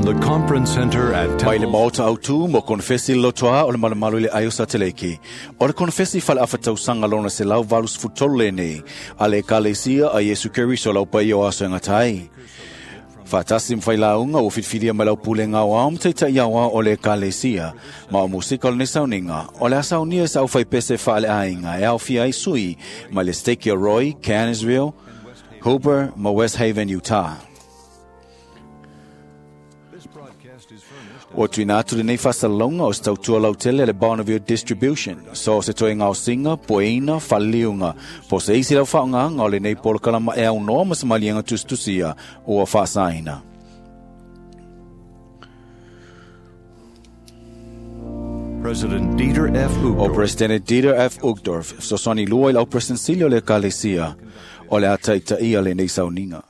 the Conference Center at Mai le Temple maota autu mo konefesi lotoa o le malumalu i le aio sateleki. O le konefesi fale afatausaga lona 183 lenei, a le Ekalesia a Iesu Keriso lau paia o aso e gata ai. Faatasi ma failauga ua filifilia mai lau pulega aoao ma taita'i aoao o le Ekalesia, ma o musika o lenei sauniga, o le a saunia e sa aufaipese faaleaiga e aofia ai sui mai le Stake o Roy, Cansville, Hooper ma West Haven, Utah. Ua tuuina atu lenei faasalalauga o se tautua lautele a le Bonneville Distribution, so o se toe gaosiga, pueina, faleliuga, po o se isi lau faaaogāga o lenei polokalama e aunoa ma se maliega tusitusia ua faasaina. President Dieter F. O Uchtdorf. Presidente Dieter F. Uchtdorf, fesoasoani lua i le au Sili o le Ekalesia, o le a taitaia lenei sauniga.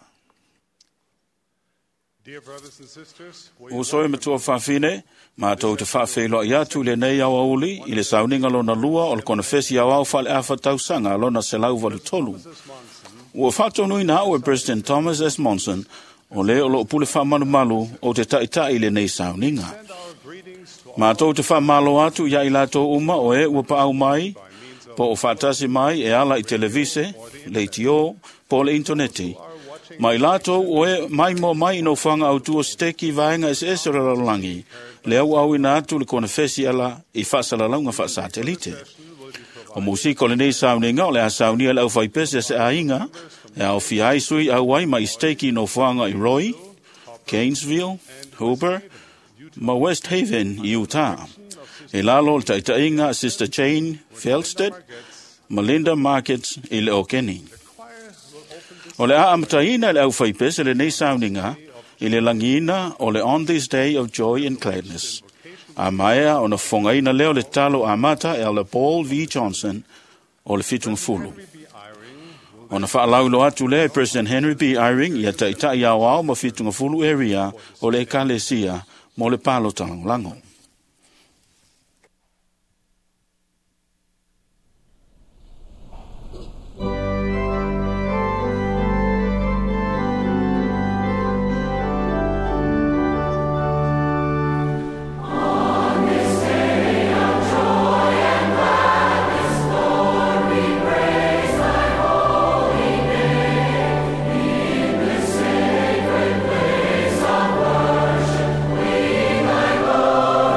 Dear brothers and sisters, we Uso e matua fafine, mātou te whaawheiloi atu le nei au auli i le sauniga lona lua o le konefesi au au whale awha tausaga lona 183. Ua whaatonuina au e President Thomas S. Monson o le o loo pule whaamalumalu o te taitai i lenei sauniga. send our greetings to Mātou te whaamalo atu ia i lātou uma o e ua paau mai, po o whaatasi mai e ala i televise, le itio, po le interneti. Mai lātou o e mai mo mai ino whanga au tua steki vaenga ese ese o le lalolagi, le au au ina atu le konefesi ala i whaasalalaunga whaasatelite. O musika o lenei sauniga o le a saunia le au whaipese se ainga, e au fiai sui au ai mai steki no whanga i Roy, Gainesville, Hooper, ma West Haven, Utah. E lalo o le taitainga Sister Jane Felstead, ma Linda Markets i le Okeni. O le a amataina le au whaipese lenei sauniga i le langiina o le On This Day of Joy and Gladness. A maea ona fongaina leo le talo amata e le Paul V. Johnson o le 70. Ona whaalaulo atu le President Henry B. Eyring ia taitai au ao ma 70 area o le ekalesia mo le palo talangolango. Worship, we thy glory.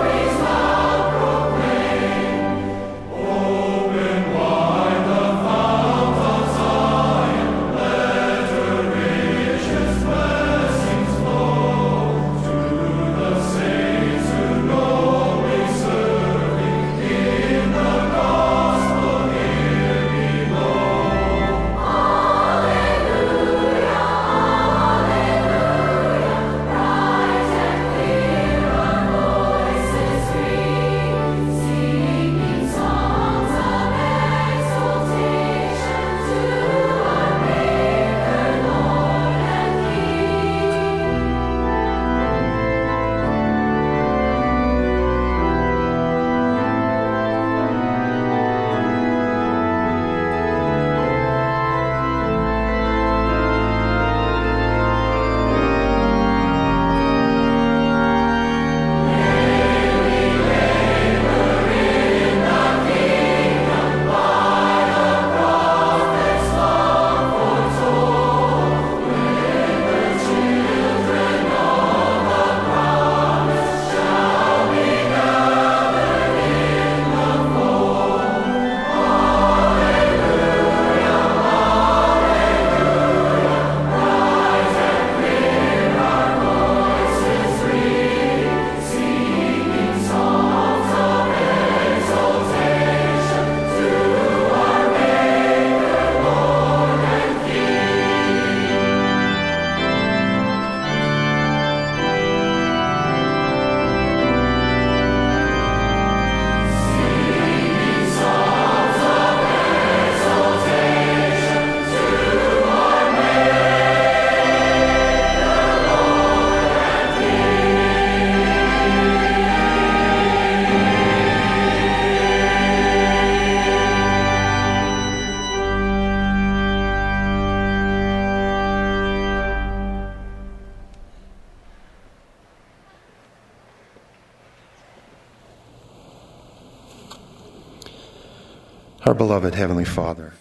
Our beloved Heavenly Father,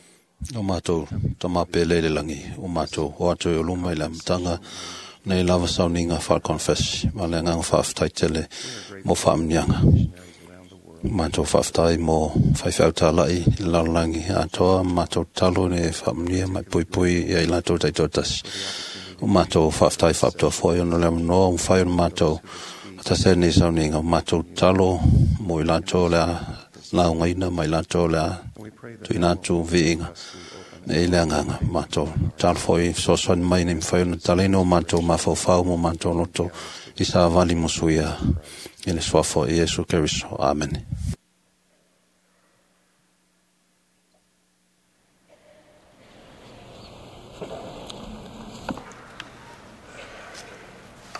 O mātou tamapele le langi, o mātou o atu e o luma i le amataga nei lava sauniga whakonfesi, ma le nganga whaaftaitele mo whaamnianga. Mātou whaaftai mo whaiwhau tālai i lalolangi atoa, mātou talo ne whaamnia mai pui pui i ai lātou taitotasi. O mātou whaaftai whaaptoa foi ono le amanoa, o whai ono mātou atase nei sauniga, o mātou talo mo i lātou lea laungaina mai lātou lea tuina atu viiga. Nei le anganga, mātou talo foi sosoani mai nei mwhai ona taleno o mātou mafaufau mo mātou loto i sa vali musuia i le suafo i Iesu Keriso. Amen.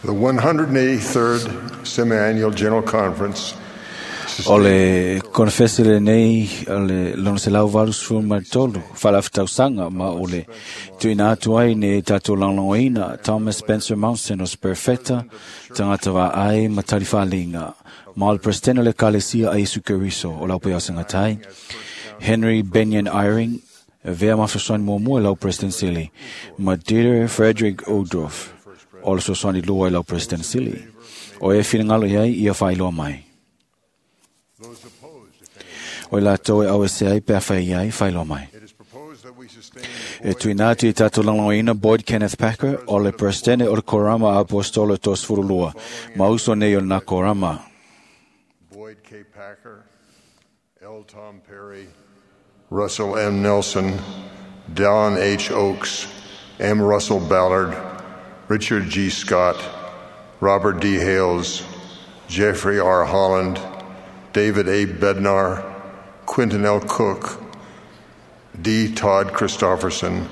The 183rd Semi-Annual General Conference O le konfesi le nei o le lona se lau valu sefulu ma le tolu faalafatausanga ma o le tuuina atu ai nei tatou lagolagoina Thomas Spencer Mounson o se perfeta tagata vaai ma talifaaliga ma o le Presidente o le Ekalesia a Iesu Keriso o lau paeaosagatai Henry Benyon Eyring e vea mafasoani muamua i lau President Sili ma Dieter Frederick Uchtdorf o le fesoasoani lua i lau President Sili o e finagalo i ai ia faailoa mai. O i latou e au e se ai pe a whai ai, whailoa mai. E tuina atu i tātou lagolagoina Boyd Kenneth Packer o le Presidente o le Korama Apostolo 32, ma uso nei o nā Korama. Boyd K. Packer, L. Tom Perry, Russell M. Nelson, Don H. Oakes, M. Russell Ballard, Richard G. Scott, Robert D. Hales, Jeffrey R. Holland, David A. Bednar, Quentin L. Cook, D. Todd Christofferson,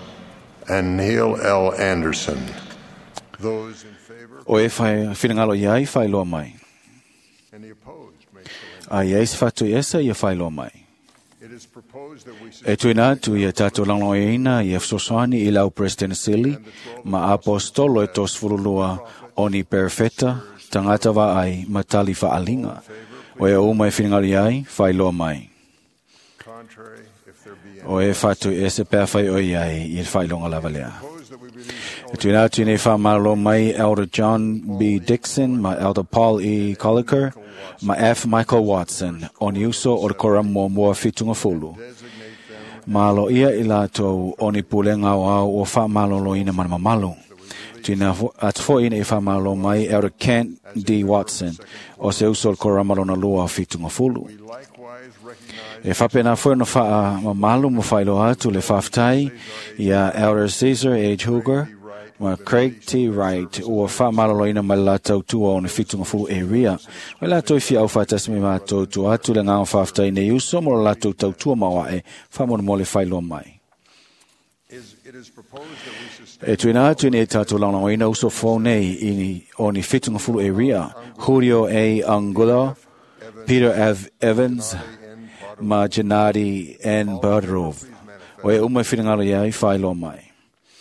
and Neil L. Anderson. Those in favor? O e whai whirangalo i ai, whailoa mai. Any opposed may so A i ai se whatu i esa, ia whailoa mai. It is proposed that we E tuina atu ia tātou lagolagoina ia fesoasoani i lau President Sili ma Apostolo e 32 o ni perfeta, tagata vaai ma tali whaalinga. O e uma e whiringalo i ai, whailoa mai. contrary, if there be any. O e whatu e se pea whai o i ai i le whailonga lava lea. Propose that we release E tuina atu nei whamalo mai Elder John B. Dixon, ma Elder Paul E. Colliker, ma F. Michael Watson, o ni uso o le kora mua mua whitunga fulu. Malo ia i lātou o ni pulenga o au o whamalolo ina mana mamalu. Tuina atu fo ina i whamalo mai Elder Kent D. Watson, o se uso o le kora malona lua o whitunga fulu. We likewise recognize E whapena foi no wha mamalu mo whailoa atu le whaftai ia Elder Caesar H. Hooger ma Craig T. Wright ua whamaloloina mai lātou tua o ni whitunga fulu e ria. O lātou i whia au whātasi me mātou tua atu le ngā whaftai nei uso mo lātou tautua mawae whamono mo le whailoa mai. is it is proposed that we sustain E tuina atu nei tātou launauina uso fō nei i ni, o ni whitunga fulu e ria. Julio A. Angulo, Peter F. Evans, ma Gennady N. Bodorov. O e uma whiringalo iai, whailoa mai.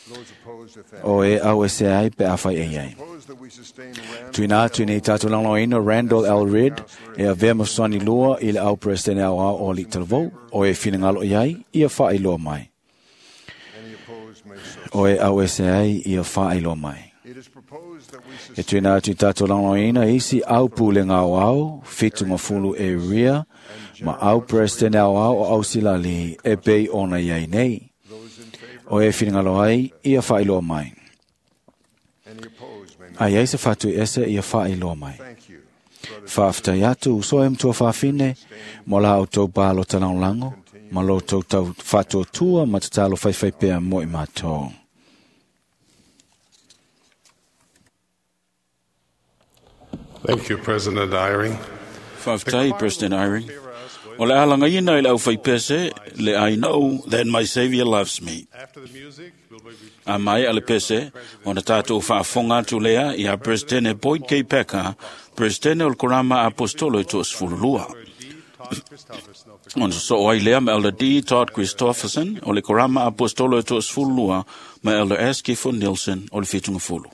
those opposed if any. O e au e se ai, pe a whai e ai. Propose that we sustain Randall Tuina atu nei tātou launauina Randall L. Ridd, e a vea masoni lua i le au presidente au au o li talavou. O e whiringalo iai, ia whailoa mai. Any opposed may so. O e au e se ai, ia whailoa mai. It is proposed that we E sustain tuina atu i tātou launauina isi au pule ngā o au, whitunga fulu e ria, ma au president au au o au silali e pei ona iai nei. those in favor. O e whiringalo ai, ia whailoa mai. Any opposed may not. Ai ai se whatu ese ia whailoa mai. Thank you. brothers Whaaftai atu uso e mtua whawhine, mo la au tau balo talangolango, ma lo tau tau whatuatua ma te talo whaiwhai pea mo i mātou. Thank you, President Eyring. Whaftai, President Eyring. O le alanga ina i lau whaipese, le I know that my Savior loves me. After the music, we'll be A mai a le pese, o na tātou whaafonga atu lea i a President Boyd K. Packer, President o le Korama Apostolo e toa D. Todd Christofferson of the Ona so ai lea ma Elder D. Todd Christofferson o le Korama Apostolo e toa ma Elder S. Gifford Nielsen o le whitunga fulu.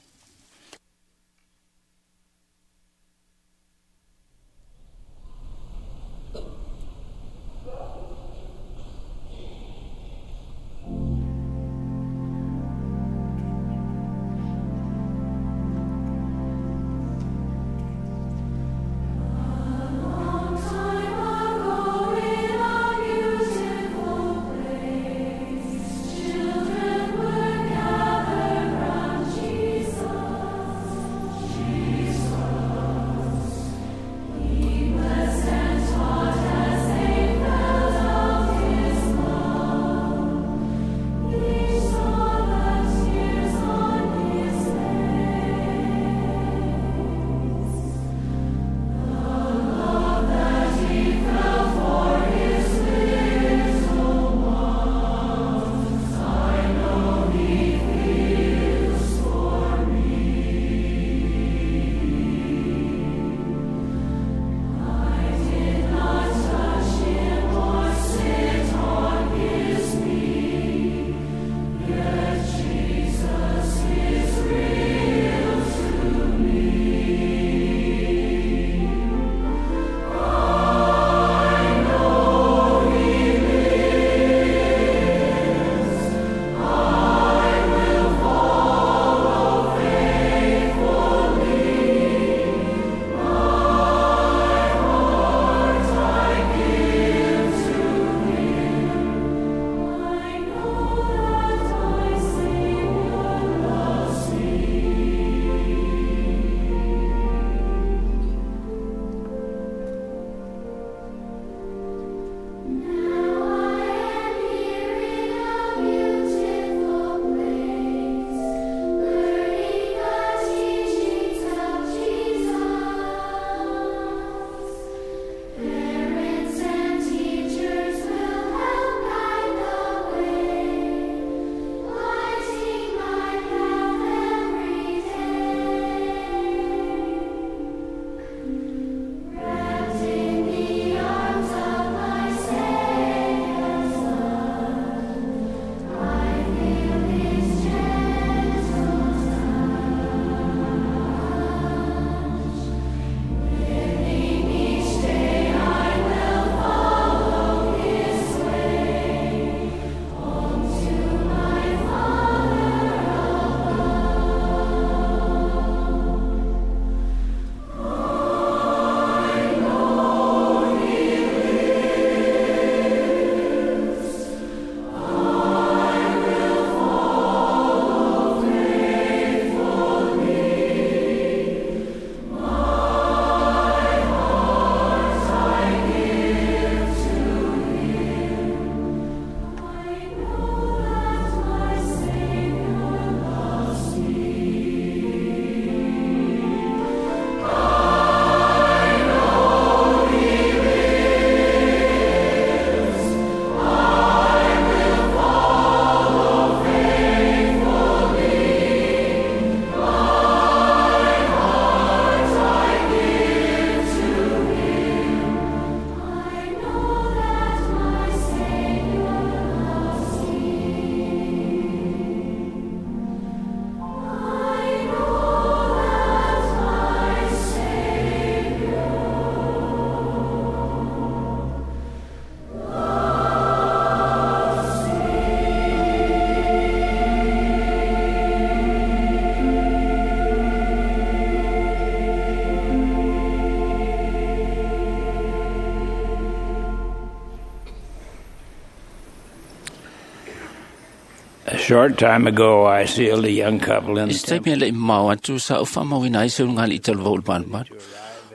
A short time ago, I sealed a young couple in I the se taimi e le'i mamao atu sa ou faamauina ai se ulugalii talavou i le malumalu.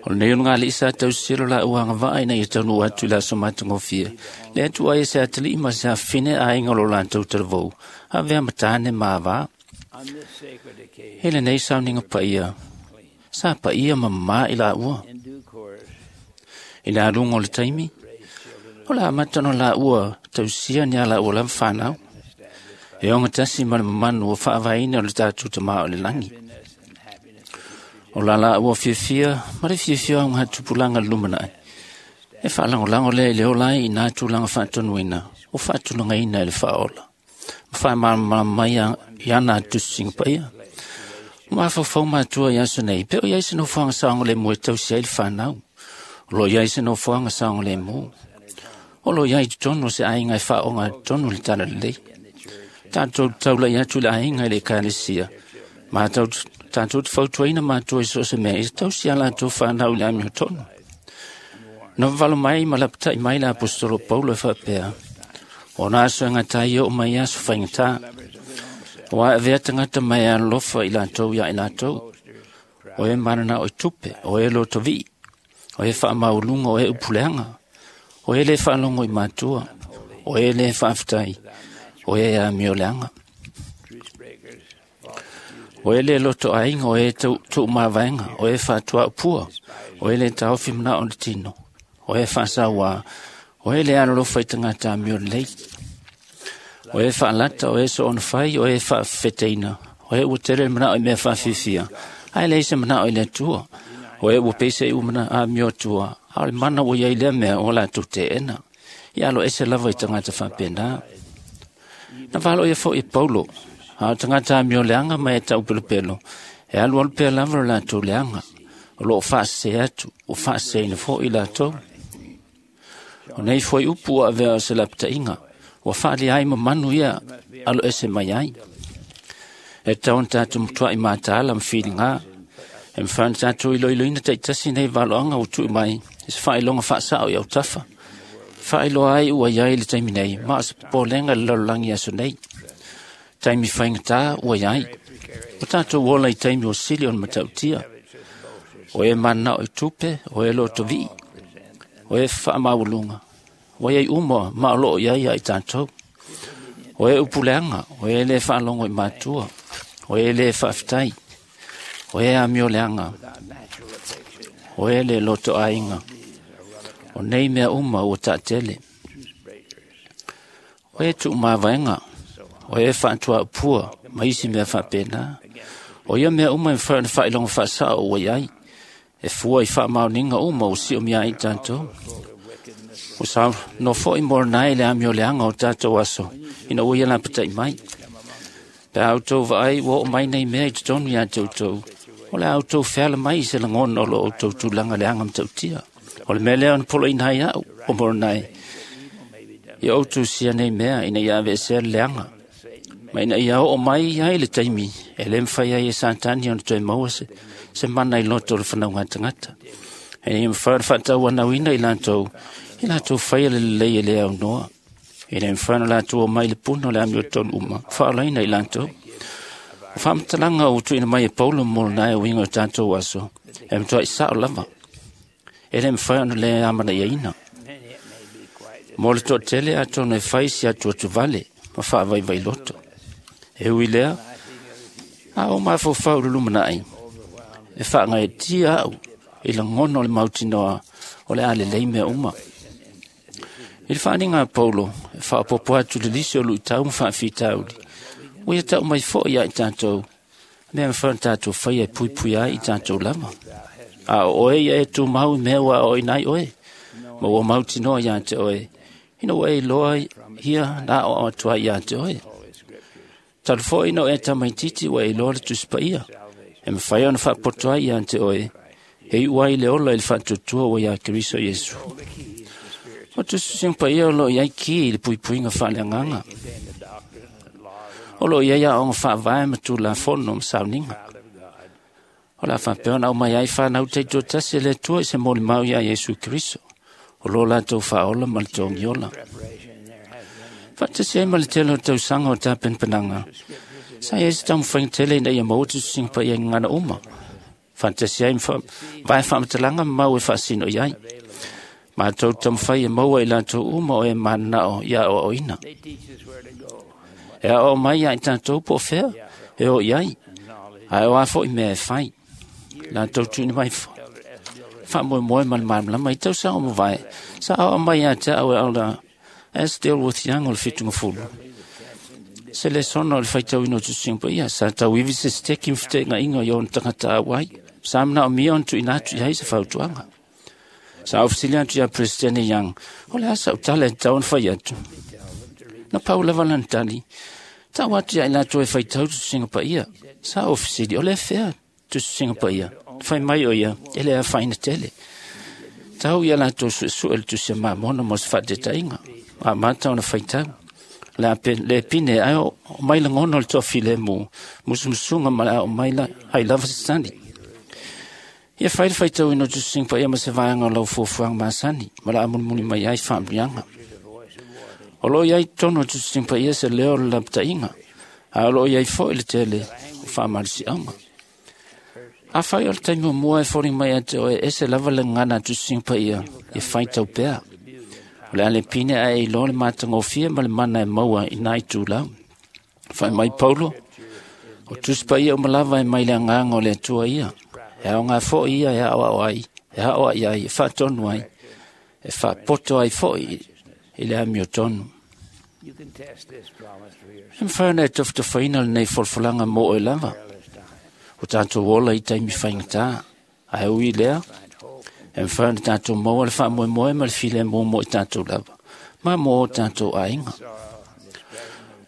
O lenei ulugalii sa tausilo laua agavaa ina ia taunuu atu i le aso matagofie. Le atu ai e se atalii ma se afafine aiga o lo latou talavou, avea ma tane ma avā. On this sacred occasion, E lenei sauniga paia, sa paia ma mamā i laua. in due course, I le aluga o le taimi, o le amata ona laua tausia ni a laua lava fanau. E ogatasi ma le mamanu ua faavaeina o le tatou Tamā o le lagi. O la laua fiafia ma le fiafia o gatupulaga le lumanai. E faalagolago lea i le ola ai i nā tulaga faatonuina o faatulagaina e le faaola. Ma faamalamalama mai i ana tusisiga paia. O mafaufau matua i aso nei, pe o iai se nofoaga saogalemu e tausi ai le fanau. O lo o iai se nofoaga saogalemu. O lo o iai i totonu o se aiga e faaoga totonu le talalelei. Tatou taulai atu i le aiga i le ekalesia. Ma tatou te fautuaina matua i so o se mea, ia tausi a latou fanau i le amiotonu. Na vavalo mai ma lapatai mai le aposetolo Paulo e faapea, o na aso e gata ai e oo mai aso faigata. Ua avea tagata mai e alolofa i latou ia i latou. O e mananao i tupe, o e lotovii, o e faamaualuga, o e upuleaga, o e le faalogo i matua, o e le faafetai, o e amioleaga. O e le loto aiga, o e tuumavaega, o e faatuaupua, o e le taofi manao o le tino, o e faasauā, o e le alolofa i tagata amiolelei. O e faalata, o e soonafai, o e faafefeteina, o e ua tele le manao i mea faafifia, ae leai se manao i le Atua. O e ua peiseai ua mana amio atua, a o le mana ua iai lea mea ua latou teena. Ia alo ese lava i tagata faapena. Na valoia foi e Paulo, a o tagata amioleaga ma e taupelopelo, e alualu pea lava lo latou leaga, o loo faasese atu, ua faaseseina foi i latou. O nei foi upu ua avea o se lapataiga, ua faalia ai mamanu ia alo ese mai ai. E tatau ona tatou matuai mataala ma filigā, e mafai ona tatou iloiloina taitasi nei valoaga ua tuu mai i se faailoga faasao i autafa. Faailoa ai ua iai le taimi nei, ma o se popolega i le lalolagi aso nei. Taimi faigata ua iai. O tatou ola i taimi ua sili ona matautia. O e mananao i tupe, o e lotovii, o e faamaualuga. Ua iai uma ma o loo iai ia i tatou. O e upuleaga, o e le faalogo i matua, o e le faafetai, o e amioleaga, o e le loto aiga. O nei mea uma ua taatele. O e tuumavaega, o e faatuaupua ma isi mea faapena. O ia mea uma e mafai ona faailoga faasao ua iai, e fua i faamaoniga uma ua siomia ai i tatou. Ua saunoa foi Moronai i le amioleaga o tatou aso, ina ua ia lapatai mai. Pe a outou vaai ua oo mai nei mea i totonu ia te outou, o le a outou feala mai i se lagona o lo outou tulaga leaga matautia. O le mea lea ona poloina ai au, o Moronai, ia outou sia nei mea ina ia aveesea le leaga, ma ina ia oo mai ai le taimi e le mafai ai e Satani ona toe maua se mana i loto o le fanauga tagata. E ia mafai ona faatauanauina i latou faia le lelei e le aunoa. E le mafai ona latou omai i le puna o le amiotonu uma, faaolaina i latou. O faamatalaga ua tuuina mai e Paulo ma Moronai e uiga o tatou aso, e matuai sao lava. E le mafai ona le amanaiaina. Mo le toatele atonu e fai si atuatuvale ma faavaivai loto. E ui lea, a o mafaufau i le lumanai, e faagaetia au i lagona o le mautinoa o le a lelei mea uma. I le faaaliga a Paulo, e faaopoopo atu le lisi o luitau ma faafitauli, ua ia tau mai foi ia i tatou, mea mafai ona tatou faia e puipui ai i tatou lava. A o oe ia e tumau i mea ua aoaoina ai oe, ma ua mautinoa ia te oe, ina ua e iloa ia na aoao atu ai ia te oe. Talu foi ina o e tamaititi ua e iloa le Tusi Paia, e mafai ona faapoto ai ia te oe, e iu ai le ola i le faatuatua ua ia Keriso Iesu. O tusitusiga paia o loo iai ki i le puipuiga faaleagaga. O loo iai aoga faavae ma tulafono ma sauniga. O le a faapea ona aumai ai fanau taitoatasi e le Atua i se molimau ia Iesu Keriso, o lo latou faaola ma le togiola. Faatasi ai ma le tele o tausaga o tapenapenaga, sa i ai se taumafaiga tele ina ia maua tusitusiga paia i gagana uma. Faatasi ai ma vae faamatalaga ma mau e faasino i ai. Matou taumafai e maua i latou uma o e mananao ia aoaoina. E aoao mai ia i tatou po o fea e o i ai, ae o a foi mea e fai. Latou tuuina mai faamoemoe ma le malamalama i tausaga o mavae, sa aoao mai ia te au e Elder S. Delworth Young o le 70. Se lesona o le faitauina o tusitusiga paia, sa tauivi se siteki ma feteegaiga i ona tagata auai. Sa manaomia ona tuuina atu i ai se fautuaga. Sa ofesili atu ia Presidente Young, o le a sau tala e tatau ona fai atu. Na pau lava lana tali, tau atu ia i latou e faitau tusitusiga paia. Sa ofesili, o le fea tusitusiga paia. Fai mai o ia, e le afaina tele. Tau ia latou suesue le tusi a Mamona mo se faataitaiga. Amata ona faitau. Le pine ae o mai lagona o le toafilemu, musumusuga ma le ao mai ai lava se tali. Ia fai le faitauina o tusitusiga paia ma se vaega o lau fuafuaga masani, ma le amulimuli mai ai faamanuiaga. O lo o i ai totonu o tusitusiga paia se leo o le lapataiga, ae o lo o i ai foi le tele o faamalosiauga. Afai o le taimi muamua e foliga mai ia te oe e ese lava le gagana a tusitusiga paia, ia faitau pea. O le a le pine ae e iloa le matagofie ma le mana e maua i nai itulau. Fai mai Paulo, o tusi paia uma lava e mai le agaga o le Atua ia. E aoga foi ia e aoao ai, e aoai ai, e faatonu ai, e faapoto ai foi i le amiotonu. E mafai ona e tofatofaina lenei folafolaga mo oe lava. O tatou ola i taimi faigata, ae ui lea, e mafai ona tatou maua le faamoemoe ma le filemu mo i tatou lava, ma mo o tatou aiga.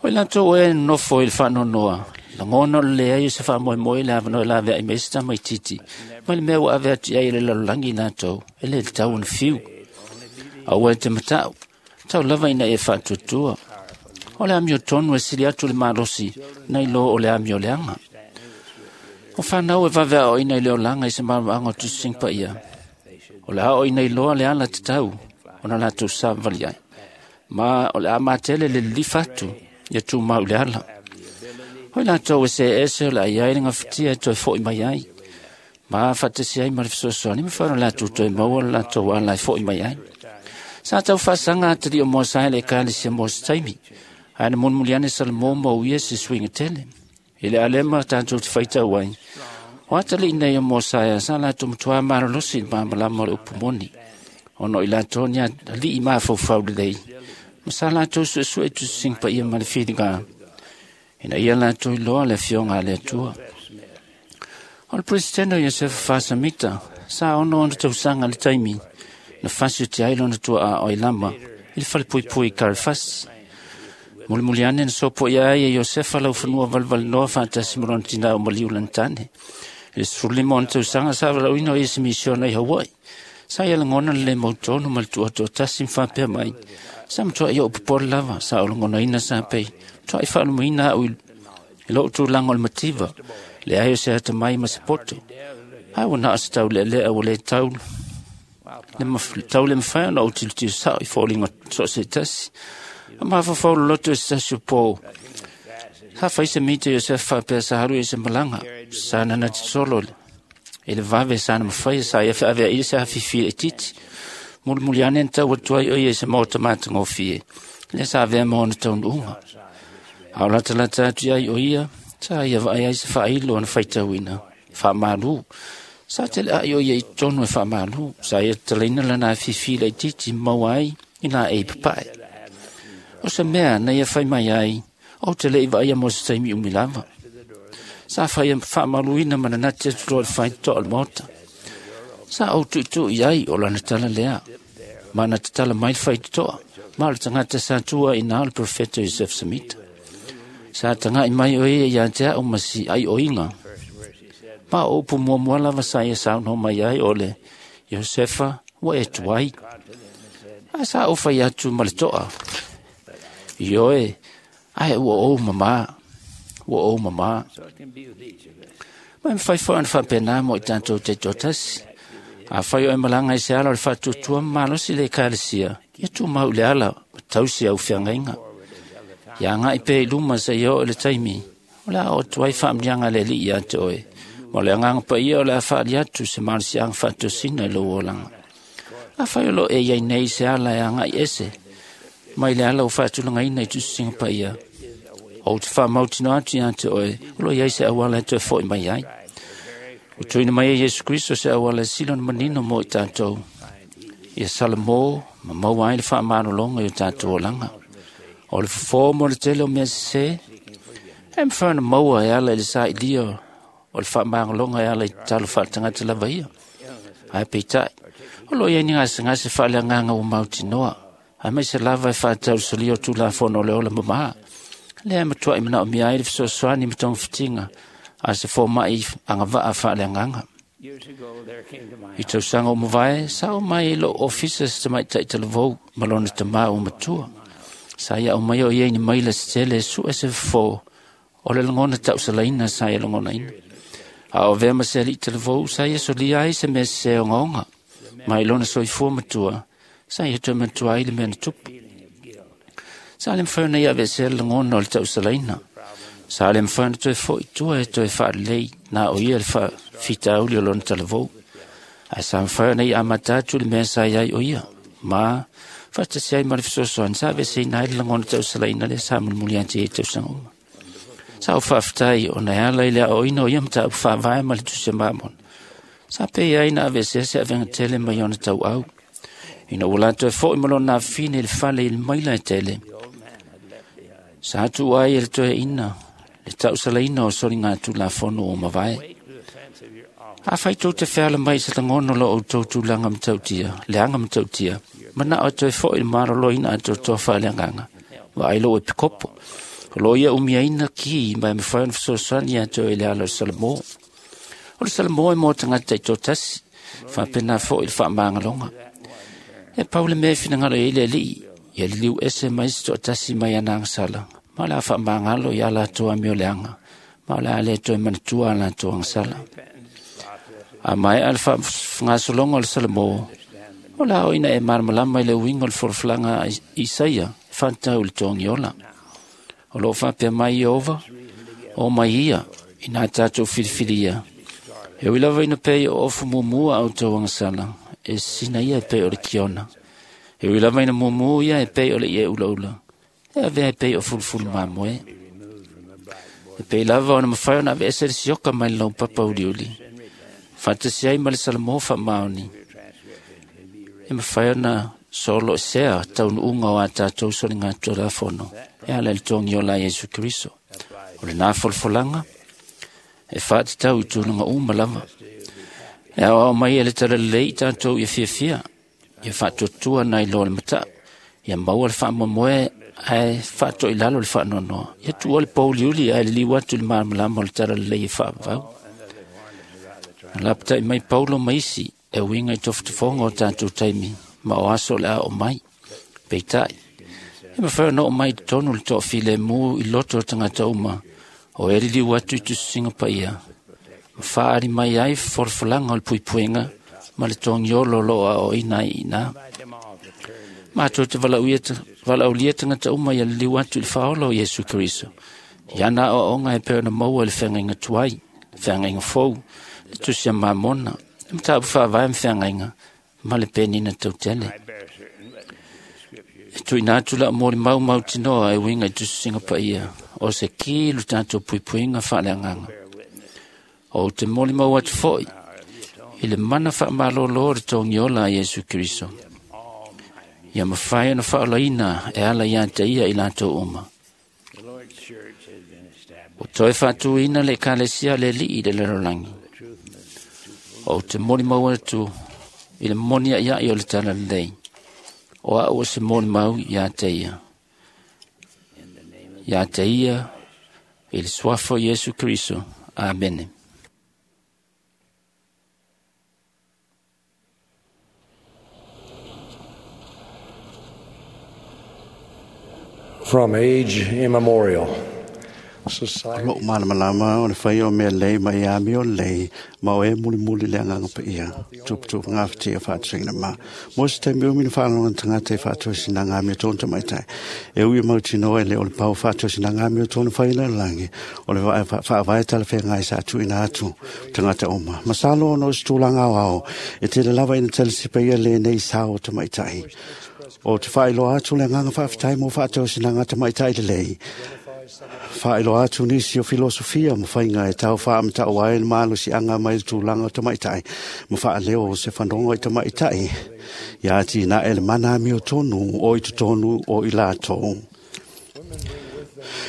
O i latou e nonofo i le faanoanoa, lagona o le leai o se faamoemoe i le avanoa e laveai mai ai se tamaitiiti, mai le mea ua ave atu i ai e le lalolagi i latou, e le tatau ona fiu. Aua e te matau, tau lava ina e faatuatua. O le amiotonu e sili atu le malosi, nai lo o le amioleaga. O fanau e vave aoaoina i le olaga i se malamalamaaga o tusitusiga paia, o le aoaoina iloa le ala tatau ona latou savavali ai, ma o le a matele le lilifa atu ia tumau i le ala. O i latou e seese o le a i ai le gafatia e toe foi mai ai, ma faatasi ai ma le fesoasoani mafai ona latou toe maua le latou ala e foi mai ai. Sa tau faasaga atalii o Mosae i le ekalesia mo se taimi, ae na mulimuli ane Salamo ma uia se suiga tele. I le alema tatou te faitau ai, o atalii nei o Mosaea sa latou matuā malolosi i le malamalama o le upu moni, ona o i latou ni alii mafaufau lelei, ma sa latou suesue i tusitusiga paia ma le filiga, ina ia latou iloa le afioga a le Atua. O le Peresetene o Iosefa Fasamita, sa 66 tausaga i le taimi na fasi o te ai lona tuaa o Ailama i le falepuipui i Karefasi. Mulimuli ane na sopoia ai e Iosefa laufanua valevalenoa faatasi ma lona tinā o maliu lana tane. I le 15 ona tausaga sa valaauina o ia i se misiona i Hawaii. Sa ia lagona le le mautonu ma le tuatoatasi ma faapea mai, sa matuai ou popole lava, sa ou lagonaina sa pei, matuai faalumaina au i lou tulaga o le mativa, leai o se atamai ma se poto. Ae ua na o se taulealea ua le tau le mafai ona ou tilotilo sao i foliga so o se tasi. A mafaufau loloto i se tasi o po, sa fai se mita Iosefa faapea sa alu i se malaga, sa nana solo i le vave sa na mafaia sa ia feaveai se afifi laitiiti. Mulimuli ane na tau atu ai o ia i se maota matagofie, lea sa avea ma ona taunuuga. A o latalata atu i ai o ia, sa ia vaai ai se faailo ona faitauina, faamalu. Sa teleai o ia i totonu e faamalu, sa ia tatalaina lana afifi laitiiti ma maua ai i laei papae. O se mea na ia fai mai ai, ou te le i vaaia mo se taimi umi lava. Sa fai faamaluina ma nanati atu loa i le faitotoa o le maota. Sa ou tuitui ai o lana tala lea, ma na tatala mai le faitotoa, ma o le tagata sa tua i na o le profeta Joseph Smith. Sa tagai mai o ia ia te au ma si aioiga. Ma o upu muamua lava sa ia saunoa mai ai o le Iosefa ua e tuai. Ae sa ou fai atu ma le toa, Ioe, ae ua ou mamā, ua ou mamā. Ma e mafai foi ona faapena mo i tatou taitoatasi. Afai o e malaga i se ala o le faatuatua ma malosi i le ekalesia, ia tumau i le ala ma tausi au feagaiga. Ia agai pea i luma seia oo i le taimi o le a oo atu ai faamanuiaga a le Alii ia te oe, ma o le Agaga Paia o le a faaali atu se malosiaga faatosina i lou olaga. Afai o lo o e i ai nei i se ala e agai ese mai le ala ua faatulagaina i tusitusiga paia, ou te faamautinoa atu ia te oe o lo o i ai se auala e toe fo'i mai ai. Ua tuuina mai e Iesu Kriso se auala e sili ona manino mo i tatou, ia salamo ma maua ai le faamalologa i o tatou olaga. O le fofo mo le tele o mea sesē, e mafai ona maua e ala i le sailia o le faamagaloga e ala i tatalo faaletagata lava ia. Ae peitai, o lo o i ai ni gasegase faaleagaga ua mautinoa, aemaise lava e faatatau i le solia o Tulafono o le ola mamā, lea e matuai manaomia ai le fesoasoani ma togafitiga a se fomai agavaa faaleagaga. I tausaga ua mavae, sa oo mai i lou ofisa se tamaitai talavou ma lona tamā ua matua. Sa ia aumaia o ia i ni maila se tele e sue se fofo o le lagona tausalaina sa ia lagonaina. A o avea ma se alii talavou, sa ia solia ai se mea sesē ogaoga, ma i lona soifua matua, sa ia toe manatua ai le mea na tupu. Sa le mafai ona ia aveesea le lagona o le tausalaina. Sa le mafai ona toe fo'i i tua e toe faalelei na o ia le faafitauli o lona talavou. Ae sa mafai ona ia amata atu le mea sa i ai o ia, ma faatasi ai ma le fesoasoani sa aveeseina ai le lagona tausalaina lea sa mulimuli atu i ai i tausaga uma. Sa ou faafetai ona e ala i le aoaoina o ia mataupu faavae ma le Tusi a Mamona, sa pei ai na aveesea se avega tele mai ona tauau. Ina ua la toe fo'i ma lona afafine i le fale i le maila e tele, sa tuua ai e le toeaina le tausalaina o soligatulafono ua mavae. Afai tou te feala mai i se lagona o lo outou tulaga matautia, leaga matautia, manao e toe fo'i i le maloloina atoatoa faaleagaga, vaai lou epikopo. O lo o ia umiaina ki ma e mafai ona fesoasoani ia te oe i le ala o le Salamo. O le Salamo e mo tagata taitoatasi, faapena foi le faamagaloga. E pau le mea e finagalo i ai le Alii, ia liliu ese mai se toatasi mai ana agasala, ma o le a faamagalo i a latou amioleaga, ma o le a le toe manatua a latou agasala. A maea le faagasologa o le Salamo, o le a oo ina e malamalama i le uiga o le folafolaga a Isaia e faatatau i le togiola. O lo o faapea mai Ieova, o mai ia, ina tatou filifilia. E ui lava ina pei o ofu mumu a outou agasala, e sisina ia e pei o le kiona. E ui lava ina mumu ia e pei o le ie ulaula, e avea e pei o fulufulu mamoe. E pei lava ona mafai ona aveese le sioka mai le laupapa uliuli, faatasi ai ma le Salamo faamaoni, e mafai ona soloesea taunuuga o a tatou soligatulafono e ala i le togiola a Iesu Keriso. O lena folafolaga e faatatau i tulaga uma lava. E aoao mai e le talalelei i tatou ia fiafia, ia faatuatua nai loa le matau, ia maua le faamoemoe ae faatoilalo le faanoanoa, ia tuua le pouliuli ae liliu atu i le malamalama o le talalelei e faavavau. Na lapatai mai Paulo ma isi e uiga i tofotofoga o tatou taimi ma o aso o le a oo mai. Peitai, e mafai ona oo mai i totonu le toafilemu i loto o tagata uma o e liliu atu i tusitusiga paia, ma faaali mai ai folafolaga o le puipuiga ma le togiolo o lo o aoaoina ai i ina. Matou te valaaulia tagata uma ia liliu atu i le faaola o Iesu Keriso, i ana aoaoga e pei ona maua i le feagaiga tuai, le feagaiga fou, le Tusi a Mamona, le mataupu faavae ma feagaiga, ma le penina tautele. E tuuina atu lau molimau mautinoa e uiga i tusitusiga paia, o se ki lo tatou puipuiga faaleagaga. Ou te molimau atu foi i le mana faamalolo o le togiola a Iesu Keriso, ia mafai ona faaolaina e ala ia te ia i latou uma. Ua toe faatuina le Ekalesia a le Alii i le lalolagi. Ou te molimau atu i le moni aiai o le talalelei, o au o se molimau ia te ia. Ia te ia, i le suafa o Iesu Keriso. Amene. From age immemorial, Society Lo'u malamalama o le faia o mea lelei ma ia amio lelei ma o e mulimuli le agaga paia tuputupu gafatia faatusaina ma mo se taimi umi na faalogo tagata i faatosinaga amiotonu tamaitai e ui e mautinoa e le o le pau faatosinaga amiotonu fai le lalagi o le faavae talafeagai sa tuuina atu tagata uma. Masalo ona o se tulaga aoao e tele lava ina talasipa ia lenei sao o tamaitai. O te faailoa atu le agaga faafetai mo faatosinaga tamaitai lelei. Faailoa atu nisi o filosofia ma faiga e tau faamata'u ai le malosiaga mai le tulaga o tamaitai ma faaleo o se fanoga i tamaitai ia atinae le mana amiotonu o i totonu o i latou.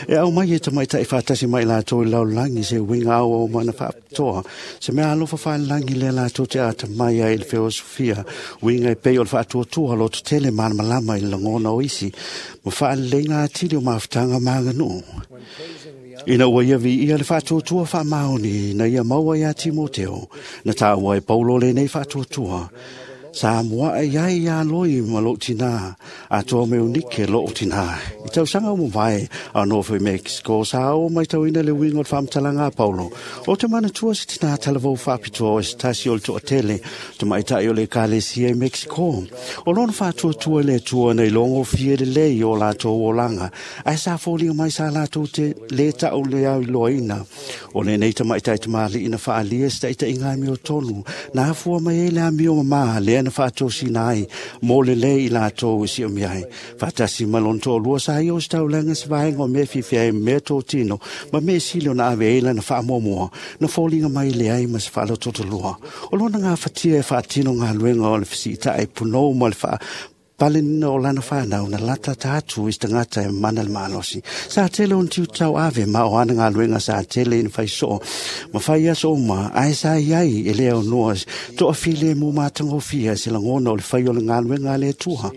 E aumai e tamaitai faatasi mai latou i lalolagi se uiga auau mana faapitoa, se mea alofa faalelagi lea latou te atamai ai i le feosofia, uiga e pei o le faatuatua lototele malamalama i le lagona o isi, ma faaleleiga atili o mafutaga ma aganuu. Ina ua ia viia le faatuatua faamaoni na ia maua ia Timoteo, na taua e Paulo lenei faatuatua, sa muaʻe iai iā loi ma loʻu tinā atoa me unike loʻu tinā. I tausaga ua mavae a nofo i Mexico sa oo maitauina le uiga o le faamatalaga a Paulo. O te manatua se tinā talavou faapitoa o se tasi o le toatele tamaitaʻi o le ekalesia i Mexico. O lona faatuatua i le Atua na ilogofie lelei o latou olaga ae sa foliga mai sa latou te lē taʻu le auiloaina. O lenei tamaitaʻi tamalii na faaalia se taʻitaʻiga amiotonu na afua mai ai le amio mamā lea na faatosina ai mo lelei i latou e siomia ai. Faatasi ma lona toalua sa ia o se taulaga se vaega o mea fiafia ai ma mea totino ma mea sili ona ave ai lana faamuamua na foliga mai leai ma se faalototolua. O lona gafatia e faatino galuega o le fesiitaʻi punou ma le faapalenina o lana fanau na latata atu i se tagata e mana le malosi. Sa tele ona tiutau ave ma o ana galuega sa tele ina faisoo ma fai aso uma ae sa iai e le aunoa toafilemu matagofie se lagona o le fai o le galuega a le Atua.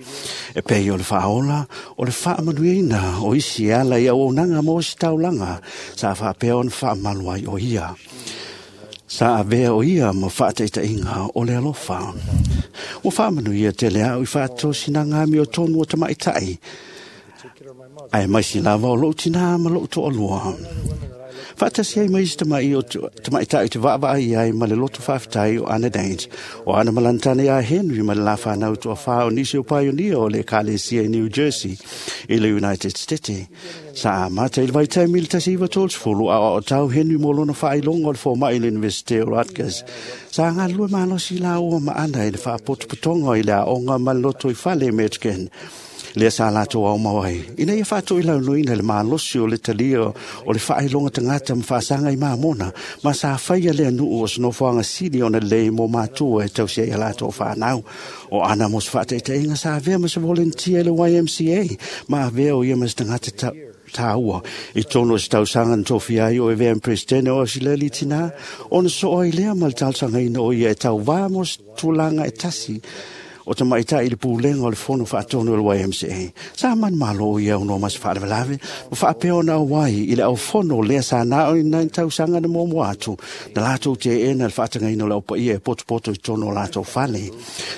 E pei o le faaola o le faamanuiaina o isi e ala i auaunaga mo se taulaga sa faapea ona faamalu ai o ia. Sa avea o ia ma faataitaiga o le alofa. Ua faamanuia tele au i faatosinaga amiotonu o tamaitai, ae maisi lava o loʻu tinā ma loʻu toalua. Faatasi ai ma isi tamaitai te vaavaai ai ma le loto faafetai o Anna Danes, o ana malantane ia Henry ma le la whanau toa o nisi o paionia o le ekalesia i New Jersey i le United States. Sa amata i le vaitaimi i le 1930 a o tau Henry mo lona faailoga o le fomai i le University o Rutgers. Sa galulue malosi laua ma Ana i le faapotopotoga i le aoga ma le loto i fale i Michigan. Lea sa latou aumau ai. Ina ia faatoilaunoina le malosi o le talia o le faailoga tagata ma faasaga i mamona, ma sa faia le anuu o se nofoaga sili ona lelei mo matua e tausi ai a latou fanau. O Ana mo se faataitaiga sa avea ma se volunteer i le YMCA, ma avea o ia ma se tagata tāua i tonu o se tausaga na tofia ai o e vea presidente o Ausileli tinā, ona soo ai lea ma le talosagaina o ia e tauvā mo se tulaga e tasi o tamaitai i le pulega o le fono faatonu o le YMCA. Sa manumalo ia aunoa ma se faalavelave, ma faapea ona auai i le aufono lea sa na o i nai tausaga na muamua atu, na latou teena le faatagaina o le aupaia e potopoto i totonu o latou fale.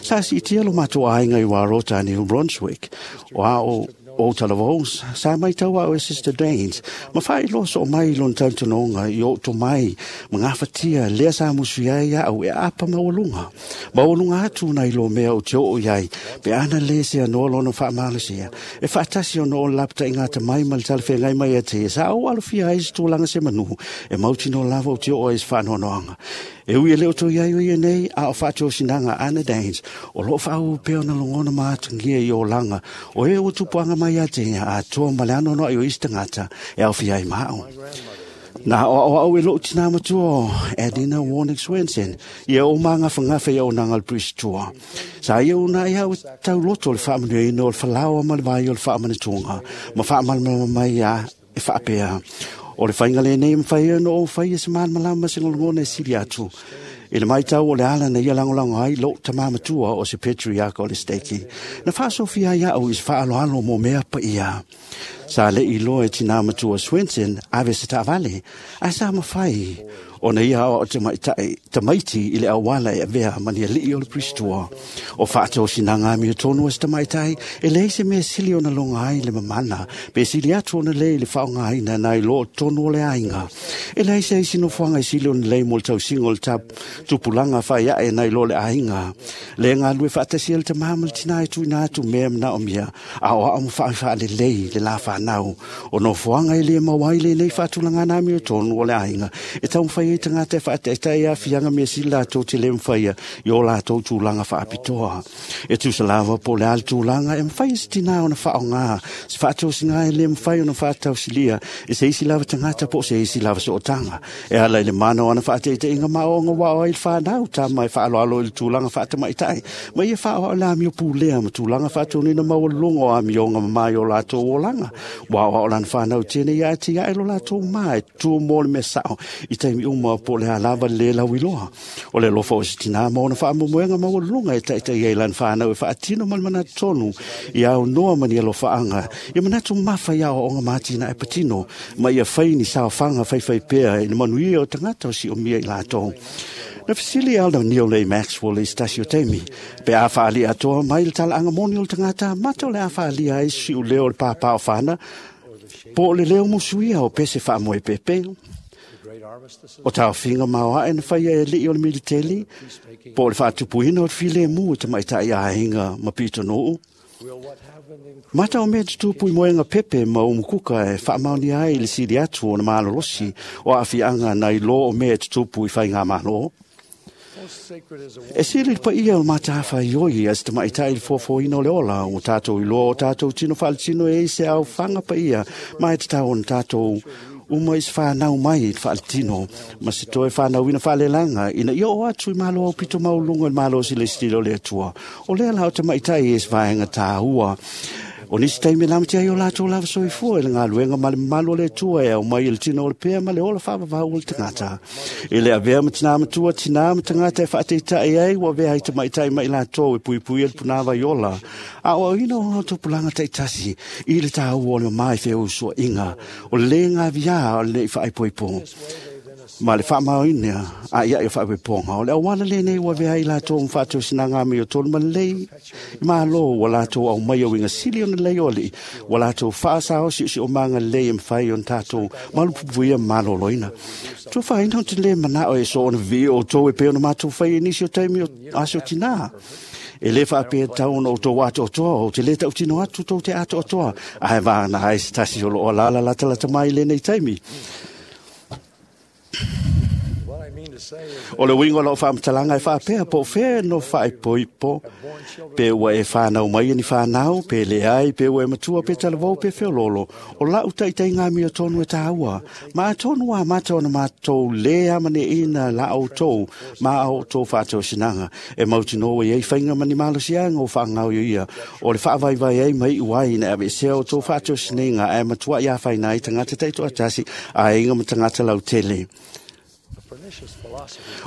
Sa siitia lo matou aiga i Warota, New Brunswick, o a o o talavou, sa maitau au e Sister Danes, ma faailoa soo mai lona talitonuga i ou tomai ma gafatia lea sa musu ai au e apa maualuga. Maualuga atu nai lo mea o te oo i ai, pe ana lē se anoa lona faamalosia. E faatasi ona o le lapataiga atamai ma le talafeagai mai ia te ia, sa ou alofia ai se tulaga se manu, e mautinoa lava o te oo ai se faanoanoaga. E ui e le o toi ai o ia nei, a o faatosinaga Anna Danes, o loo faauu pea ona lagona ma atagia i olaga, o e ua tupuaga mai ia te ia, atoa ma le anoanoai o isi tagata e aofia ai ma au. Na aoaoa e loʻu tinā matua o Adina Warnick Swenson, ia o magafagafa i auaunaga o le Priest-tua. Sa ia uunai au e tauloto o le faamanuiaina o le falaoa ma le vai o le faamanatuga, ma faamalamalama mai ia e faapea. O le faiga lenei e mafai ai ona ou faia se malamalama ma se gologona e sili atu. I le maitau o le ala na ia lagolago ai loʻu tamā matua o se patriarch o le steki. Na faasofia ai aʻu i se faaaloalo mo mea paia. Sa leʻi iloa e tinā matua Swenson ave se taavale, ae sa mafai Ona ia o te maitai tamaiti i le auala e avea ma ni ali'i o le Pristua. O whaatosinaga amio tonu a se tamaitai, e leai se mea sili ona loga ai le mamana, pe sili atu ona lei le faaaogaina nai lo tonu o le aiga. E leai se isi nofoaga e sili ona lei mo le tausiga o le tupulaga faiae nai lo le aiga. Le galulue faatasi ai le tamā ma le tinā e tuuina atu mea manaomia, aoao ma faafaalelei le la fanau. O nofoaga e le maua ai lenei faatulagana amio tonu o le aiga, e taumafai ai tagata e faataitai aafiaga mea sili latou te le mafaia i o latou tulaga faapitoa. E tusa lava po o le a le tulaga e mafai e se tinā ona faaaogā se faatosiga e le mafai ona faatausilia e se isi lava tagata po o se isi lava sootaga. E ala i le mana o ana faataitaiga ma aoaoga ua ao ai le fanau tama e faaaloalo i le tulaga faatamaitai ma ia faaoao le amio pulea ma tulaga faatonuina maualuluga o amioga mamā i o latou olaga. Ua aoao lana fanau tene ia atiae lo latou ma e tu mo le mea sao i taimi uma po o le a lava le lauiloa. O le alofa o se tinā ma ona faamoemoega maualuluga e taitai ai lana fanau e faatino ma le manatu tonu i aunoa ma ni alofaaga ia manatu mafa i aoaoga ma atinae patino ma ia fai ni saofaga faifaipea i le manuia o tagata o siomia i latou. Na fesili Elder Neal A. Maxwell i se tasi o taimi, pe a faalia atoa mai le talaaga moni o le tagata mata o le a faalia ai se siuleo o le pāpā o fana, po o le leo musuia o pese faamoepepe. O taofiga maoae na faia e ali'i o le militeli, po o le faatupuina o le filemu e tamaitai aiga ma pitonuu. Mata o mea tutupu i moega pepe ma umukuka e faamaonia ai le sili atu o na malolosi o aafiaga nai lo o mea tutupu i faigamalo. E sili le paia o le matafaioi a se tamaitai i le foafoaina o le ola ua tatou iloa o tatou tino faaletino e ai se aofaga paia ma e tatau ona tatou uma i se fanau mai i le faaletino ma se toe fanauina faalelaga ina ia oo atu i malo aupito maualuluga i le malosi le sitila o le Atua. O lea la o tamaitai e se vaega tāua. O nisi taimi e lamatia ai o latou lava soifua i le galuega ma le mamalu o le Atua e aumai i le tino o le pea ma le ola faavavau o le tagata. E le avea ma tinā matua, tinā ma tagata e faataitai ai, ua avea ai tamaitai mai latou e puipuia le punāvai ola. A o auina o tupulaga taitasi i le tāua o le mamā i feusuaiga, o le lē gaviā o le nei faaipoipo. Ma le faamaoina a ia i o faapoipoga, o le auala lenei ua avea ai latou ma faatosinaga amiotonu ma lelei i malo ua latou aumai o uiga sili ona lelei o alii, ua latou faasaosi'osi'omaga lelei e mafai ona tatou malupuipuia ma maloloina. Tuafaina o te lē mana'o e soona vivii outou e pei ona matou faia i nisi o taimi o aso tinā. E lē faapea tatau ona outou atoatoa, ou te lē tautino atu tou te atoatoa, ae vagana ai se tasi o loo alaala latalata mai i lenei taimi. O le uiga o lau faamatalaga e faapea po o fea no faaipoipo, pe ua e fanau mai e ni fanau, pe leai, pe ua e matua, pe talavou, pe feololo. O lau taitaiga amiotonu e tāua. Ma atonu a mata ona matou lē amaneʻina la outou ma a outou faatosinaga. E mautinoa i ai faiga ma ni malosiaga o faagaoioia. O le faavaivai ai ma iu ai ina aveesea outou faatosinaga ae matuai afaina ai tagata taitoatasi, aiga ma tagata lautele.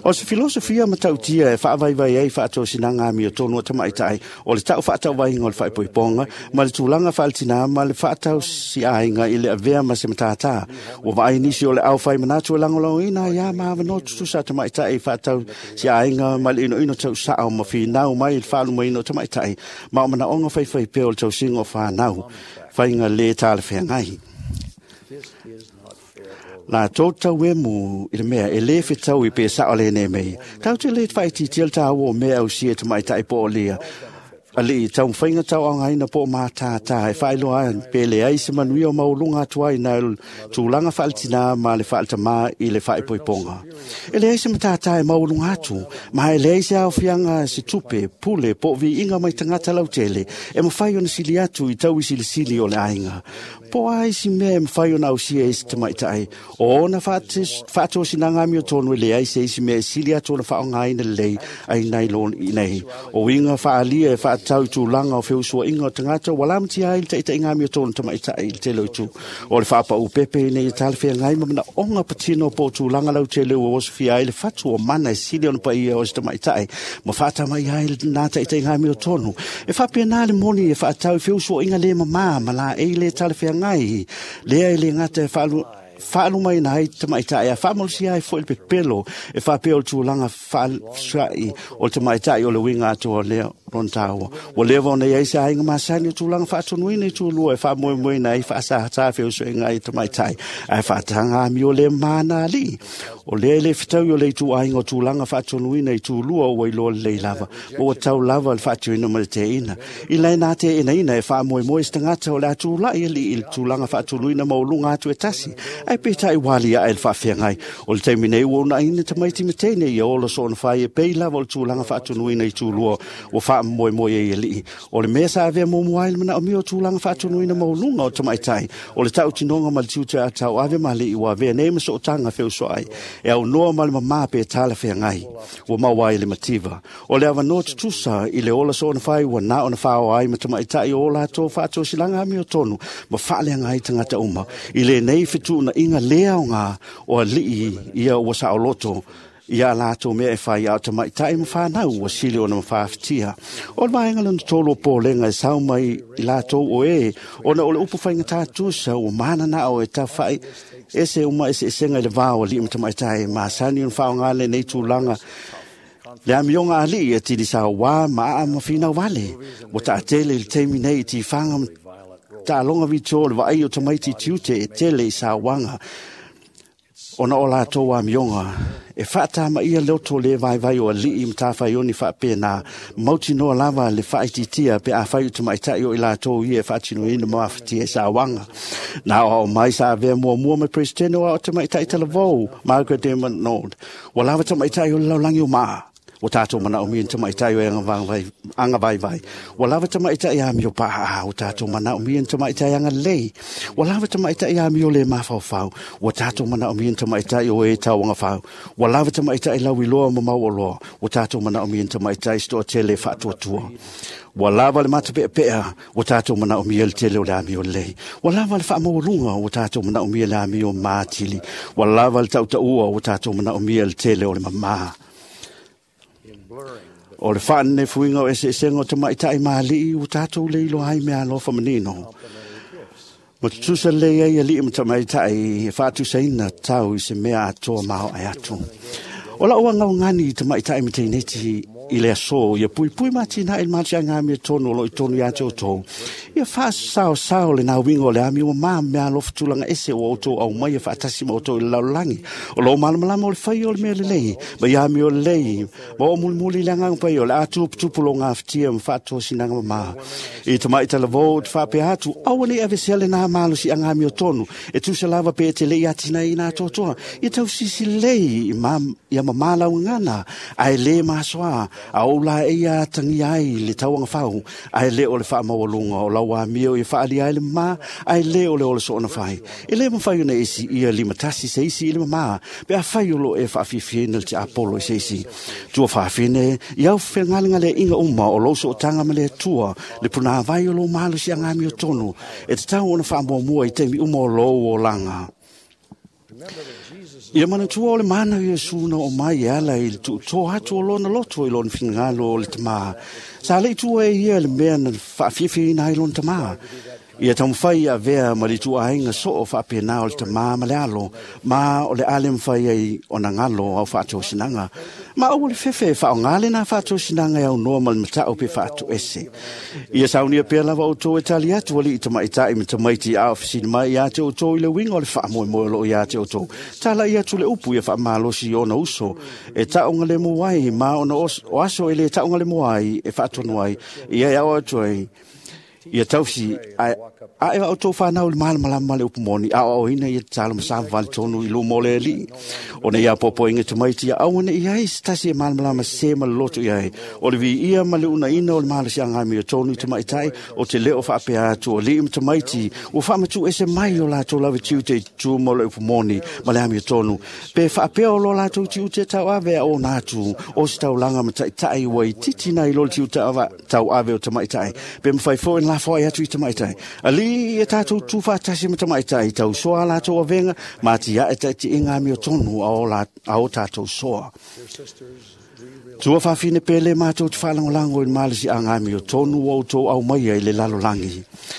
O se filosofia matautia e faavaivai ai faatosinaga amiotonu o tamaitai, o le ta'u faatauvaiga o le faaipoipoga ma le tulaga faaletinā ma le faatausiaiga i le avea ma se matātā. Ua vaai nisi o le aufai manatu e lagolagoina ai a ma avanoa tutusa a tamaitai i faatausiaiga ma le inoino tausa'o ma finau mai i le faalumaina o tamaitai ma o manaoga faifaipea o le tausiga o fanau, faiga lē talafeagai. Latou tauemu i le mea e lē fetaui pe sa'o lenei mea. Tatou te lē faaitiitia le tāua o mea ausia e tamaitai po o lia. Alii taumafaiga tauaogaina po o matātā e faailoa ai pe leai se manuia o maualuga atu ai nai le tulaga faaletinā ma le faaletamā i le faaipoipoga. E leai se matātā e maualuga atu, ma e leai se aofiaga se tupe, pule po o viiga mai tagata lautele e mafai ona sili atu i tauisilisili o le aiga. Po o a isi mea e mafai ona ausia e se tamaitai, o ona faatosinaga amiotonu e leai se isi mea e sili atu ona faaaogaina lelei ai nai lo nei. O uiga faaalia e faatatau i tulaga o feusuaiga o tagata ua lamatia ai le taitaiga amiotonu tamaitai i le tele o itu. O le faapau pepe ina ia talafeagai ma manaoga patino po o tulaga lautele ua osofia ai le fatu o mana e sili ona paia o se tamaitai ma faatamai ai lena taitaiga amiotonu. E faapena le moni e faatatau i feusuaiga le mamā ma laei le talafeagai lea e le gata e faalumaina ai tamaitai a faamalosia ai fo'i le pepelo e faapea o le tulaga faafesua'i o le tamaitai o le uiga atoa lea lona tāua. Ua leva ona i ai se aiga masani o tulaga faatonuina i tulua e faamoemoeina ai faasāsā feosoega ai tamaitai ae faataga amio le mana alii. O lea e le fetaui o le ituaiga o tulaga faatonuina i tulua ua iloa lelei lava, ma ua tau lava le faatioina ma le teina. I laina teenaina e faamoemoe se tagata o le a tula'i alii i le tulaga faatonuina maualuga atu e tasi, ae peitai ua aliae le faafeagai. O le taimi nei ua uunaina tamaiti ma teine ia ola soona fai e pei lava o le tulaga faatonuina i tulua ua faamoemoe ai alii. O le mea sa avea muamua ai le manaomia o tulaga faatonuina maualuga o tamaitai, o le tautinoga ma le tiute a tauave ma alii ua avea nei ma sootaga feusoai e aunoa ma le mamā pe talafeagai ua maua ai le mativa. O le avanoa tutusa i le ola soona fai ua na ona faaoa ai ma tamaitai o latou faatosilaga amiotonu ma faaleaga ai tagata uma. I lenei fetuunaiga le aoga o alii ia ua saoloto ia latou mea e fai a o tamaitai ma fanau ua sili ona mafaafatia. O le vaega lona tolu o polega e sau mai i latou o e, ona o le upu faigata tusa ua mananao e tawhai ese uma eseesega i le va o alii ma tamaitai e masani ona faaaoga lenei tulaga le amioga alii e tilisauā ma aa ma finau vale. Ua taatele i le taimi nei i tifaga ma taaloga vitio o le vaai o tamaiti tiute e tele i sauaga ona o latou amioga e faatamaia loto le vaivai o alii ma tafaioni faapena mautinoa lava le faaitiitia pe afai o tamaitai o i latou ia e faatinoina ma afatia i sauaga. Na aoao mai sa avea muamua ma Peresetene o ao tamaitai talavou Margaret M. MacDonald. Ua lava tamaitai o le lalolagi o maa. Ua tātou manaomia ni tamaitai o e agavaivai. Ua lava tamaitai amio pa'a. Ua tātou manaomia ni tamaitai agalelei. Ua lava tamaitai amio le mafaufau. Ua tātou manaomia ni tamaitai o e tauagafau. Ua lava tamaitai lauiloa ma mauoloa. Ua tātou manaomia ni tamaitai se toatele faatuatua. Ua lava le matapeapea, ua tātou manaomia le tele o le amio lelei. Ua lava le faamaualuga, ua tātou manaomia le amio matili. Ua lava le tautaua, ua tātou manaomia le tele o le mamā. O le faanenefuiga o eseesega o tamaitai ma alii ua tātou le iloa ai mea alofa manino. Ma tutusa lelei ai alii ma tamaitai e faatusaina tau i se mea atoa maoae atu. O lau agaogani i tamaitai ma teineti i le aso, ia puipui ma atinae i le malosiaga amiotonu o lo o i tonu ia te outou. Ia faasaosao le nauiga o le amio mamā ma mea alofa tulaga ese ua outou aumaia faatasi ma outou i le lalolagi. O lou malamalama o le faia o le mea lelei, ma ia amio lelei, ma oo mulimuli i le agaga paia o le a tuputupu lou gafatia ma faatosinaga mamā. I tamai talavou ou te faapea atu, aua nei avesea lenā malosiaga amiotonu, e tusa lava pe e te le i atinaeina atoatoa. Ia tausisi lelei ia mamā lau gagana, ae le masoa, a ou la e ia atagia ai le tauagafau, ae le o le faamaualuga o lau amio ia faaalia ai le mamā, ae le o le ola soona fai. E le mafai ona e siia limatasi se isi i le mamā, pe afai o loo e faafiafiaina le tiapolo i se isi. Tua faafine, ia au fegalegaleaiga uma o lou sootaga ma le Atua, le punāvai o lou malosiaga amiotonu, e tatau ona faamuamua i taimi uma o lou olaga. Ia manatua o le mana o Iesu na oo mai e ala i le tuutoa atu o lona loto i lona finagalo o le tamā. Sa le i tua e ia le mea na faafiafiaina ai lona tamā. Ia taumafai ia avea ma le ituaiga soo faapena o le tamā ma le alo, ma o le a le mafai ai ona galo au faatosinaga. Ma aua le fefe e faaaoga lenā faatosinaga e aunoa ma le matau pe faatoese. Ia saunia pea lava outou e tali atu alii tamaitai ma tamaiti a o fesili mai ia te outou i le uiga o le faamoemoe o loo ia te outou. Tala'i atu le upu ia faamalosi i ona uso e taogalemu ai ma ona o aso e le taogalemu ai e faatonu ai ia e ao atu ai. Ia tausi ae a outou fanau i le malamalama ma le upu moni, aoaoina ia tatalo ma savavali tonu i luma o le Alii. Ona ia poapoaina tamaiti ia aua nei ai se tasi e malamalama sesē ma loloto i ai. O le viia ma le uunaina o le malosiaga amiotonu i tamaitai, o te leo faapea atu o alii ma tamaiti, ua faamatuuese mai o latou lava tiute i tutū ma o le upu moni ma le amiotonu. Pe faapea o lo latou tiute tauave a ona atu, o se taulaga ma taitai ua itiiti nai lo le tiute tauave o tamaitai. Pe mafai foi ona lafoai atu i tamaitai. Alii ia tātou tū faatasi ma tamaitai, tausoa a latou avega, ma atiae taitiiga amiotonu a o tātou soa. Tua whawhine pele mātou te whalangolango i malisi a ngā mio tonu o tō au mai i le lalolangi.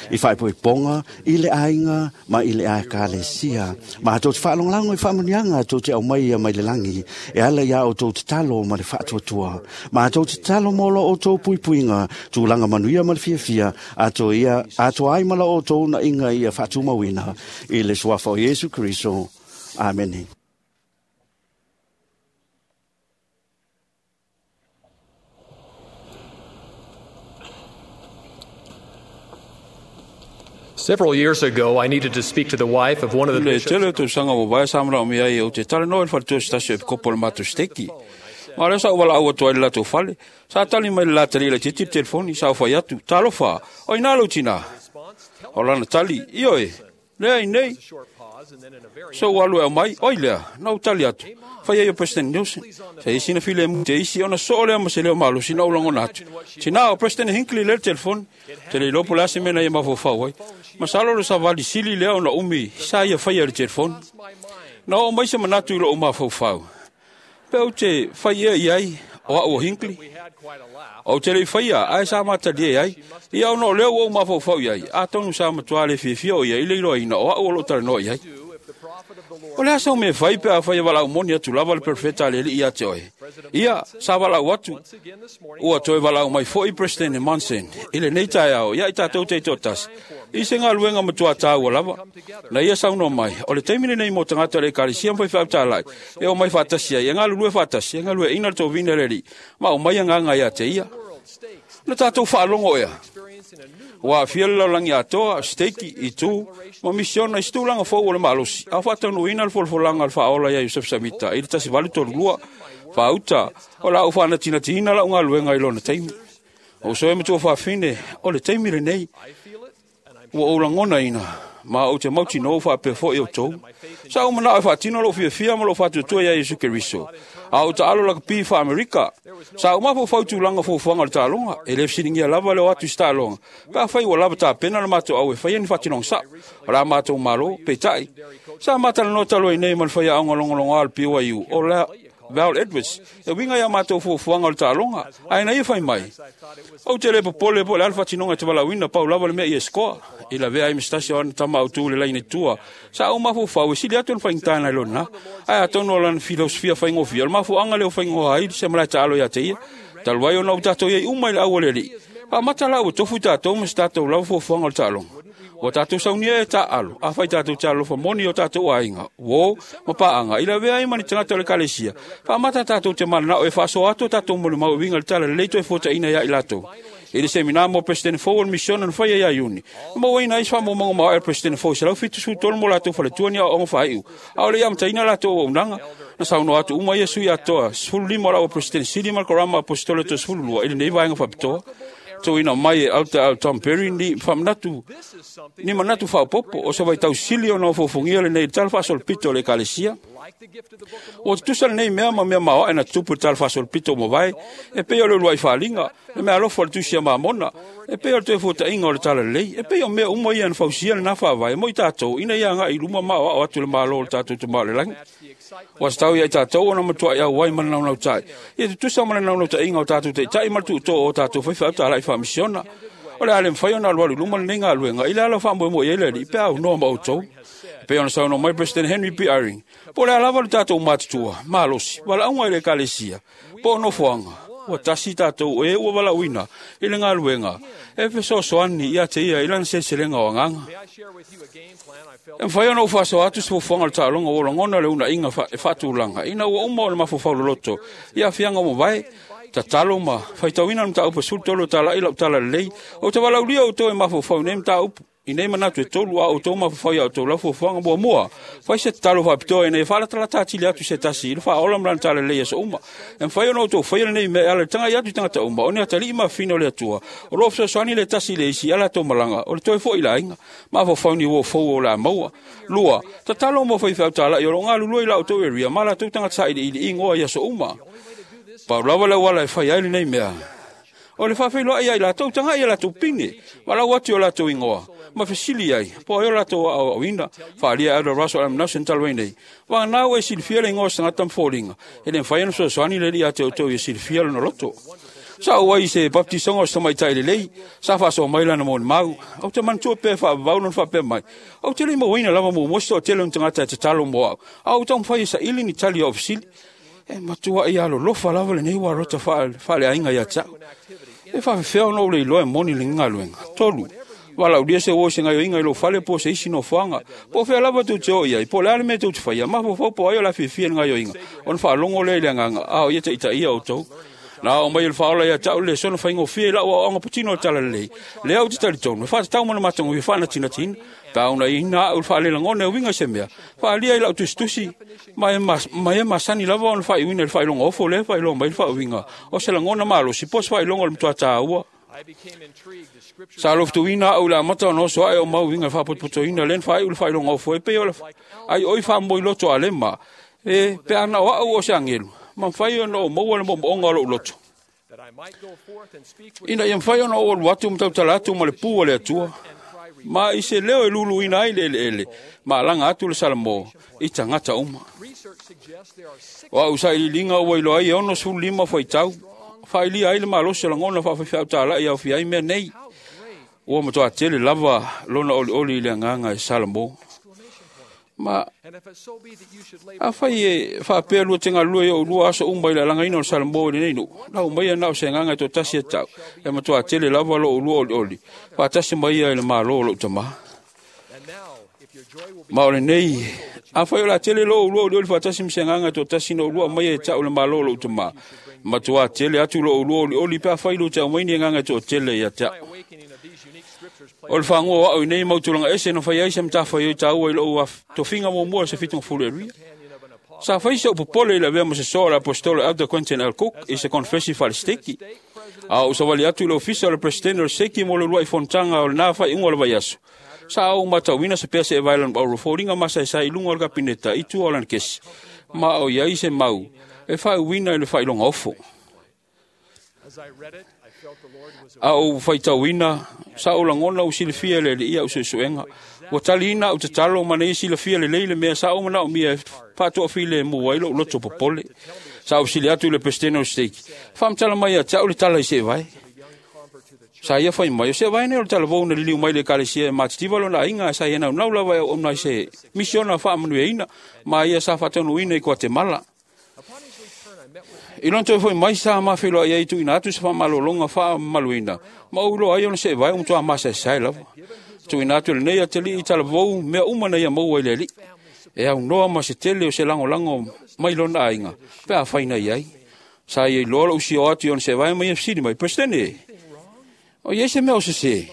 I whaipo i ponga, i le ainga, ma i le ae kālesia. Mātou te whalangolango i whamunianga tō te au mai mai le langi, e ala ia o tō te talo ma le whaatuatua. Mātou te talo mōlo o tō puipuinga, tūlanga manuia ma le fiafia, ato ia, ato ai mala o tō na inga ia whaatumawina, i le suafa o Iesu Kristo. Amene. Several years ago, I needed to speak to the wife of one of the Le bishops. tele tausaga ua vaea sa manaomia ai ou te talanoa i le faletua se tasi o epikopo o le matou seteki. Ma lea sa ou valaau atu ai le latou fale. Sa tali mai le latali i le titi le telefoni, sa ou fai atu, talofa, o ina lou tinā. O lana tali, ioe, lea i nei. So ua alu e aumai, oi lea, na ou tali atu. Fai ai o President Nelson. Sa isi na file mu te isi, ona soo lea ma se leo malosi na ou lagona atu. Tinā o President Hinckley lea le telefoni. Te le iloa po o le a se mea na ia mafaufau ai. Masalo le savali sili lea ona umi sa ia faia i le telefoni. Na oo mai se manatu i lou mafaufau. Pe ou te fai ea i ai o au o Hinckley. Ou te le i faia, ae sa matalie ai. Ia ona o lea ua ou mafaufau i ai. Atonu sa matua le fiafia o ia i le iloaina o au o loo talanoa i ai. O le asa o me fai pe a fai e valaau moni atu lava le perofeta a le Alii ia te oe. Ia, sa valaau atu. Ua toe valaau mai foi President Monson i lenei taeao ia i tatou taitoatasi. I se galuega matua tāua lava. Na ia saunoa mai, o le taimi lenei mo tagata o le ekalesia ma faifeau talai, e omai faatasi ai, e galulue faatasi, e galueaiina le tovina e le Alii, ma aumai agaga ia te ia. Na tatou faalogo ea. Ua aafia le lalolagi atoa, steiki, itu, ma misiona i se tulaga fou o le malosi, a o faataunuuina le folafolaga a le faaola ia Iosefo Samita i le 1832, faauta o la ou faanatinatiina lau galuega i lona taimi. O uso e matua faafine, o le taimi lenei, ua ou lagonaina, ma ou te mautinoa ua faapea foi outou. Sa ou manao e faatino lou fiafia ma lou faatuatua ia Iesu Keriso. A ou taalo lakapi faa-Amerika. Sa ou mafaufau i tulaga fuafuaga o le taaloga. E le fesiligia lava le o atu i se taaloga. Pe afai ua lava tapena le matou au e faia ni faatinoga sao. O la matou malo, peitai. Sa matalanoa talu ai nei ma le faiaoga logologoa o le BYU, o la Val Edwards, e uiga ia matou fuafuaga o le taaloga, ae na ia fai mai. Ou te le popole po o le a le faatinoga e te valaauina pau lava le mea ia e sikoa. I lavea ai ma se tasi o ana tama autū i le laina i tua. Sa ou mafaufau e sili atu ona faigata nai lo lena. Ae atonu o lana filosofia faigofie, o le mafuaaga lea o faigoa ai se malae taalo ia te ia. Talu ai ona ua tatou iai uma i le au a le Alii. Faamata la ua tofu i tatou ma se tatou lava fuafuaga o le taaloga. Ua tatou saunia e taaalo, afai tatou te alofa moni i o tatou aiga, uō ma paaga, i lavea ai ma ni tagata o le ekalesia. Faamata tatou te mananao e faasoa atu o tatou molimau e uiga i le tala lelei toe fuataina ia i latou. I le semina mo President fou o le misiona na faia ia Iuni, na mauaina ai se faamaumauga maoae a le President fou e 173 mo latou faletua ni aoaoga faaiu, a o le i amataina latou auaunaga. Na saunoa atu uma ia sui atoa 15 o la ua President sili ma le Korama Aposetolo toe 12 i lenei vaega faapitoa. Tuuina mai e Alta au Tom Perry ni faamanatu ni manatu faaopoopo o se vaitau sili ona ofoofogia lenei i le tala faasolopito o le ekalesia. Ua tutusa lenei mea ma mea maoae na tutupu i le tala faasolopito ua mavae, e pei o le uluai faaaliga, le meaalofa o le tusi a Mamona, e pei o le toe fuataiga o le talalelei, e pei o mea uma ia na fausia lena faavae mo i tatou ina ia agai i luma ma aoao atu le Malo o le tatou Tama o le Lagi. Ua tatau ia i tatou ona matuai auai ma le naunautai, ia tutusa ma le naunautaiga o tatou taitai ma le tuutoo o tatou faifeau talai faamisiona. O le a le mafai ona alualu i luma lenei galuega i le ala o faamoemoe i ai le Alii pe a aunoa ma outou. E pei ona saunoa mai President Henry B. Eyring, po o le a lava le tatou matutua, malosi, valaauga i le ekalesia, po o nofoaga, ua tasi tatou e ua valaauina i le galuega e fesoasoani ia te ia i lana seleselega o agaga. E mafai ona ou faasoa atu se fuafuaga o le taaloga ua lagona le uunaaiga e faatulaga ina ua uma ona mafaufau loloto i aafiaga ua mavae, tatalo ma faitauina le mataupu e 13 o talai lau tala lelei. Ou te valaaulia outou e mafaufau i nei mataupu, i nei manatu e tolu a outou mafaufau ia outou lau fuafuaga muamua. Fai se tatalo faapitoa ina ia faalatalata atili atu se tasi i le faaola ma lana tala lelei i aso uma. E mafai ona outou faia lenei mea e ala i le tagai atu i tagata uma, o ni atalii ma afafine o le Atua, o lo o fesoasoani le tasi i le isi i a latou malaga, o le toe foi i le aiga. Mafaufau ni uo fou o le a maua. Lua, tatalo mo faifeau talai o lo o galulue i la outou area ma latou tagata sailiili igoa i aso uma. Pau lava le auala e fai ai lenei mea, o le faafeiloai ia i latou, tagai i a latou pine, valaau atu i o latou igoa, Ma fesili ai, po o ai o latou aoaoina, faaalia e Elder Russell M. Nelson talu ai nei. Vagana ua e silafia le igoa o se tagata ma foliga, e le mafai ona fesoasoani le Alii ia te outou ia silafia lona loto. Sa ou ai i se baptisoga o se tamaitai lelei, sa faasoa mai lana molimau. Ou te manatua pea e faavavau lona faapea mai, Ou te le i mauaina lava muamua se toatele o ni tagata e tatalo mo au, a ua taumafai e saili ni tali o au fesili. E matuai alolofa lava lenei ualota faaleaiga ia te au. E faafefea ona ou le iloa e moni lenei galuega? 3. Valaaulia se uo i se gaoioiga i lou fale po o se isi nofoaga, po o fea lava tou te oo i ai, po o le a le mea tou te faia, mafaufau po o ai o le a fiafia i le gaoioiga, ona faalogo lea i le agaga, a o ia taitaia outou. Na ao mai e le Faaola ia te au le lesona faigofie i lau aoaoga patino o le Talalelei, lea ou te talitonu e faatatau ma le matagofie faanatinatiina, pe a unaiina au i le faalelagona e uiga i se mea, faaalia i lau tusitusi, ma e masani lava ona faaiuina i le faailoga ofo lea e faailoa mai le faauiga o se lagona malosi po o se faailoga o le matua taua. Sa lofutuina au i le amata ona oso ae o mau uiga i le faapotopotoina lea na faaiu le faailoga ofo e pei o le ai oi faamoe loto a lema, e pe ana o au o se agelu, ma mafai ona ou maua le moomooga o lou loto, ina ia mafai ona ou alu atu ma tautala atu ma le pū a le Atua, ma i se leo e luluina ai le eleele, ma alaga atu le Salamo i tagata uma. O au sailiiliga ua iloa ai e 65 faitau, faailia ai le malosi o lagona faafaifeau talai e aofia ai mea nei. Ua matua tele lava lona olioli i le agaga e Salamo. Ma afai e faapea lua te galulue i ou lua aso uma i le alagaina o le Salamo i lenei nuu, lau maia na o se agaga e toatasi e tau, e matua tele lava lou lua olioli, faatasi mai ia i le malo o lou tamā. Ma o lenei, afai o le a tele lou lua olioli faatasi ma se agaga e toatasi na ou lua aumaia e tau i le malo o lou tamā, matua tele atu lou lua olioli pe afai lua te aumai ni agaga e toatele ia te au. O le fagoa o au i nei mautulaga ese na fai ai se matafaioi taua i lou tofiga muamua o se 72. Sa fai se upu popole i le avea ma se soa o le aposetolo Elder Quentin L. Cook i se konfesi faale-steki. A ou savali atu i le ofisa o le presidente o le steki mo le uluai fonotaga o lena faaiuga o le vaiaso. Sa ou matauina se pea se evaelan auro foliga masaesae i luga o le kapineta i tua o lana kesi, ma o i ai se mau e faauiina i le faailoga ofo. A ou faitauina, sa ou lagona ua silafia e le Alii au suesuega. Ua taliina au tatalo ma nei silafia lelei le mea sa ou manaomia e faatoafilemu ai lou loto popole. Sa ou fesili atu i le Peresetene o le Stake, faamatala mai ia te au le tala i seevae. Sa ia fai mai, o seevae nei o le talavou na liliu mai le ekalesia e matitiva lona aiga, sa ia naunau lava e auauna i se misiona faamanuiaina, ma ia sa faataunuuina i Guatemala. I lona toe foi mai sa mafeiloai ai tuuina atu se faamalologa faamamaluina, ma ou iloa ai ona seevae ua matua masaesae lava. Tuuina atu e lenei atalii i talavou mea uma na ia maua i le Alii, e aunoa ma se tele o se lagolago mai lona aiga, pe afai na i ai. Sa ia iloa lou sio atu i ona seevae ma ia fesili mai, Peresetene, o i ai se mea o sesē?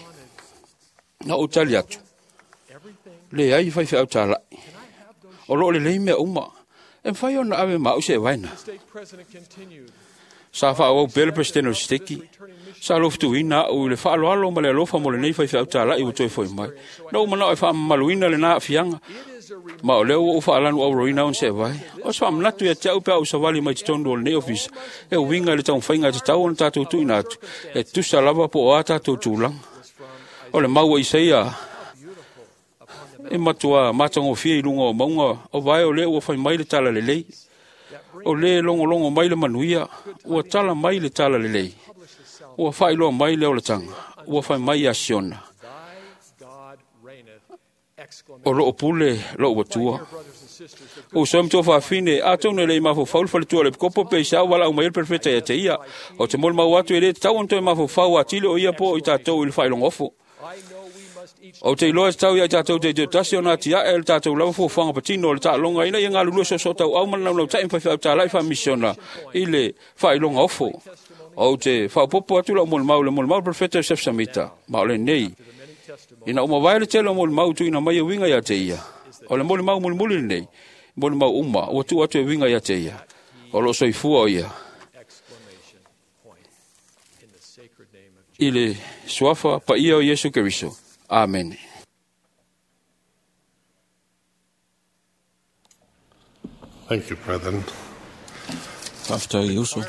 Na ou tali atu, leai faifeau talai, o loo lelei mea uma. E mafai ona ave ma au seevae na. Sa faaauau pea le Peresetene o le Steki. Sa lofutuina au i le faaaloalo ma le alofa mo lenei faifeau talai ua toe foi mai. Na ou manao e faamamaluina lena aafiaga, ma o lea ua ou faalanu auroina ona seevae. O se faamanatu ia te au pe a ou savali mai totonu o lenei ofisa, e uiga i le taumafaiga e tatau ona tatou tuuina atu, e tusa lava po o a tatou tulaga. O le mau a Isaia e matua matagofie i luga o mauga o vae o lea ua fai mai le tala lelei. O le logologo mai le manuia, ua tala mai le tala lelei. Ua faailoa mai le olataga, ua fai mai ia Siona, o loo pule lou Atua. O uso e matua faafine, atonu e le i mafaufau le faletua o le epikopo pe i se au valaau mai ai le perofeta ia te ia. O te molimau atu e le tatau ona toe mafaufau atili o ia po o i tatou i le faailoga ofo. Ou te iloa e tatau ia i tatou teiteu-tasi ona atiae le tatou lava fuafuaga patino o le taaloga ina ia galulue soosootaua ma le naunautai ma faifeau talai faamisiona i le faailoga ofo. Ou te faaopoopo atu lau molimau i le molimau o le Perofeta Joseph Samita, ma o lenei, ina ua mavae le tele o molimau tuuina mai e uiga ia te ia. O le molimau mulimuli lenei, molimau uma ua tuu atu e uiga ia te ia. O loo soifua o ia i le suafa paia o Iesu Keriso. Amene. Thank you, brethren. Faafetai uso.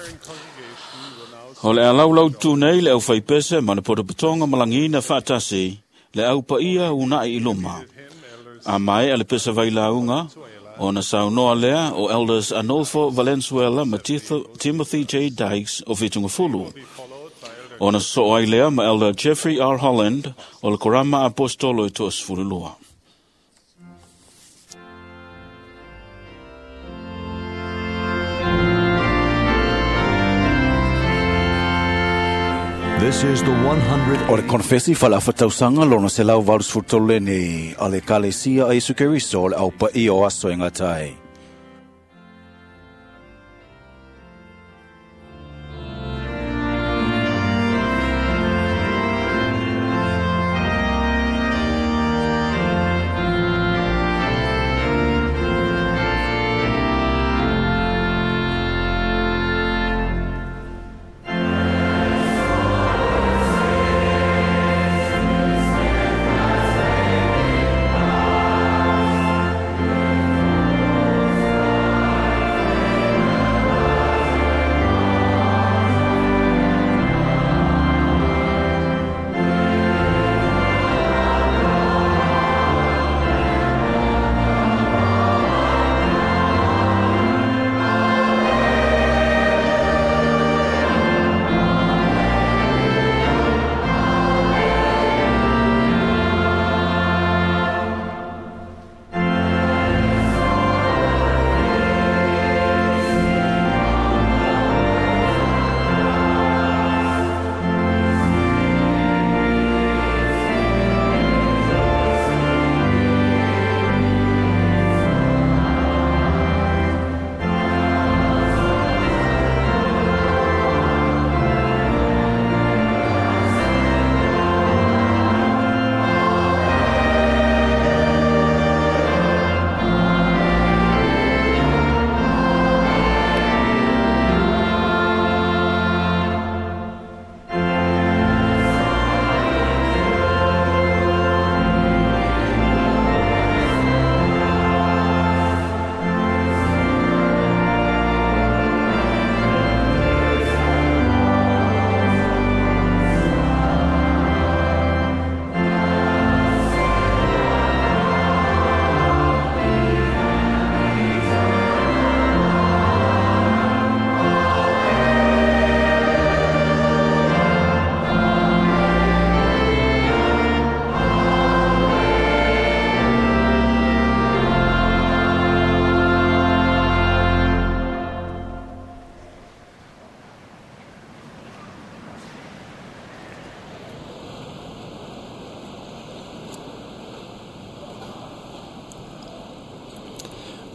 O le a laulau tu nei le aufaipese ma le potopotoga malagiina faatasi Le au paia unai i luma. A mai a le pesa vailauga, ona saunoa lea o Elders Arnolfo Valenzuela ma Timothy J. Dykes o Fitungafulu. Ona soo ai lea ma Elder Jeffrey R. Holland o le Korama Apostolo e 32. This is the 100. O le konfesi fa'ala'afatausaga lona 183 lenei a le Ekalesia a Iesu Keriso o le aupaia o aso e gata ai.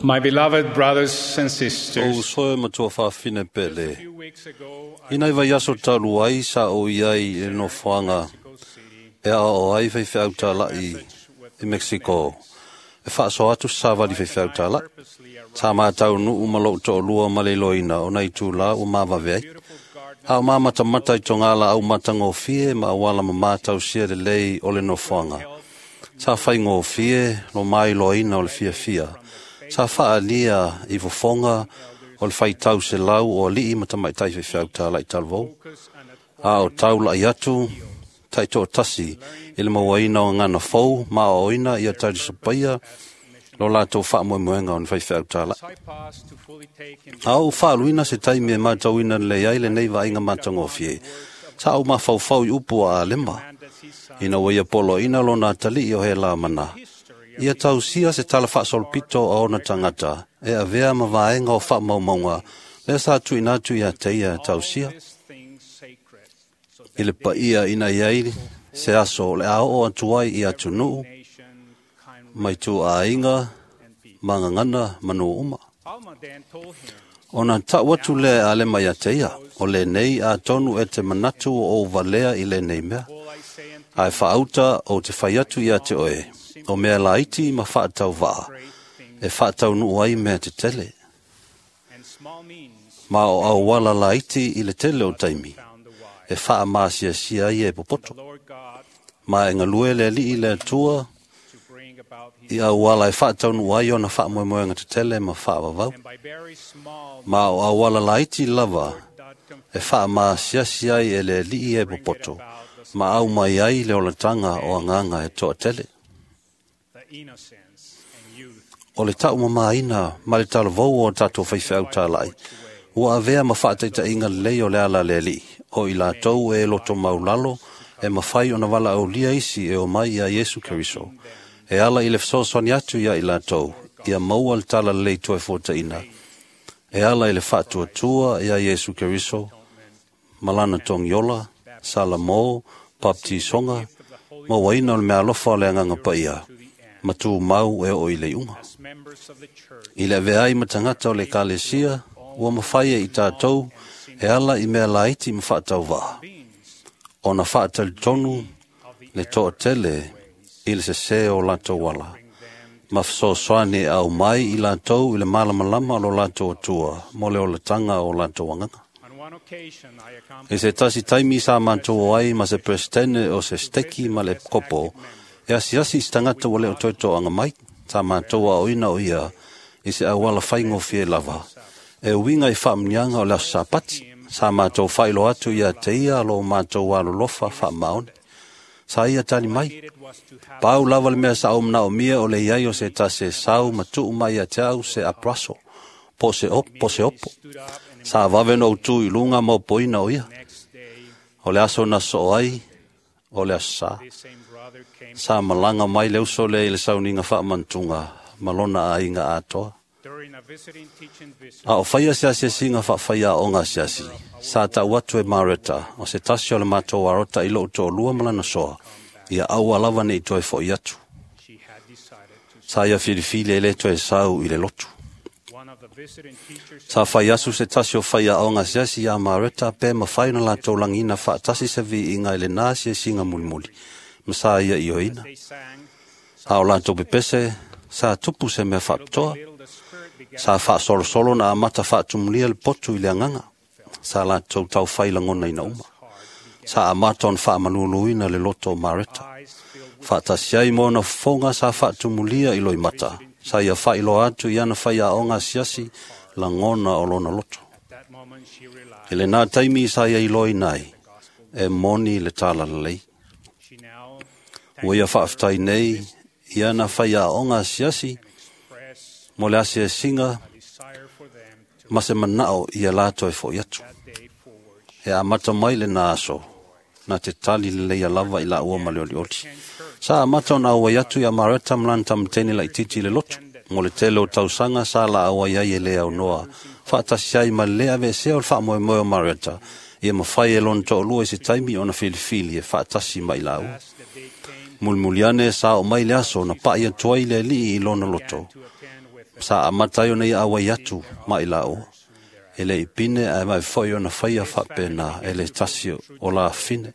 My beloved brothers and sisters, O uso e matua whawhine pele. Ina i vai aso talu ai sa o iai e no whanga e a o ai whai whiau tālai i Mexico. E whaaso atu sa wali whai whiau tālai. Tā mātau nuu malo to lua male loina o nei tū la o māwawe ai. A o māmata mata i tō ngā au matango fie ma awala ma mātau sia le lei o le no whanga. Sa whai ngō fie lo mai loina o le fia fia. Sa whaalia i fofonga o le whaitau se lau o alii ma tamaitai whewhiau tā lai talvou. A o tau lai atu, tai tō tasi, i le mawaina o ngana fou, ma o oina i a tauri sapaia, lo lātou whaamoemoenga o ni whaiwhiau tā lai. A o whaaluina se taimi e mātauina le ai le nei vainga mātangofie. Sa au mawhauwhau i upu a alema. Ina wai polo ina lo nā tali o he la mana. Ia tausia se tala whaasolpito a ona tangata, e avea ma vaenga o whaamaumaunga, lea sa tuina atu ia te ia tausia. I le paia ina iai se aso le ao o atuai i atunuu, mai tū ainga, mangangana, manu uma. Ona tau atu le ale mai a te ia, o le nei a tonu e te manatu o valea i le nei mea. Ai whaauta o te whai atu ia te oe, o mea laiti ma whaatau vaa, e whaatau nuu ai mea te tele. Ma o au wala laiti i le tele o taimi, e whaa maasia sia ai e popoto. Ma e ngalue le alii le atua, i au wala e whaatau nuu ai ona whaamoemoenga te tele ma whaawawau. Ma o au wala laiti lava, e whaa maasia sia ai e le alii e popoto. Ma au mai ai le olataga o agaga e toatele. O le taumamāina ma le talavou o tatou faifeau tāla'i, ua avea ma faataitaiga lelei o le ala a le Alii, o i latou e loto maulalo e mafai ona valaaulia isi e omai iā Iesu Keriso, e ala i le fesoasoani atu iā i latou, ia maua le talalelei toefuataina, e ala i le faatuatua iā Iesu Keriso, ma lana togiola, salamō, baptisoga, mauaina o le meaalofa o le Agaga Paia, ma tumau e oo i le iuga. I le avea ai ma tagata o le Ekalesia, ua mafai e i tatou e ala i mea laiti ma faatauvaa, ona faatalitonu le toatele i le sesē o latou ala, ma fesoasoani e aumai i latou i le malamalama o lo latou Atua mo le olataga o latou agaga. I se tasi taimi sa matou o ai ma se peresetene o se steki ma le kopo, e asiasi i se tagata ua le o toe toaga mai, sa matou aoina o ia i se auala faigofie lava, e uiga i faamuniaga o le aso Sapati, sa matou faailoa atu ia te ia lo matou alolofa faamaoni. Sa ia tali mai, pau lava le mea sa ou manaomia o le iai o se tasi e sau ma tuu mai ia te au se apraso, po se opo. Sa vave ona ou tu i luga ma opoina o ia. O le aso na soo ai, o le aso sa. Sa malaga mai le uso lea i le sauniga faamantuga ma lona aiga atoa. A o faia se asiasiga faafaiaoga asiasi, sa tau atu e Mareta, o se tasi o le matou arota i lou toalua ma lana soa, ia aua lava nei toe fo'i atu. Sa ia filifili e le toe sau i le lotu. Sa fai asu se tasi o faiaoga asiasi iā Mareta pe mafai ona latou lagiina faatasi se viiga i lenā asiasiga mulimuli, ma sa ia ioeina. A o latou pepese, sa tupu se mea faapitoa. Sa faasolosolo na amata faatumulia le potu i le agaga. Sa latou taufai lagonaina uma. Sa amata ona faamaluluina le loto o Mareta. Faatasi ai ma ona fofoga sa faatumulia i loimata. Sa ia faailoa atu i ana faiaoga asiasi lagona o lona loto. I lenā taimi sa ia iloaina ai, e moni le talalelei. Ua ia faafetai nei i ana faiaoga asiasi mo le asiasiga ma se manao ia latou e fo'i atu. E amata mai lenā aso, na te tali lelei lava i laua ma le olioli. Sa amata ona auai atu ia Mareta ma lana tamatene laitiiti i le lotu, mo le tele o tausaga sa la auai ai e le aunoa, faatasi ai ma le lē aveesea o le faamoemoe o Mareta, ia mafai e lona toalua i se taimi ona filifili e faatasi ma i laua. Mulimuli ane sa oo mai le aso na pa'i atu ai le Alii i lona loto, sa amata ai ona ia auai atu ma i laua. E le i pine ae vave foi ona faia faapena e le tasi o lafine.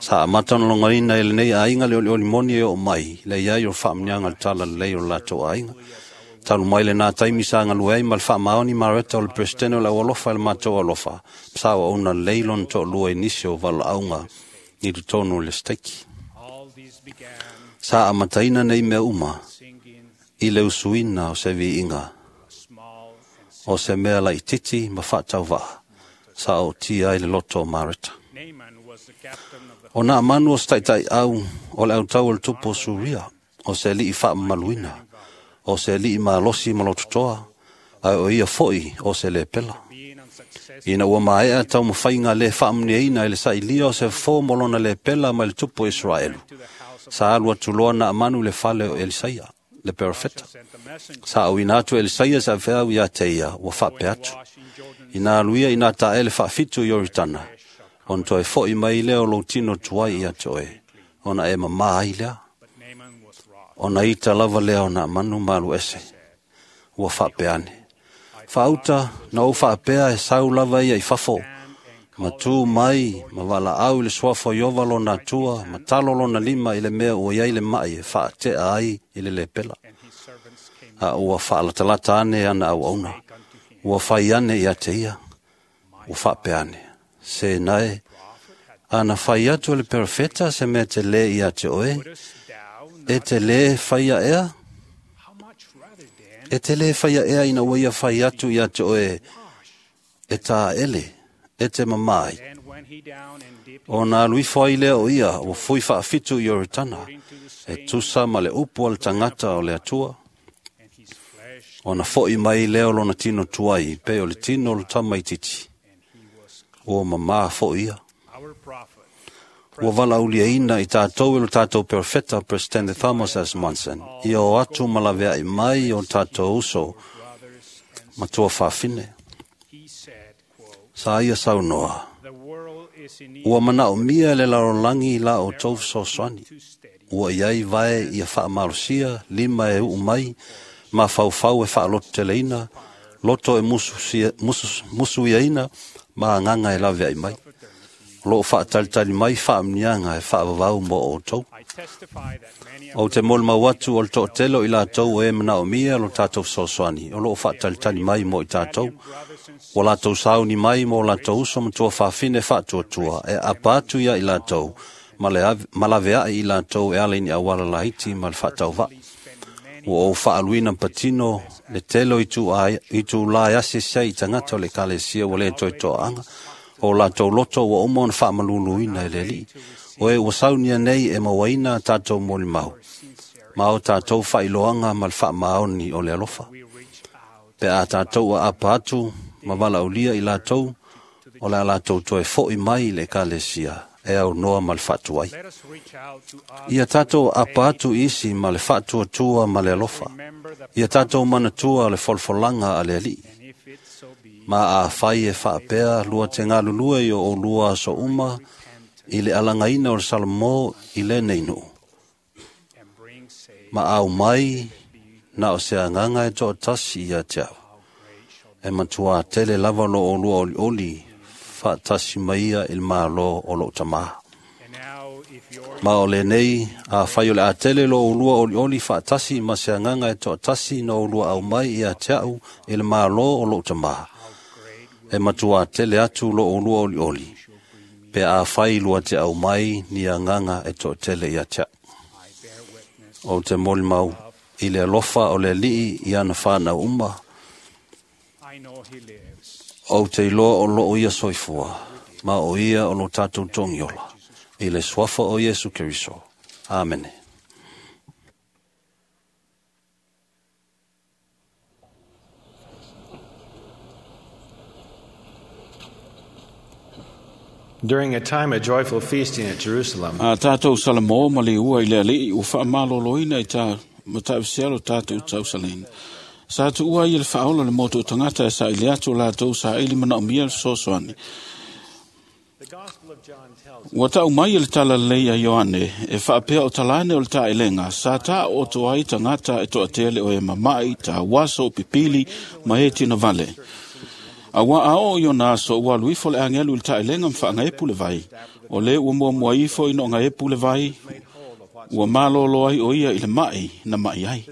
Sa amata ona logoina e lenei aiga le olioli moni e oo mai, le iai o le faamuniaga o le talalelei o le latou aiga. Talu mai lenā taimi sa galue ai ma le faamaoni Mareta o le peresetene o le aualofa e le matou alofa, sa auauna lelei lona toalua i nisi o valaauga i totonu o le steki. Sa amataina nei mea uma i le usuina o se viiga, o se mea laitiiti ma faatauvaa, sa ootia ai le loto o Mareta. O Naamanu o se taitaiau o le autau o le tupu o Suria, o se alii faamamaluina, o se alii malosi ma lototoa, ae o ia foi o se lepela. Ina ua maea taumafaiga le faamuniaina i le sailia o se fofo mo lona lepela mai le tupu o Iseraelu, sa alu atu loa Naamanu i le fale o Elisaia, le perofeta. Sa auina atu e Elisaia se avefeau ia te ia, ua faapea atu, Ina alu ia i nā taele faafitu i Ioritana, ona toe fo'i mai lea o lou tino tuai ia te oe, ona e mamā ai lea. Ona ita lava lea o Naamanu ma alu ese, ua faapea ane, Faauta na ou faapea e sau lava ia i fafo, ma tu mai ma valaau i le suafa o Ieova lona Atua, ma talo lona lima i le mea ua i ai le ma'i e faatea ai i le lepela. A ua faalatalata ane ana auauna, ua fai ane ia te ia, ua faapea ane, Se nae, ana fai atu e le perofeta se mea te lē ia te oe, e te lē faia ea? E te lē faia ea ina ua ia fai atu ia te oe, e tāele, e te mamā ai. Ona alu ifo ai lea o ia ua fui faafitu i Ioritana, e tusa ma le upu a le tagata o le Atua. Ona fo'i mai lea o lona tino tuai, pei o le tino o le tamaitiiti. Ua mamā fo'i ia. Ua valauliaina i tātou e lo tātou perofeta Presidente Thomas S. Monson, ia o atu ma laveai mai o tātou uso matua fafine. Sa ia saunoa, ua manaomia le lalolagi la o tou fesoasoani. Ua iai vae ia faamalosia, lima e uu mai, ma faufau e faalototeleina, loto e musuiaina, ma agaga e laveai mai. O loo faatalitali mai faamniaga e faavavau mo outou. Ou te molimau atu o le toatele o i latou e manaomia lo tātou fesoasoani, o loo faatalitali mai mo i tātou. Ua latou sauni mai mo latou uso matua fafine faatuatua e apa atu ia i latou, ma laveai i latou e ala i ni auala laiti ma le faatauvaa. Ua ou faaluina patino le tele o itulā e asiasi ai i tagata o le ekalesia ua le toe toaaga. O latou loto ua uma ona faamaluluina e le Alii. O e ua saunia nei e mauaina a tātou molimau, ma o tātou faailoaga ma le faamaoni o le alofa. Pe a tātou aapa atu ma valaaulia i latou, o le a latou toe fo'i mai i le ekalesia e aunoa ma le faatuai. Ia tātou aapa atu i isi ma le faatuatua ma le alofa. Ia tātou manatua le folafolaga a le Alii. Ma afai e faapea lua te galulue i o oulua aso uma i le alagaina o le Salomō i lenei nuu. Ma au mai na o se agaga e toatasi ia te au. E matua tele lava lo oulua olioli faatasi mai ia i le Malo o lou tamā. Ma o lenei, afai o le a tele lo oulua olioli faatasi ma se agaga e toatasi na oulua au mai ia te au i le Malo o lou tamā. E matua tele atu lo oulua olioli, pe afai lua te au mai ni agaga e toatele ia te au. Ou te molimau i le alofa o le Alii i ana whānau uma. Ou te iloa o loo ia soifua, ma o ia o lo tātou togiola, i le suafa o Iesu Keriso. Amene. During a time of joyful feasting at Jerusalem, A tātou Salomō ma le ua i le alii ua faamaloloina i tā matausia lo tātou tausalina. Sa tuua i le faaola le motu o tagata e saili atu o latou saili manaomia le fesoasoani. Ua tau mai e le talalelei a Ioane e faapea o talane o le taelega sa taooto ai tagata e toatele o e mama'i, tauaso, o pipili ma e tinavale. Auā a oo i ona aso ua alu ifo le agelu i le taelega ma faagaepu le vai. O le ua muamua ifo ina o gaepu le vai, ua malōlō ai o ia i le ma'i na ma'i ai.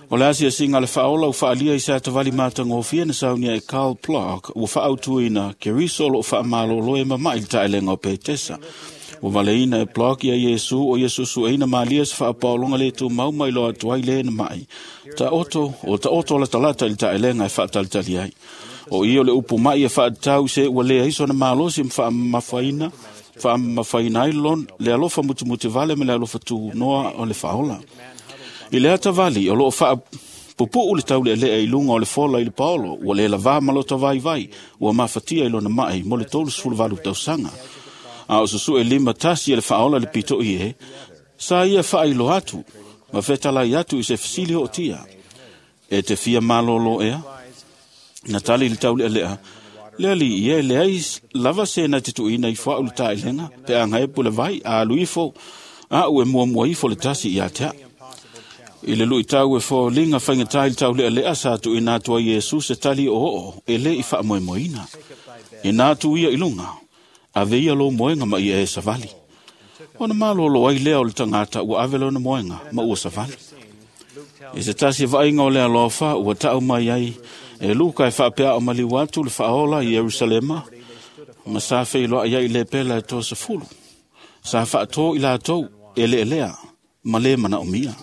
O le asiasiga le faaola ua faalia i se atavali matagofie na saunia e Carl Plock ua faautuina Keriso o loo faamalōlō e mama'i le taelega o Petesa. Ua valeina e Plock ia Iesu o ia susueina malia se faapaologa le tumau mai loa atu ai le na ma'i. Taoto o taoto latalata i le taelega e faatalitali ai. O ia o le upu mai e faatatau se ua lea iso na malosi ma faamamafaina faamamafaina ai le alofa mutumutivale ma le alofa tunoa o le faaola. I le atavali o loo faapupuu le taulealea i luga o le fola i le paolo, ua le lavā ma lota vaivai, ua mafatia i lona ma'i mo le 38 tausaga. A o susu'e lima tasi e le faaola le pito'i e, sa ia faailoa atu, ma fetalai atu i se fesili ootia. E te fia malōlō ea? Na tali le taulealea, le alii ia e leai lava se na te tuuina ifo a'u le taelega, pe a gaepu le vai, a alu ifo, a'u e muamua ifo le tasi ia te a'u. I le luitau e foliga faigatā i le taulealea sa tuuina atu ai Iesu se tali oo e lē i faamoemoeina. Ina atu ia i luga, ave ia lou moega ma ia e savali. Ona malōlō ai lea o le tagata ua ave lona moega ma ua savali. I se tasi e vaaiga o le alofa ua taʻu mai ai e Luka e faapea o maliu atu le faaola i Ierusalema ma sa feiloai ai i lepela e 30. Sa faatō i latou e leelea ma lē manaomia.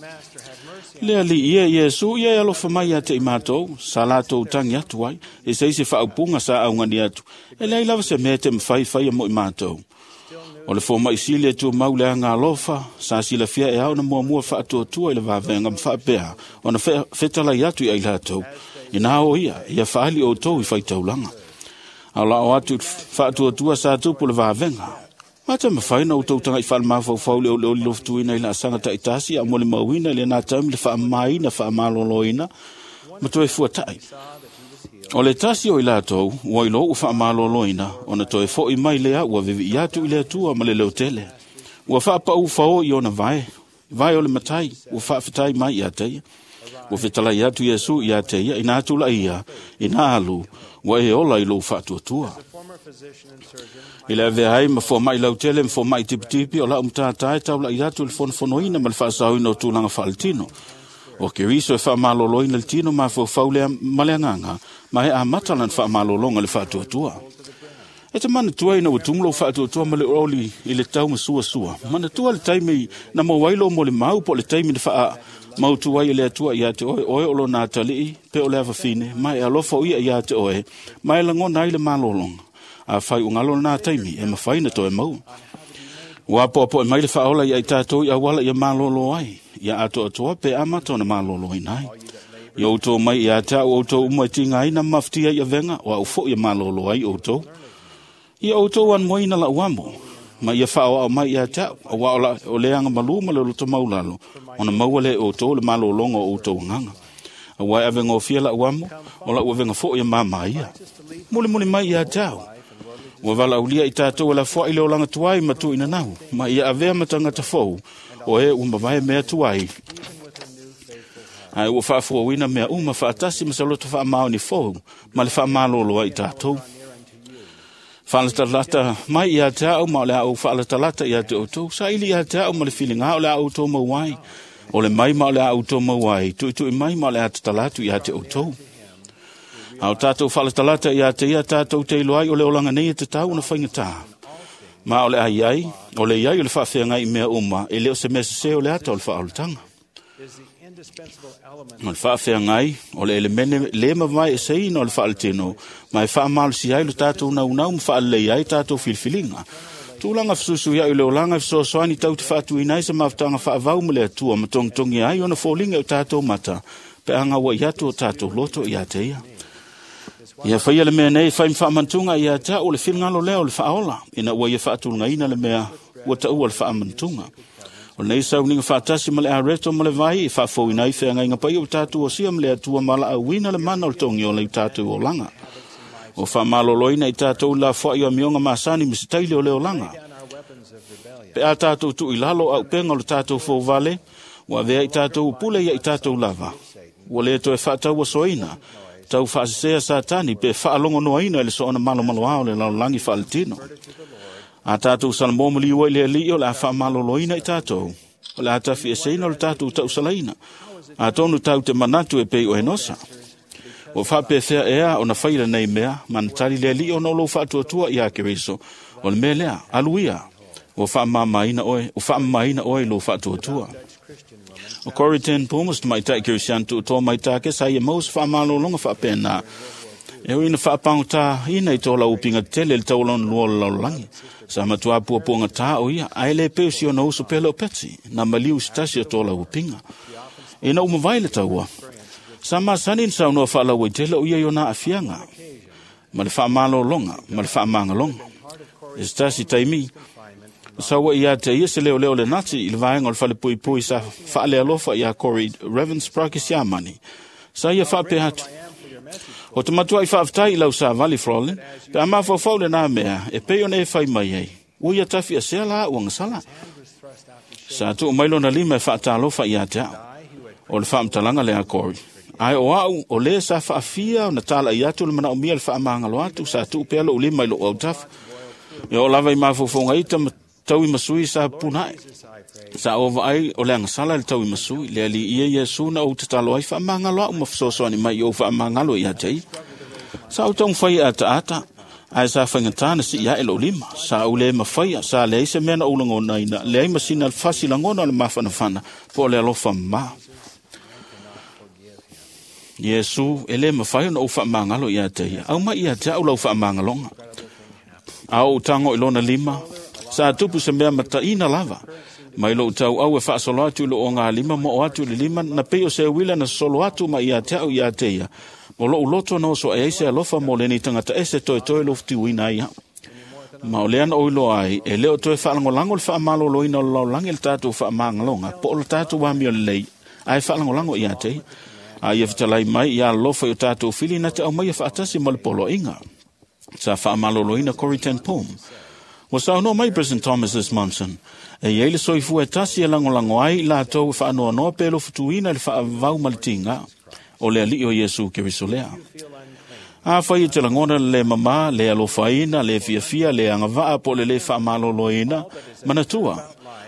Le ali ia Iesu ia e alofa mai ia te i mātou, sa latou tangi atu ai, e se isi faaupuga sa augani atu, e leai lava se mea te mawhai whai a mo i mātou. O le fō mai sili e tu mau le anga alofa, sa silafia e au na mua mua whaatuatua i le wawenga mwhaapea, o na whetalai atu i ai latou, i nā o ia, ia whaali o tau i whaitaulanga. Au la o atu whaatuatua sa tupu le wawenga. Mata mawhai na o tau tanga i whalemāwhauwhau le ole ole lofutuina i la asanga taitasi a mo le mauina le nā taumi le whaamaina, whaamaloloina, ma toe fuatai. O le tasi o i latou, ua ilo ua whaamaloloina, ona toe fo i mai lea ua vivi i atu i le atua ma le leotele. Ua whaapau whao i ona vae, vae o le matai, ua whaawhitai mai i ateia. Ua whitalai atu Iesu i ateia, ina atu la ia, ina alu, ua e ola i lou whaatuatua. I le avea ai ma fua mai lautele ma fua mai tipitipi o lau mtātai tau la i atu le fonofonoina ma le whaasauina o tūlanga whaaletino. O Keriso e whaamaloloina le tino ma fua lea ma le anganga, ma e amata lan whaamalolonga le whaatuatua. E te manatua ina ua tumulo whaatuatua ma le oli i le tau ma sua sua. Manatua le taimi na mo wailo mo le mau po le taimi na whaa mautu ai le atua ia te oe, oe o lo nā talii, pe o le awawhine, mai e alofa o ia ia te oe, mai e langona ai le malolonga. A whai o ngalo nā taimi, e mawhai na toe mau. Ua apo e mai le whaola i ai tātou i awala ia malolo ai, ia ato atoa pe amata na malolo i nai. I outou mai ia te au outou umai tinga ai na mawhtia i avenga, o au fo ia malolo ai outou. Ia outou an moina la uamo, ma ia whao au mai ia te au, a wao o leanga malu ma le loto maulalo, ona maua le outou le malolonga o outou nganga. A wai avenga o fia la uamo, o la uavenga fo ia mama ia. Muli muli mai ia te au. Ua wala ulia i tātou la fua i le olanga tuai ma tu ina nau, ma ia avea matangata fou, o e umavae mea tuai. Ai ua whaafua mea uma whaatasi ma saloto wha ni fou, ma le whaamalolo ai tātou. Whaalatalata mai ia te au ma o le au whaalatalata ia te outou, sa ili ia te au ma le whilinga o le au tō mauai, o le mai ma o le au tō mauai, tui tui mai ma o le atatalatu ia te outou. Au tātou whaalatalata ia te ia tātou te iloai o le olanga nei e te tau na whainga. Ma o le ai ai, o le iai o le whaawhea i mea uma, e leo se mea se o le ata o le whaolatanga. O le whaawhea ngai, o le elemene le mawai e seina o le whaaletino, ma e whaamalosi ai lo tātou naunau ma whaalelei ai tātou filfilinga. Tūlanga whasusu ia i le olanga whasoasoani tau te whaatuina ai sa mawtanga whaavau ma le atua ma tongitongi ai ona fōlinga o tātou mata, pe anga wa i atu o tātou loto i a te ia. Ia whaia le mea nei, whai mwhaamantunga ia te o le whilingalo leo le whaola, ina ua ia whaatulunga ina le mea ua taua le whaamantunga. O nei sauninga whaatasi ma le areto ma le vai, e whaafouina i whea ngai pai o tātou o sia ma le atua ma la auina le mana o le tongi o le tātou o langa. O whaamaloloina i tātou la whai o mionga masani ma se taile o le o langa. Pe a tātou tu i lalo au penga o le tātou fōvale, ua vea i tātou pule ia i tātou lava. Ua le toe whaataua soina, tau whaasisea satani pe whaalongo noaina le soona malo malo ao le lalolangi whaaletino. A tātou salamo maliua i le ali o le a whaamaloloina i tātou, o le a tawhi e seina o le tātou tausalaina. A tonu tau te manatu e pei o enosa. O whaapewhea ea o na whaira nei mea, manatari le ali o na lou whaatuatua i a Keriso. O le mea lea, aluia, o whaamamaina oe, o whaamamaina oe lou whaatuatua. O Corrie ten Boom, o mai tai Kerisian tu tō mai tāke, sa ia maus whaamalolonga whaapena. E ui na whaapangota ina i tō lau upinga tele le taulon lua lalolangi. Sa matua pua puanga tā o ia, ai le peu si ona uso pele o peti, na maliu sitasi o tō lau upinga. E na umawai le taua. Sa masani na saunoa whaalau i tele o ia i ona afianga. Ma le whaamalolonga, ma le whaamangalonga. E sitasi taimi, Sawa ia te ia se leo leo le nati i le vaenga o le whale pui pui sa whaale alofa ia Corrie Ravensbrück i Siamani. Sa ia whaape hatu. O te matua i whaaftai i lau sa vali Frolin, pe a mawhawhau le nā mea, e pei ona e whai mai ai. Ua ia tawhi a sea la ua ngasala. Sa tuu mailo na lima e whaatalofa i a te au. O le whaamtalanga le a Corrie. Ai o au, o le sa whaafia o na tala i atu le mana o mia le whaamangalo atu, sa tuu pea lo ulima i lo au tafa. E o lava i mawhawhaunga ita ma tau i masui sa punai. Sa o vaai o le angasala le tau i masui, le ali ia Iesu na o te talo ai whaamangalo au mawhasoasoani mai o whaamangalo i a te i. Sa o taung whai ata ata, ai sa whaingatana si ia e lo lima. Sa o le mawhaia, sa le se mea na ulangona ina, le ai masina fasi langona o le mawhanawhana, po o le alofa ma. Iesu, e le mawhai ona ou whaamangalo ia te ia. Au mai ia te au lau whaamangalonga. A o tango i lona lima, sa tupu se mea mataina lava. Mai lou tau au e whaasolo atu i lo o ngā lima mo o atu i le lima, na pei o se wila na solo atu ma ia te au ia te ia. Mo lou loto na oso e eise alofa mo leni tangata ese toe toe lo whitiuina ia. Ma o lea na oiloa ai, e leo toe whaalangolango le whaamaloloina o le laulangi le tātou whaamangalonga, po o le tātou wamio lelei, ai whaalangolango ia te ia. A ia whitalai mai ia alofa i o tātou whili na te au mai e whaatasi mo le poloinga. Sa whaamaloloina Corrie ten Boom. Ua saunoa mai President Thomas S. Monson, e iei le soifua e tasi e langolango ai i latou e whaanoanoa pe lo futuina le whaavau ma le tinga o le alii o Iesu Keriso lea. A whai e te langona le mama, le alofaina, le fiafia, le angavaa po le le whaamaloloina, manatua.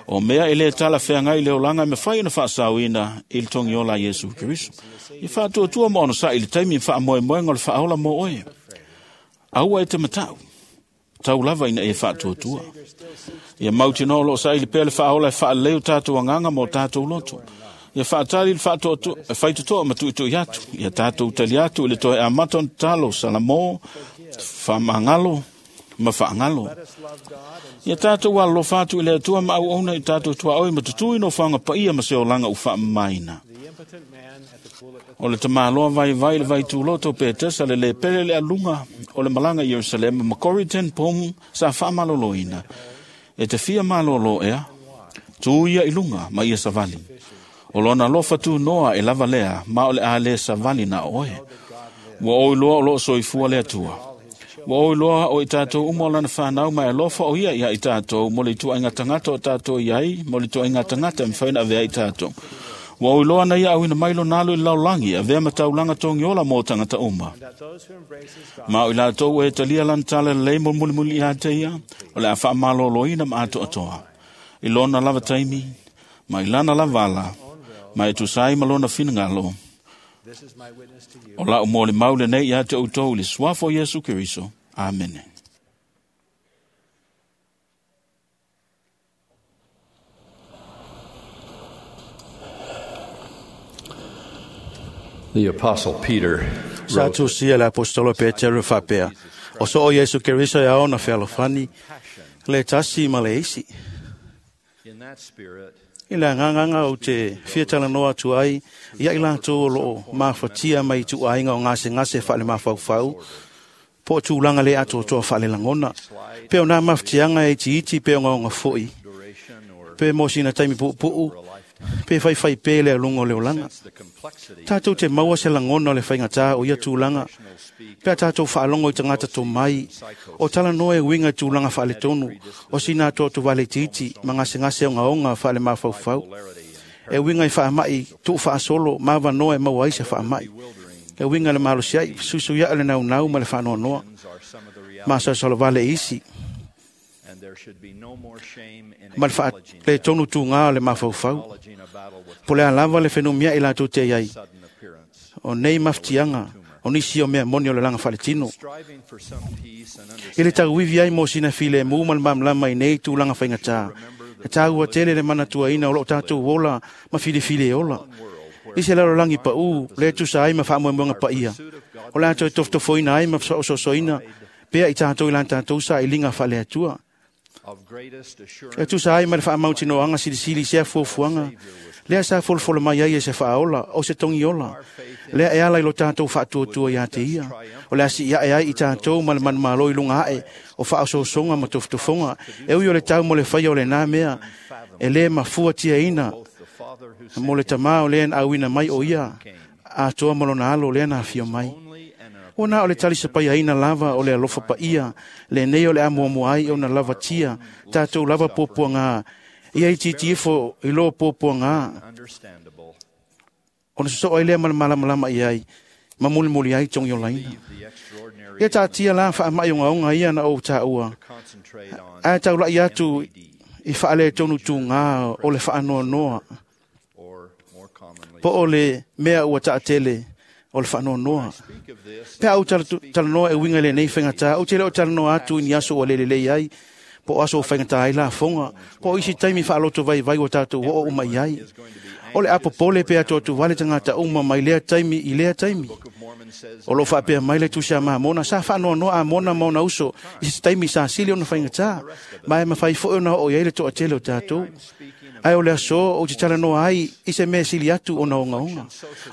O mea e le tala wheangai le olanga me whai na whaasauina i le tongi ola Iesu Keriso. I whaatuatua mo ono sa i le taimi whaamoemoenga o le whaaola mo oe. Aua e te matau. Tau lava ina e whaatuatua. Ia mautinoa o loo sa i le pea le whaaola e whaaleo tātou anganga mo tātou loto. Ia whaatali le whaitotoa ma tuitui atu. Ia tātou tali atu i le toe amata o talo salamo, whamangalo, ma whaangalo. Ia tātou alofa atu i le atua ma au ona i tātou tuaoi ma tutui no whanga paia ma se olanga u whaamamaina. O le tamaloa vai vai le vai tūloto pe tesa le le pele le alunga o le malanga i Jerusalem ma Corrie ten Boom sa whaamaloloina. E te fia malolo ea, tū ia i lunga ma ia savali. O lona alofa tū noa e lava lea, ma o le a le savali na oe. Ua oi loa o loo soifua le atua. Ua oi loa o i tātou umo lana whanau mai alofa o ia ia i tātou, mo le tuainga tangata o tātou iai, mo le tuainga tangata mwhaina avea i tātou. Ua oi loa na ia awina mailo nalo i laulangi, avea mataulanga tongi ola mō tangata uma. Ma o i lātou e talia lan tala lei mo muli muli ia te ia, o le a whaamaloloina ma ato atoa. I lona lava taimi, ma i lana lavala, ma e tusai ma lona finangalo. O lau mō le maule nei ia te outou i le suafo Iesu Keriso. Amene. The Apostle Peter Sa wrote, tusia le apostolo Petero faapea, o so o Iesu Keriso e aona fealofani, le tasi ma le isi. In that spirit, I le anganganga o te fiatalanoa atu ai, ia i latou o loo mafatia mai tuaiga o gasegase faale mafaufau, po o tulaga le atoatoa faalelagona, pe o nā mafatiaga e itiiti pe o gaoga fo'i, pe mo sina taimi puupuu, pe faifai pē le aluga o le olaga. Tātou te maua se lagona o le faigatā o ia tulaga, pe a tātou faalogo i tagata tomai, o talanoa e uiga i tulaga faaletonu, o sina atoato itiiti ma gasegase ogaoga faale mafaufau. E uiga i faamai tuufaasolo ma avanoa e maua ai se faamai. E uiga i le malosia'i fesuisuia'i le naunau ma le faanoanoa masalosalo isi and there should be no more shame in ma le faaletonu tugā o le mafaufau. Po le a lava le fenumia'i latou te ai, o nei mafatiaga o nisi o mea moni o le laga faaletino. striving for some peace and I le tauivi ai mo sina filemu ma le malamalama i nei tulaga faigatā. E tāua tele le manatuaina o loo tātou ola ma filifili e ola. I se lalolagi paū, le tusa ai ma faamoemoega paia. O latou e tofotofoina ai ma fesoasoasoaina, pea i tātou i la tātou sa i liga faaleatua. of greatest assurance E tusa ai ma le faamautinoaga silisili i sea fuafuaga, lea sa folofolo mai ai e se faaola o se togi ola. Lea e ala i lo tātou faatuatua iā te ia. O le asi iae ai i tātou ma le manumalo i luga ae o faaososoga ma tofotofoga. E ui o le tau mo le faia o lenā mea, e lē mafuatiaina mo le tamā o lea na auina mai o ia, atoa ma lona alo lea na afio mai. Ua na o le talisapaiaina lava o le alofa paia, lenei o le amuamua ai ona lavatia, tātou lava puapuagā, ia itiiti ifo i lō puapuagā, understandable ona sosoo ai lea ma le malamalama i ai, ma mulimuli ai togi olaina. Ia taatia la faamai ogaoga ia na ou tāua, concentrate on ae taulai atu i faaletonu tugā o le faanoanoa, or more commonly po o le mea ua taatele o le faanoanoa. Pe a ou talanoa e uiga i lenei faigatā, ou te le o talanoa atu i ni aso ua lelelei ai, po o aso o faigatā ai lafoga, po o isi taimi faaloto vaivai ua tātou oo uma i ai. O le apopole pe atuatuvale tagata uma mai lea taimi i lea taimi. O loo faapea mai le Tusi a Mamona sa faanoanoa Amona ma ona uso i se taimi sa sili ona faigatā, ma e mafai foi ona oo i ai le toatele o tatou. Ae o le aso ou te talanoa ai i se mea sili atu ona ogaoga.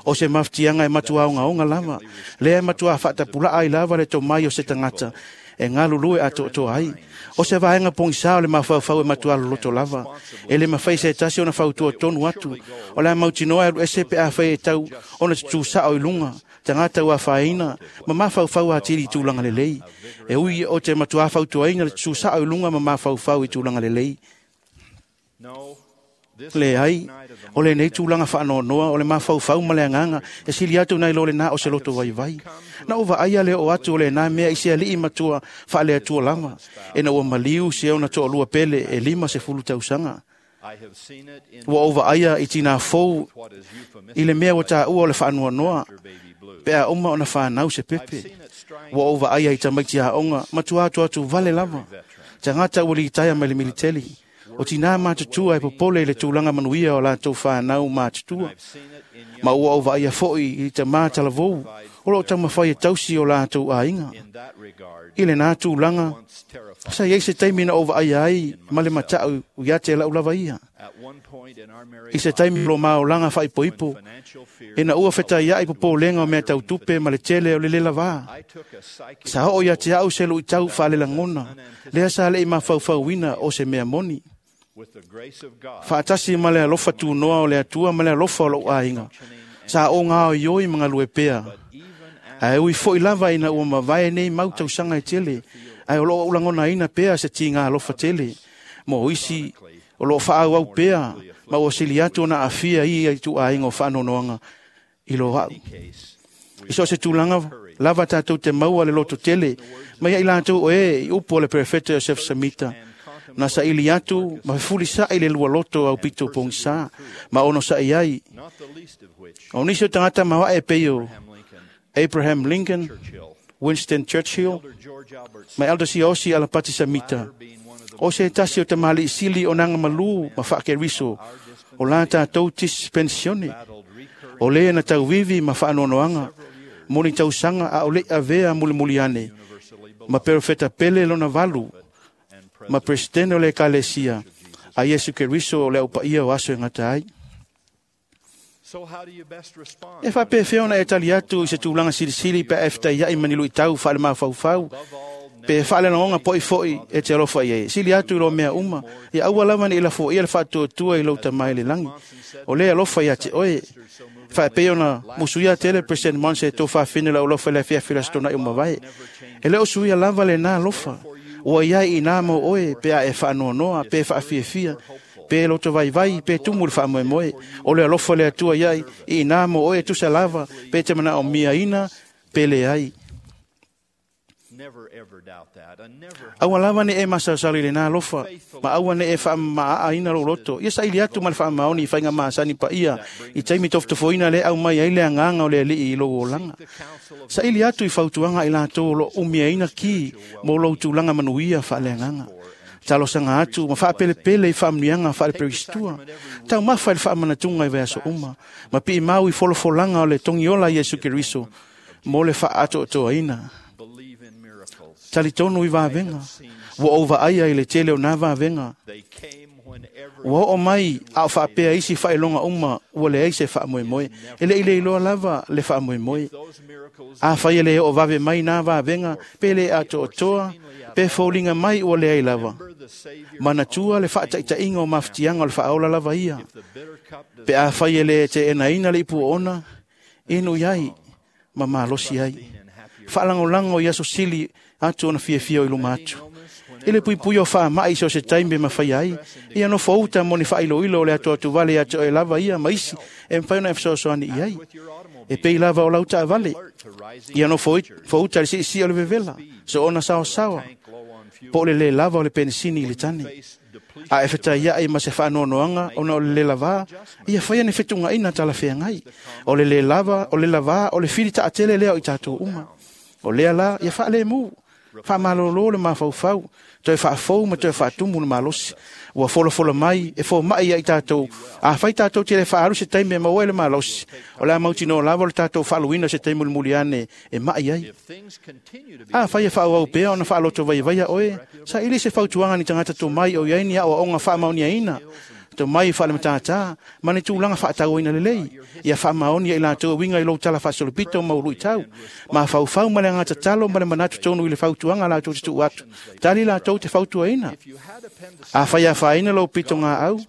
O se mafatiaga e matua ogaoga lava, lea e matua faatapulaa ai lava le tomai o se tagata e galulue atoatoa ai. O se vaega pogisā o le mafaufau e matua loloto lava. E le mafai se tasi ona fautua tonu atu. O le a mautinoa e alu ese pe afai e tau ona tutusao i luga, tagata ua afaina, ma mafaufau atili i tulaga lelei. E ui o te matua fautuaina le tutusao i luga ma mafaufau i tulaga lelei. Leai, o lenei tulaga faanoanoa o le mafaufau ma le agaga e sili atu nai lo lenā o se loto vaivai. Na ou vaaia le oo atu o lenā mea i se alii matua faaleatua lava, ina ua maliu se ona toalua pele e 50 tausaga. Ua ou vaaia i tinā fou i le mea ua taua o le faanoanoa pe a uma ona fanau se pepe. Ua ou vaaia i tamaiti aoga matua atuatuvale lava, tagata ua litaea mai le militeli. O tinā matutua e popole i le tulaga manuia o latou fanau matutua. Ma ua ou vaaia foi i tamā talavou o loo taumafai e tausi o latou aiga. I lenā tulaga, sa i ai se taimi na ou vaaia ai ma le matau ia te lau lava ia. I se taimi o lo maolaga faaipoipo, ina ua fetaiai popolega o mea tau tupe ma le tele o le le lavā. Sa oo ia te au se luitau faalelagona, lea sa le'i mafaufauina o se mea moni. Faatasi ma le alofa tunoa o le Atua ma le alofa o lou aiga, sa ou gaoioi ma galue pea. Ae ui foi lava ina ua mavae nei mau tausaga e tele, ae o loo ou lagonaina pea se tiga alofa tele mo isi o loo faaauau pea ma ua sili atu ona aafia i ia ituaiga o faanoanoaga i lo au. I so o se tulaga lava tatou te maua le loto tele mai ai latou o e i upu o le perefeta Iosefo Samita, na saili atu ma fefulisa'i le lua loto au pito pogisā ma onosa'i ai. O nisi o tagata maoae e pei o Abraham Lincoln, Winston Churchill, ma Elder Siaosi Alapati Samita. O se tasi o tamalii sili o naga malū ma faakeriso o la tatou dispensione. O lē na tauvivi ma faanoanoaga mo ni tausaga a o le'i avea mulimuli ane ma perofeta pele lona valu ma presidente o le Ekalesia a Iesu Keriso o le aupaia o aso e gata ai. E faapefea ona e tali atu i se tulaga silisili pe a e fetaiai ma ni luitau faalemafaufau pe faalelagaga po'i fo'i e te alofa i ai. Sili atu i lo mea uma, ia aua lava ne'i lafoia le faatuatua i lou tamā i le lagi. O lē alofa iā te oe. Faapei ona musuia tele President Monson e tofafine lau alofa i le afiafi o le Aso Toonai o mavae. E le o suia lava lenā alofa. Ua iai i nā mo oe pe a e faanoanoa, pe faafiafia, pe loto vaivai, pe tumu le faamoemoe. O le alofa o le Atua iai i nā mo oe e tusa lava, pe te manaomiaina, pe leai. Aua lava ne'i e masalosalo i lenā alofa, ma aua ne'i e faamamaaaina lou loto. Ia saili atu ma le faamaoni i faiga masani paia i taimi tofotofoina lea e aumai ai le agaga o le Alii i lou olaga. Saili atu i fautuaga a i latou o loo umiaina ki mo lou tulaga manuia faaleagaga. Talosaga atu ma faapelepele i faamanuiaga faaleperistua. Taumafa i le faamanatuga i vaiaso uma, ma piimau i folafolaga o le togiola a Iesu Keriso mo le faaatoatoaina. Talitonu i vavega. Ua ou vaaia i le tele o nā vavega. Ua oo mai a o faapea isi faailoga uma ua leai se faamoemoe. E le'i le iloa lava le faamoemoe. Afai e le oo vave mai nā vavega, pe le atoatoa, pe foliga mai ua leai lava. Manatua le faataitaiga o mafatiaga o le faaola lava ia. Pe afai e le teenaina le ipu oona, inu i ai ma malosi ai. Faalagolago i aso sili atu ona fiafia o i luma atu. I le puipui o faama'i i so o se taimi e mafaia ai, ia nofouta mo ni faailoilo o le atuatuvale ia te oe lava ia ma isi e mafai ona e fesoasoani i ai. E pei lava o lau taavale, ia nofouta i le siisii o le vevela, soona saosaoa, po o le lē lava o le penisini i le tane. A e fetaiai ma se faanoanoaga ona o le lē lavā, ia faia ni fetuunaina talafeagai. O le lē lava, o le lavā, o le fili taatele lea o i tatou uma. O lea la, ia faalēmū. Faamalōlō le mafaufau, toe faafou ma toe faatumu le malosi. Ua folafola mai e fomaʻi ai tatou. Afai tatou te le faaalu se taimi e maua ai le malosi, o le a mautinoa lava o le tatou faaluina se taimi mulimuli ane e maʻi ai. Afai e faaauau pea ona faaloto vaiavaia oe, saili se fautuaga ni tagata tomai o i ai ni aoaoga faamaoniaina tomai faalematata ma ni tulaga faatauaina lelei. Ia faamaoni ai latou e uiga i lou tala faasolopito ma uluitau. Mafaufau ma le agatatalo ma le manatu tonu i le fautuaga latou te tuu atu. Tali latou te fautuaina. Afai afaina lou pitogaau,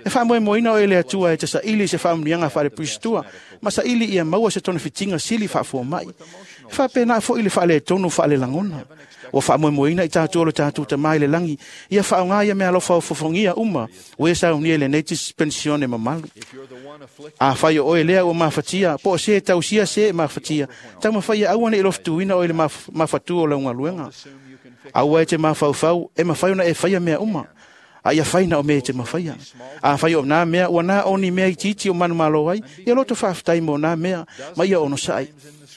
e faamoemoeina oe i le Atua e te saili i se faamanuiaga faalepuisitua ma saili ia maua se togafitiga sili faafuamai. E faapena foi le faaletonu faalelagona. Ua faamoemoeina i tatou o le tatou Tamā i le lagi, ia faaaoga ia meaalofa ofofogia uma ua ia saunia i lenei dispensione mamalu. Afai o oe lea ua mafatia, po o se tausia se e mafatia, taumafai ia aua ne i lofutuina oe i le mafatu o lau galuega. Aua e te mafaufau e mafai ona e faia mea uma, a ia fai na o mea e te mafaia. Afai o nā mea ua na o ni mea itiiti o manumalo ai, ia loto faafetai mo nā mea, ma ia onosai.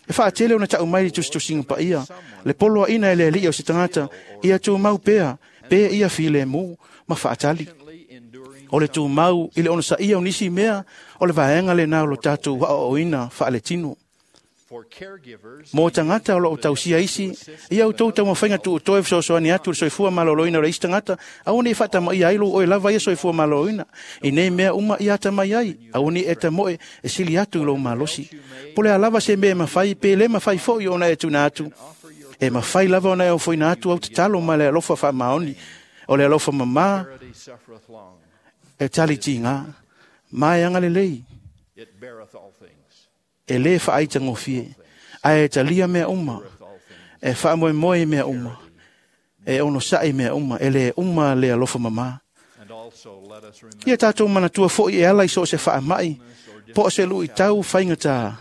E faatele ona taʻu mai le tusitusiga paia, le poloaʻina e le Alii o se tagata, ia tumau pea, pe ia filemu ma faatali. O le tumau i le onosaia o nisi mea, o le vaega lenā o lo tatou aoaoina faaletino. Mo tagata o loo tausia isi, ia outou taumafaiga tuutoe fesoasoani atu i le soifua maloloina o le isi tagata, aua ne i faatamaia ai lou oe lava ia soifua maloloina. I nei mea uma ia atamai ai, aua ne i e tamoe e sili atu i lou malosi. Po o le a lava se mea e mafai, pe le mafai foi ona e tuuina atu, e mafai lava ona e ofoina atu au tatalo ma le alofa faamaoni, o le alofa mamā e tali tigā, ma e agalelei, e lē faaitagofie, ae e talia mea uma, e faamoemoe i mea uma, e onosaʻi mea uma, e lē uma le alofa mamā. Ia tatou manatua foʻi e ala i so o se faamaʻi, po o se luʻitau faigatā,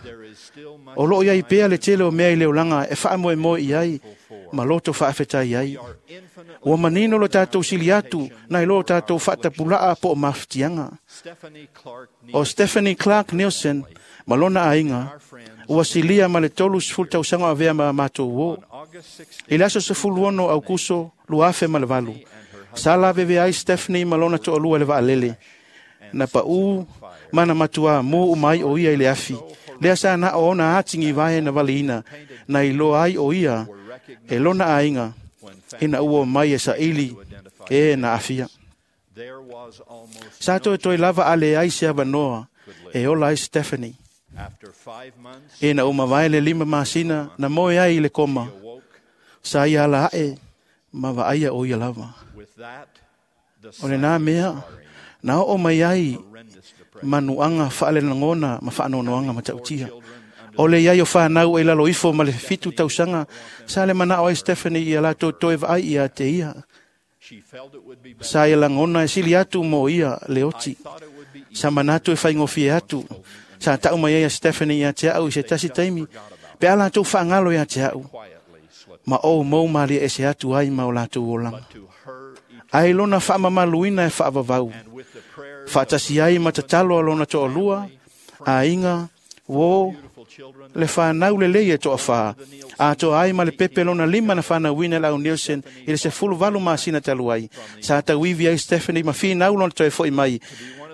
o loo iai pea le tele o mea i le olaga e faamoemoe i ai ma loto faafetai ai. Ua manino lo tatou sili atu nai lo tatou faatapulaa po o mafatiaga. O Stephanie Clark Nielsen ma lona aiga ua silia ma le 30 tausaga o avea ma matou uō. I le aso 16 Aukuso 2008, sa lavevea ai Stephanie ma lona toalua i le vaalele. Na paʻū ma na matuā mū uma ai o ia i le afi. Lea sa na o ona atigivae na valiina, na iloa ai o ia e lona aiga ina ua omai e saili e na aafia. Sa toetoe lava a leai se avanoa e ola ai Stephanie. Ina ua mavae le 5 masina na moe ai i le koma, sa ia ala aʻe ma vaaia o ia lava. O lenā mea na oo mai ai manuaga faalelagona ma faanoanoaga matautia. O le iai o fanau e lalo ifo ma le 7 tausaga, sa le manao ai Stephanie ia latou toe vaai ia te ia. Sa ia lagona e sili atu mo ia le oti. Sa manatu e faigofie atu. Sa taʻu mai ai a Stephanie ia te aʻu i se tasi taimi, pe a latou faagalo ia te aʻu, ma ou mou malie ese atu ai ma o latou olaga. Ae lona faamamaluina e faavavau, faatasi ai ma tatalo a lona toalua, aiga, uō, le fanau lelei e toafā, atoa ai ma le pepe lona 5 na fanauina e le au Nielsen i le 18 masina talu ai. Sa tauivi ai Stephanie ma finau lona toe foʻi mai,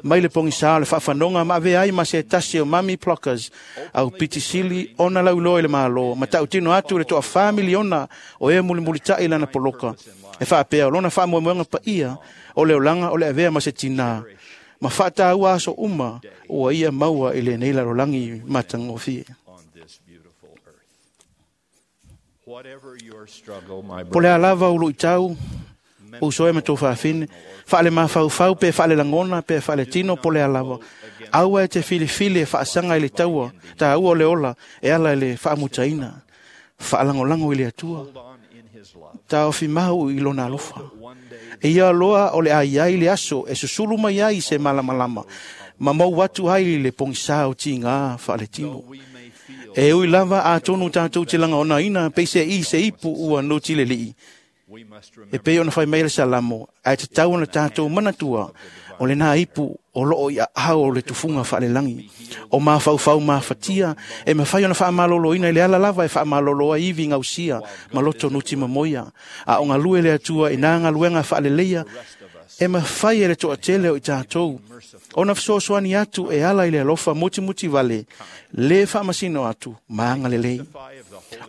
mai le pogisā o le faafanoga ma avea ai ma se tasi o Mami Pluckers, au pitisili ona lauiloa i le Malo, ma tautino atu le toa 4 miliona o e mulimulitaʻi lana poloka. E faapea o lona faamoemoega paia o le olaga o le avea ma se tinā, ma faataua aso uma ua ia maua i lenei lalolagi matagofie. Po o le a lava o luʻitau, uso e ma tou faafine, faalemafaufau pe faalelagona pe faaletino po o le a lava, aua e te filifili e faasaga i le taua tāua o le ola e ala i le faamutaina. Faalagolago i le Atua, taofi mau i lona alofa. E ia loa o le a iai le aso e susulu mai ai se malamalama, ma mou atu ai le pogisā o tigā faaletino. E ui lava atonu tatou te lagaonaina peise i se ipu ua nuti le lii. E pei ona fai mai le Salamo, ae tatau ona tatou manatua o lenā ipu o loo i aao o le tufuga faalelagi. O mafaufau mafatia e mafai ona faamaloloina i le ala lava e faamalolo ai ivi gausia ma loto nutimamoia. A o galue le Atua i nā galuega faaleleia e mafai e le toatele o i tatou ona fesoasoani atu e ala i le alofa mutimuti vale, lē faamasino atu ma agalelei.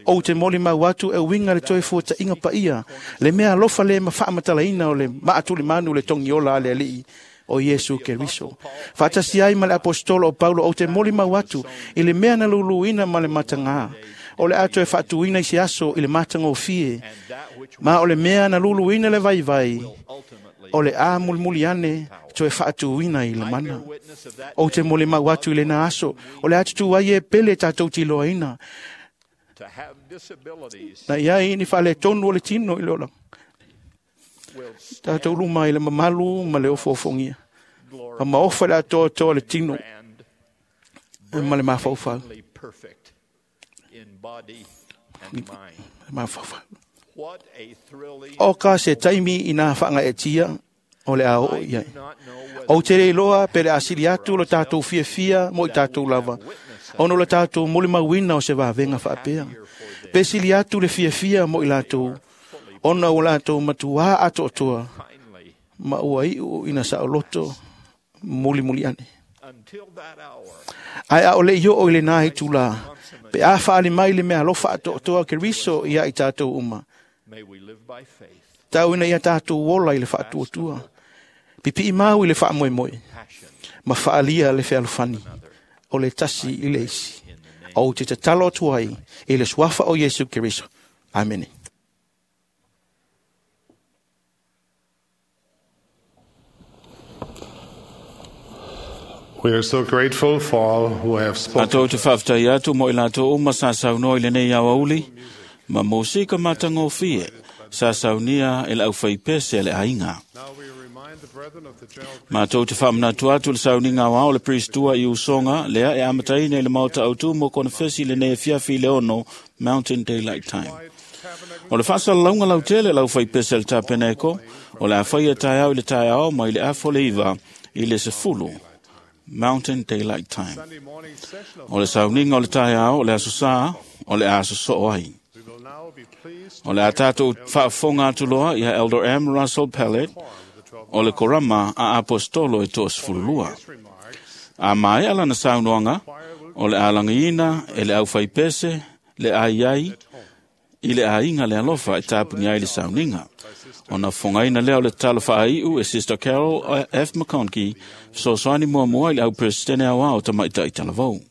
Ou te molimau atu e uiga le toe fuataʻiga paia, le mea alofa lē ma faamatalaina o le maatulimanu le togiola a le Alii o Iesu Keriso. Faatasi ai ma le aposetolo o Paulo, ou te molimau atu i le mea na luluina ma le matagā, o le a toe faatuina i se aso i le matagofie, ma o le mea na luluina le vaivai, o le a mulimuli ane toe faatuina i le mana. Ou te molimau atu i lena aso, o le a tutū ai e pele tatou tiloaina, na iai ni faaletonu o le tino i le olaga. Tatou luma i le mamalu ma le ofoofogia, ma maofa le atoatoa le tino ma le mafaufau. Mafaufau. O ka se taimi i nā whaangaetia o le a oo i ai. Ou te le iloa pe le asili atu lo tātou fiafia mo i tātou lava, ona o le tātou molimauina o se vavenga faapea. Pe sili atu le fiafia mo i latou, ona o latou matuā atoatoa, ma ua iu ina saoloto mulimuli ane. Ae a o le i oo i lenā itulā, pe a faali mai le mea alofa atoatoa Keriso ia i tātou uma, tau ina ia tātou ola i le faatuatua, pipii mau i le faamoemoe, ma faalia le fealofani, o le tasi i le isi. Ou te tatalo atu ai i le suafa o Iesu Keriso. Amene. We are so grateful for all who have spoken. Matou te whaaftai atu mo i latou uma sa saunoa i lenei aoauli, ma mosika matagofie sa saunia e le aufaipese a le aiga. Matou te faamanatu atu le sauniga aoao le Priest-tua i usoga lea e amataina i le maota autū mo konefesi i lenei afiafi i le 6 Mountain Daylight Time. O le faasalalauga lautele le aufaipese a le tapeneko, o le a faia taeao i le taeao mai le 8:30 i le 10 Mountain Daylight Time. O le sauniga o le taeao o le aso Sā, o le a sosoo ai. O le a tātou faafofoga atu loa ia Elder M. Russell Pellet o le korama a apostolo e 12. A maea lana saunoaga, o le a lagiina e le aufaipese le aiai i le aiga le alofa e tapuni ai le sauniga. Ona fofogaina lea o le tatalo faaiu e Sister Carol F. McConkie, fesoasoani muamua i le auperesitene aoao Tamaitai Talavou.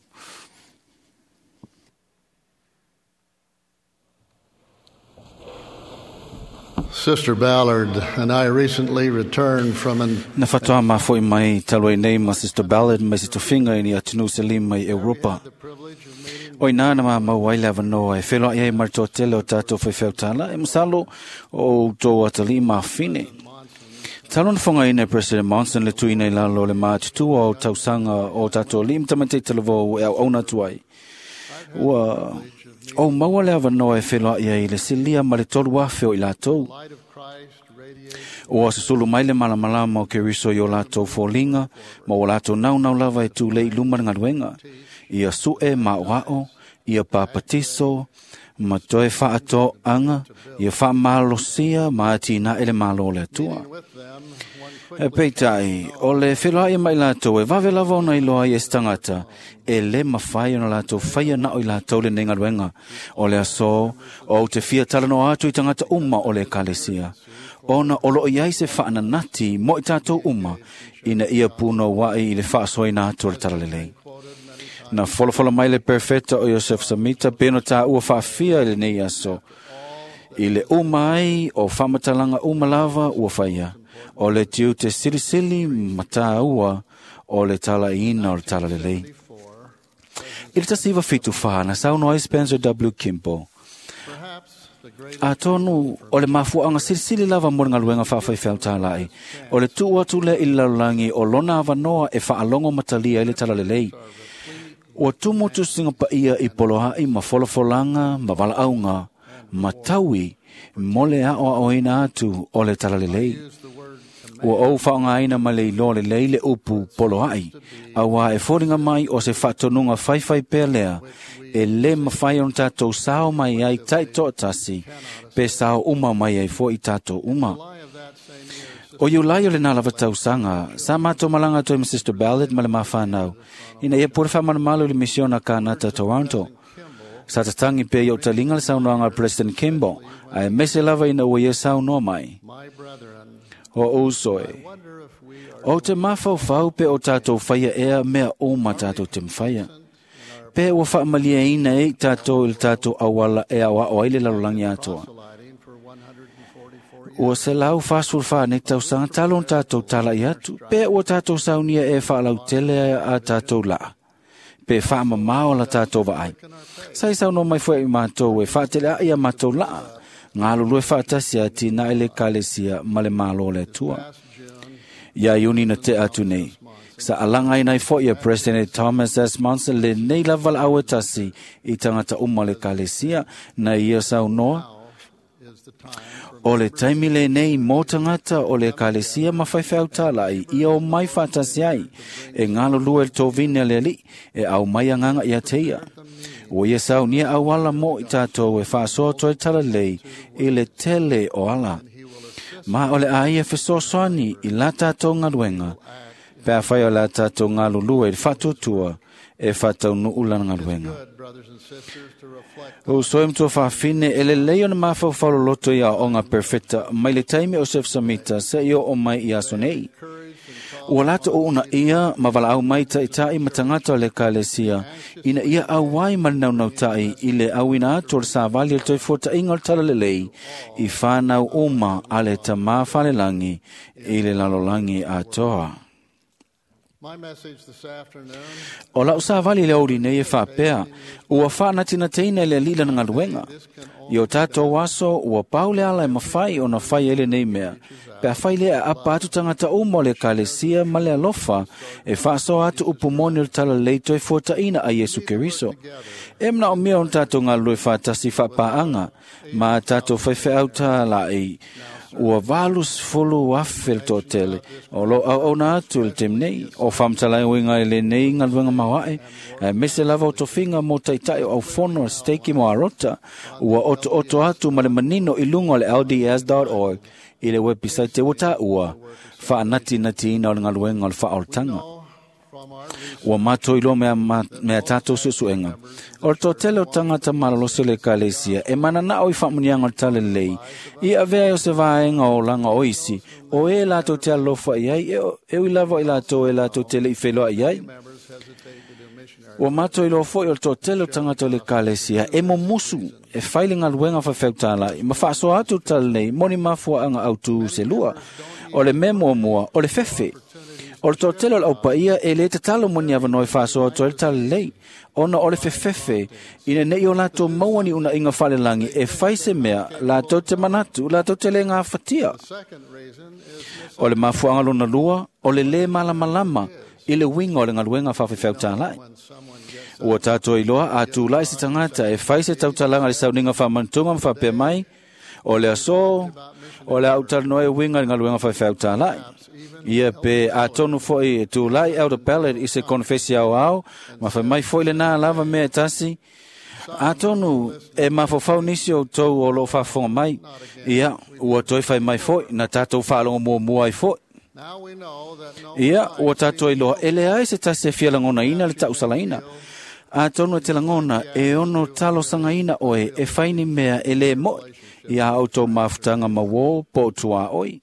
Sister Ballard and I recently returned from an Na whatoa mā mai talu ai nei ma Sister Ballard mai se tofinga i ni atunu se lima i Europa. O ina na mā mau ai le awanoa e wheloa i ai maritoa tele o tātou whaiwheutala e masalo o tō atali mā whine. Talo na whanga ina President Monson le tuina i lalo le mātutua o tausanga o tātou lim tamate talavou e au auna tuai. Ua o maua le awanoa e wheloa i ai le silia ma le tolu afe o i lātou. Ua susulu mai le malamalama o Keriso i o lātou fōlinga, ma o lātou naunau lava e tūlei luma le galuega. Ia su'e ma oa'o, ia papatiso, ma toe faatoaga, ia faamalosia ma atinae le malo o le Atua. E peitai, o le feloai mai latou e vave lava ona iloa ai e se tagata, e lē mafai ona latou faia na o i latou lenei galuega. O le aso, ou te fia talanoa atu i tagata uma o le ekalesia, ona o loo i ai se faananati mo i tatou uma, ina ia punouaʻi i le faasoaina atu o le talalelei. Na folafola mai le perfeta o Iosef Samita peno tāua faafia i lenei aso. I le uma ai o faamatalaga uma lava ua faia. O le tiute silisili ma tāua o le talaiina o le talalelei. I le 1974 na saunoa ai Spencer W. Kimball. Atonu o le mafuaanga silisili lava mo le galuega faafaifeau O le tuu atu lea i le lalolagi o lona avanoa e faalogo matalia ai le talalelei. Ua tumu tusiga paia i poloaʻi ma folafolaga ma valaauga ma taui mo le aʻoaʻoina atu o le talalelei. Ua ou whaongaina ma le iloa lelei le upu poloai, auā e foliga mai o se faatonuga faifai pea lea, e lē mafai ona tatou sao mai ai taitoatasi, pe sao uma mai ai foʻi tatou uma. O Iulai o lenā lava tausaga, sa matou malaga atu ai ma Sister Ballard ma le mafanau, ina ia pule faamalumalu i le misiona Kanata Toronto. Sa tatagi pea i ou taliga le saunoaga a President Kimball, ae mese lava ina ua ia saunoa mai. O uso e, ou te mafaufau pe o tatou faia ea mea uma tatou te mafaia. Pe ua faamalieina ai tatou i le tatou auala e aoao ai le lalolagi atoa. Ua 144 nei tausaga talu ona tatou tala'i atu, pe ua tatou saunia ea e faalautele a tatou la'a, pe faamamao la tatou vaai. Sa i saunoa mai foi i matou e faatelea'i a matou la'a, galulue faatasi atinae le Ekalesia ma le Malo o le Atua. Ia Iuni na tea atu nei, sa alagaina ai foʻi e President Thomas S. Monson lenei lava laau e tasi i tagata uma o le Ekalesia na ia saunoa. O le taimi lenei mo tagata o le Ekalesia ma faifeau talaʻi ia o mai faatasi ai e galulue i le tovine a le Alii e aumai agaga ia te ia. Ua ia saunia auala mo i tatou e faasoa atu ai talalelei i le tele o ala. Ma o le a ia fesoasoani i la tatou galuega, pe afai o le a tatou galulue i le faatuatua e faataunuu lana galuega. Uso e matua faafine, e lelei ona mafaufau loloto i aoaoga perfeta mai le taimi o Sef Samita seia oo mai i aso nei. Ua latou uunaia ma valaau mai taʻitaʻi ma tagata o le Ekalesia ina ia auai ma le naunautai i le auina atu o le savali o le toefuataʻiga o le talalelei i fanau uma a le Tamā Falelagi i le lalolagi atoa. O lau savali i le aoauli nei e faapea, ua faanatinatiina e le Alii lana galuega. I o tatou aso, ua pau le ala e mafai ona fai ai lenei mea, pe afai lea e aapa atu tagata uma o le Ekalesia ma le alofa e faasoa atu upu moni o le talalelei toefuataʻina a Iesu Keriso. E manaomia ona tatou galulue faatasi faapaaga ma a tatou faifeau talaʻi ua 80,000 le toatele o loo auauna atu i le taimi nei o faamatalaina i lenei galuega maoaʻe, aemaise lava o tofiga mo taʻitaʻi o aufono a Steiki mo Arota ua otooto atu ma le manino i luga o le LDS.org i le wepisaite ua taua faanatinatiina o le galuega o le faaolataga. Ua matou iloa mea tatou suesuega. O le toatele o tagata malolosi o le Ekalesia e mananao i faamuniaga o le talalelei i avea ai o se vaega o olaga o isi, o e latou te alolofa i ai, e ui lava i latou e latou te leʻi feiloai ai. Ua matou iloa foʻi o le toatele o tagata o le Ekalesia e mumusu e fai le galuega faifeau ma faasoa atu le talalelei mo ni mafuaaga autū se lua. O le mea muamua, o le fefe. O le toatele o le aupaia e lē tatalo mo ni avanoa e faasoa atu ai le talalelei, ona o le fefefe ina neʻi o latou maua ni unaʻiga faalelagi e fai se mea latou te manatu latou te lē gafatia. O le mafuaaga lona lua, o le lē malamalama i le uiga o le galuega faafefeau talaʻi. Ua tatou iloa a tulaʻi se tagata e fai se tautalaga i le sauniga faamanutuga ma faapea mai, o le aso, o le a ou talanoa e uiga i le galuega faifeau talaʻi. Ia pe atonu foʻi e tulaʻi Elder Ballard i se konefesi aoao ma fai mai foʻi lenā lava mea e tasi. Atonu e mafaufau nisi o outou o loo faafofoga mai, ia ua toe fai mai foʻi na tatou faalogo muamua ai foʻi. Ia ua tatou iloa e leai se tasi e fia lagonaina le tausalaina. Atonu e te lagona e ono talosagaina oe e fai ni mea e lē moʻi ia outou mafutaga mauō po o tuaʻoi.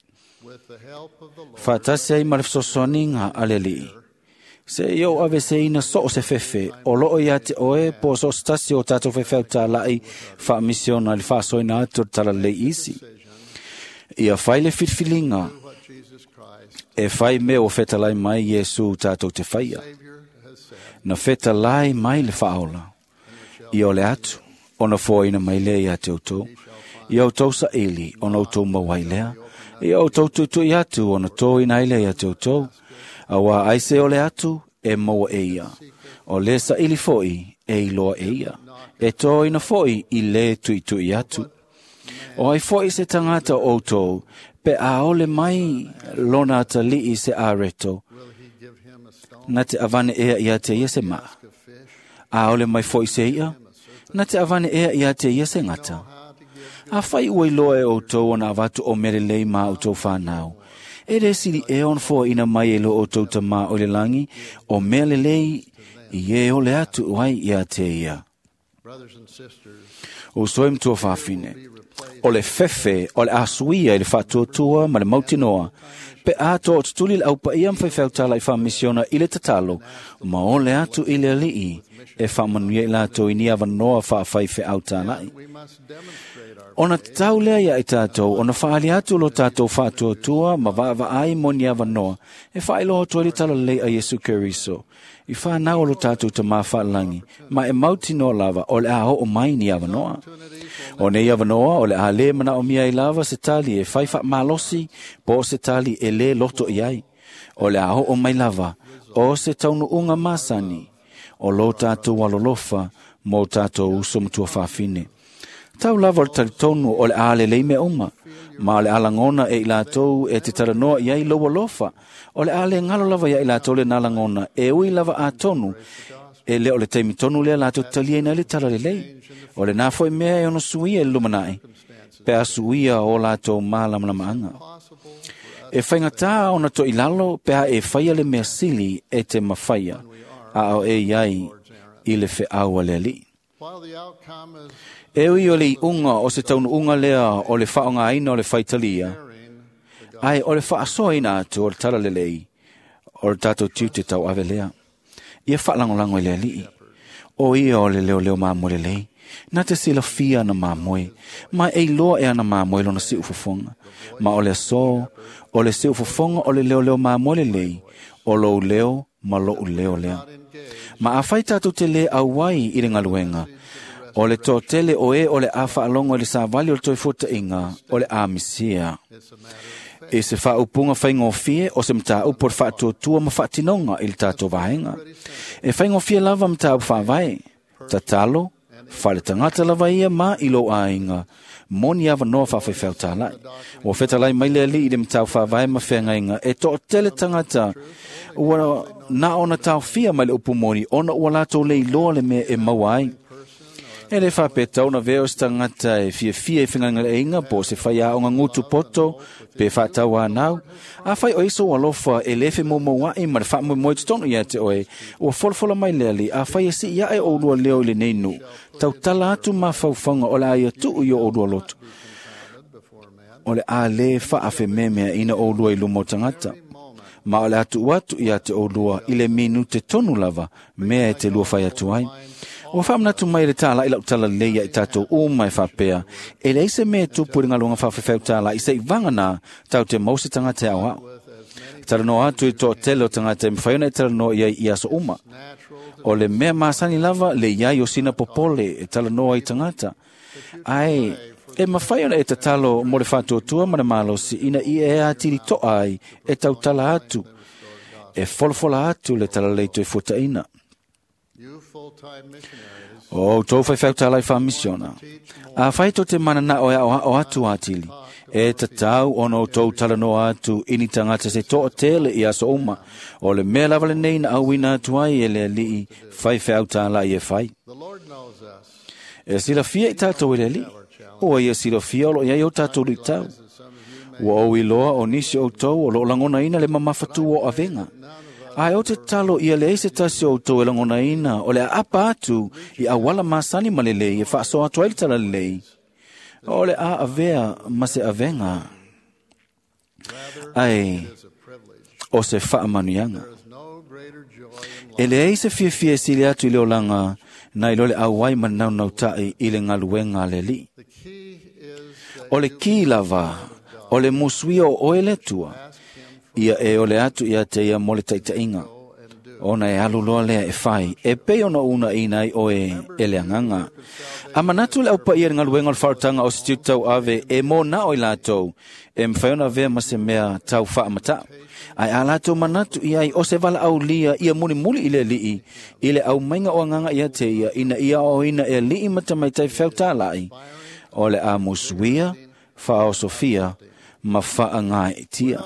Faatasi ai ma le fesoasoaniga a le Alii. Seia ou aveseina so o se fefe o loo ia te oe po o so o se tasi o tatou faifeau talaʻi faamisiona i le faasoaina atu o le talalelei isi. Ia fai le filifiliga e fai mea ua fetalai mai Iesu tatou te faia. Na fetalai mai le faaola. Ia o le atu, ona foaina mai lea ia te outou. Ia outou saili, ona outou maua ai lea. Ia outou tuitui atu, ona toina ai lea ia te outou. Auā ai se o le atu, e maua e ia. O le saili foʻi, e iloa e ia. E toina foʻi i lē tuitui atu. O ai foʻi se tagata o outou, Pe a ole mai lona atalii se areto, na te avane ea ia te ia se maa. A ole mai foi se ia, na te avane ea ia te ia se ngata. A whai ua iloa e outou ona avatu o mere lei mā outou whānau. E re siri e on fo ina mai e lo outou tamā o le langi, o mea le lei i e ole atu ai ia te ia. O soe mtua whawhine, o le fefe, o le asuia i le whaatuatua ma le mautinoa, pe a tō tutuli le aupa ia mwhaiwhautala i whamisiona i le tatalo, ma ole atu i le alii, e whaamanuia i lātou i ni awanoa whaawhaiwhe autālai. Ona tatau lea ia i tātou, ona whaali atu lo tātou whaatuatua ma vaavaai mo ni awanoa, e whaailoa atu ai le talalei a Yesu Keriso. I whānau o lo tātou ta mā whaalangi, ma e mautinoa lava o le a hoo mai ni awanoa. O nei awanoa o le a le mana o mia i lava se tali e whai whaamalosi, po se tali e le loto i ai. O le a hoo mai lava, o se taunu unga masani, o lo tātou alolofa, mō tātou uso matua whawhine. Tau lava o le talitonu o le a le lei mea uma, ma o le alangona e i lātou e te taranoa i ai lau alofa, o le a le ngalo lava ia i lātou le nalangona, e ui lava a tonu, e leo le taimi tonu lea lātou talia ina le tala lelei. O le nā foi mea e ono suia e lumanai, pe a suia o lātou mālamalamaanga. E whaingatā ona to ilalo, pe a e whaia le mea sili e te mawhaia, a o e iai i le wheaua le alii. E ui o le unga o se taunu unga lea o le whaonga aina o le whaitalia, ai o le whaasoa ina atu o le tala lelei, o le tātou tiu te tau ave lea. Ia whaalangolango i le alii. O ia o le leo leo māmoe lelei, nā te silafia ana māmoe, ma e iloa e ana māmoe lona si ufofonga. Ma o le aso, o le si ufofonga o le leo leo māmoe lelei, o lou leo ma lou leo lea. Ma a whai tātou te le auai i le ngaluenga, o le tō tele o e o le a whaalongo i le sāwali o le toi fuata inga, o le a misia. E se whaaupunga whaingofie o se mtāupu o le whaatuatua ma whaatinonga i le tātou vaenga. E whaingofie lava mtāupu whaavae, tatalo, whale tangata lava ia ma i lo āinga, moni awa noa whawhaiwhau tālai. O whetalai mai le ali i le mtāu whaavae ma whengainga, e tō tele tangata, ua nā ona tāwhia mai le upu moni, ona ua lātou le iloa le mea e maua ai. E le whapeta ona veo se tangata e fia fia i whinganga le inga po se whai a onga ngutu poto pe whātau a nau. A whai o iso alofa e lefe mo mauai ma le whaamui moi tonu ia te oe. Ua folofola mai le ali a whai e si ia e o lua leo i le neinu. Tau tala atu ma whauwhanga o le aia tuu i o lua loto. O le a le whaawhe memea ina o lua i lumo tangata. Ma o le atu atu ia te o lua i le minu te tonu lava mea e te lua whai atu ai. O whaamnatu mai le tāla i lau tala leia i tātou o mai whapea. E le ise mea tupu i ngalunga whawhewheu tāla i se i vanga nā tau te mause tangata au au. Tala noa atu i tō tele o tangata e mwhaiona i tala noa ia i aso uma. O le mea māsani lava le iai o sina popole e tala noa i tangata. Ai, e mawhaiona e tatalo mo le whātuatua ma le malosi ina i e atiri toa ai e tau tala atu. E folofola atu le tala leito e fuataina. O tō whaiwhau tālai whamisiona. A whai tō te mana nā o o atu atili. E tatau ono tō talanoa atu ini tangata se tō tele i aso uma. O le mea lava le nei na auina atu ai e le alii whaiwhau tālai e whai. E silafia i tātou e le alii. O ia silafia o lo iai o tātou lui tau. Ua o iloa o nisi o tau o lo langona ina le mamawhatu o avenga. Ai o te talo ia le ese tasi o tau e langona ina o le a apa atu i awala masani malelei e whaaso atu ai le tala lelei. O le a avea ma se avenga. Ai o se whaamanuianga. E le eise fia fia sili atu i le olanga na i lole auai manau nautai i le ngaluenga le li. O le ki lava, o le musuia o oe le tua, ia e ole atu ia te ia mo le taitainga. Ona e alu loa lea e whai, e pei ona una ina i oe e le anganga. A manatu le aupa ia ngaluenga o le wharatanga o se tiu tau ave e mō nā o i lātou, e mwhai ona vea ma se mea tau whaamata. Ai a lātou manatu i ai o se wala au lia ia muli muli i le lii, i le au mainga o anganga ia te ia, ina ia o ina e lii mata mai tai whiau tālai. O le a musuia, whaosofia, ma faagaetia.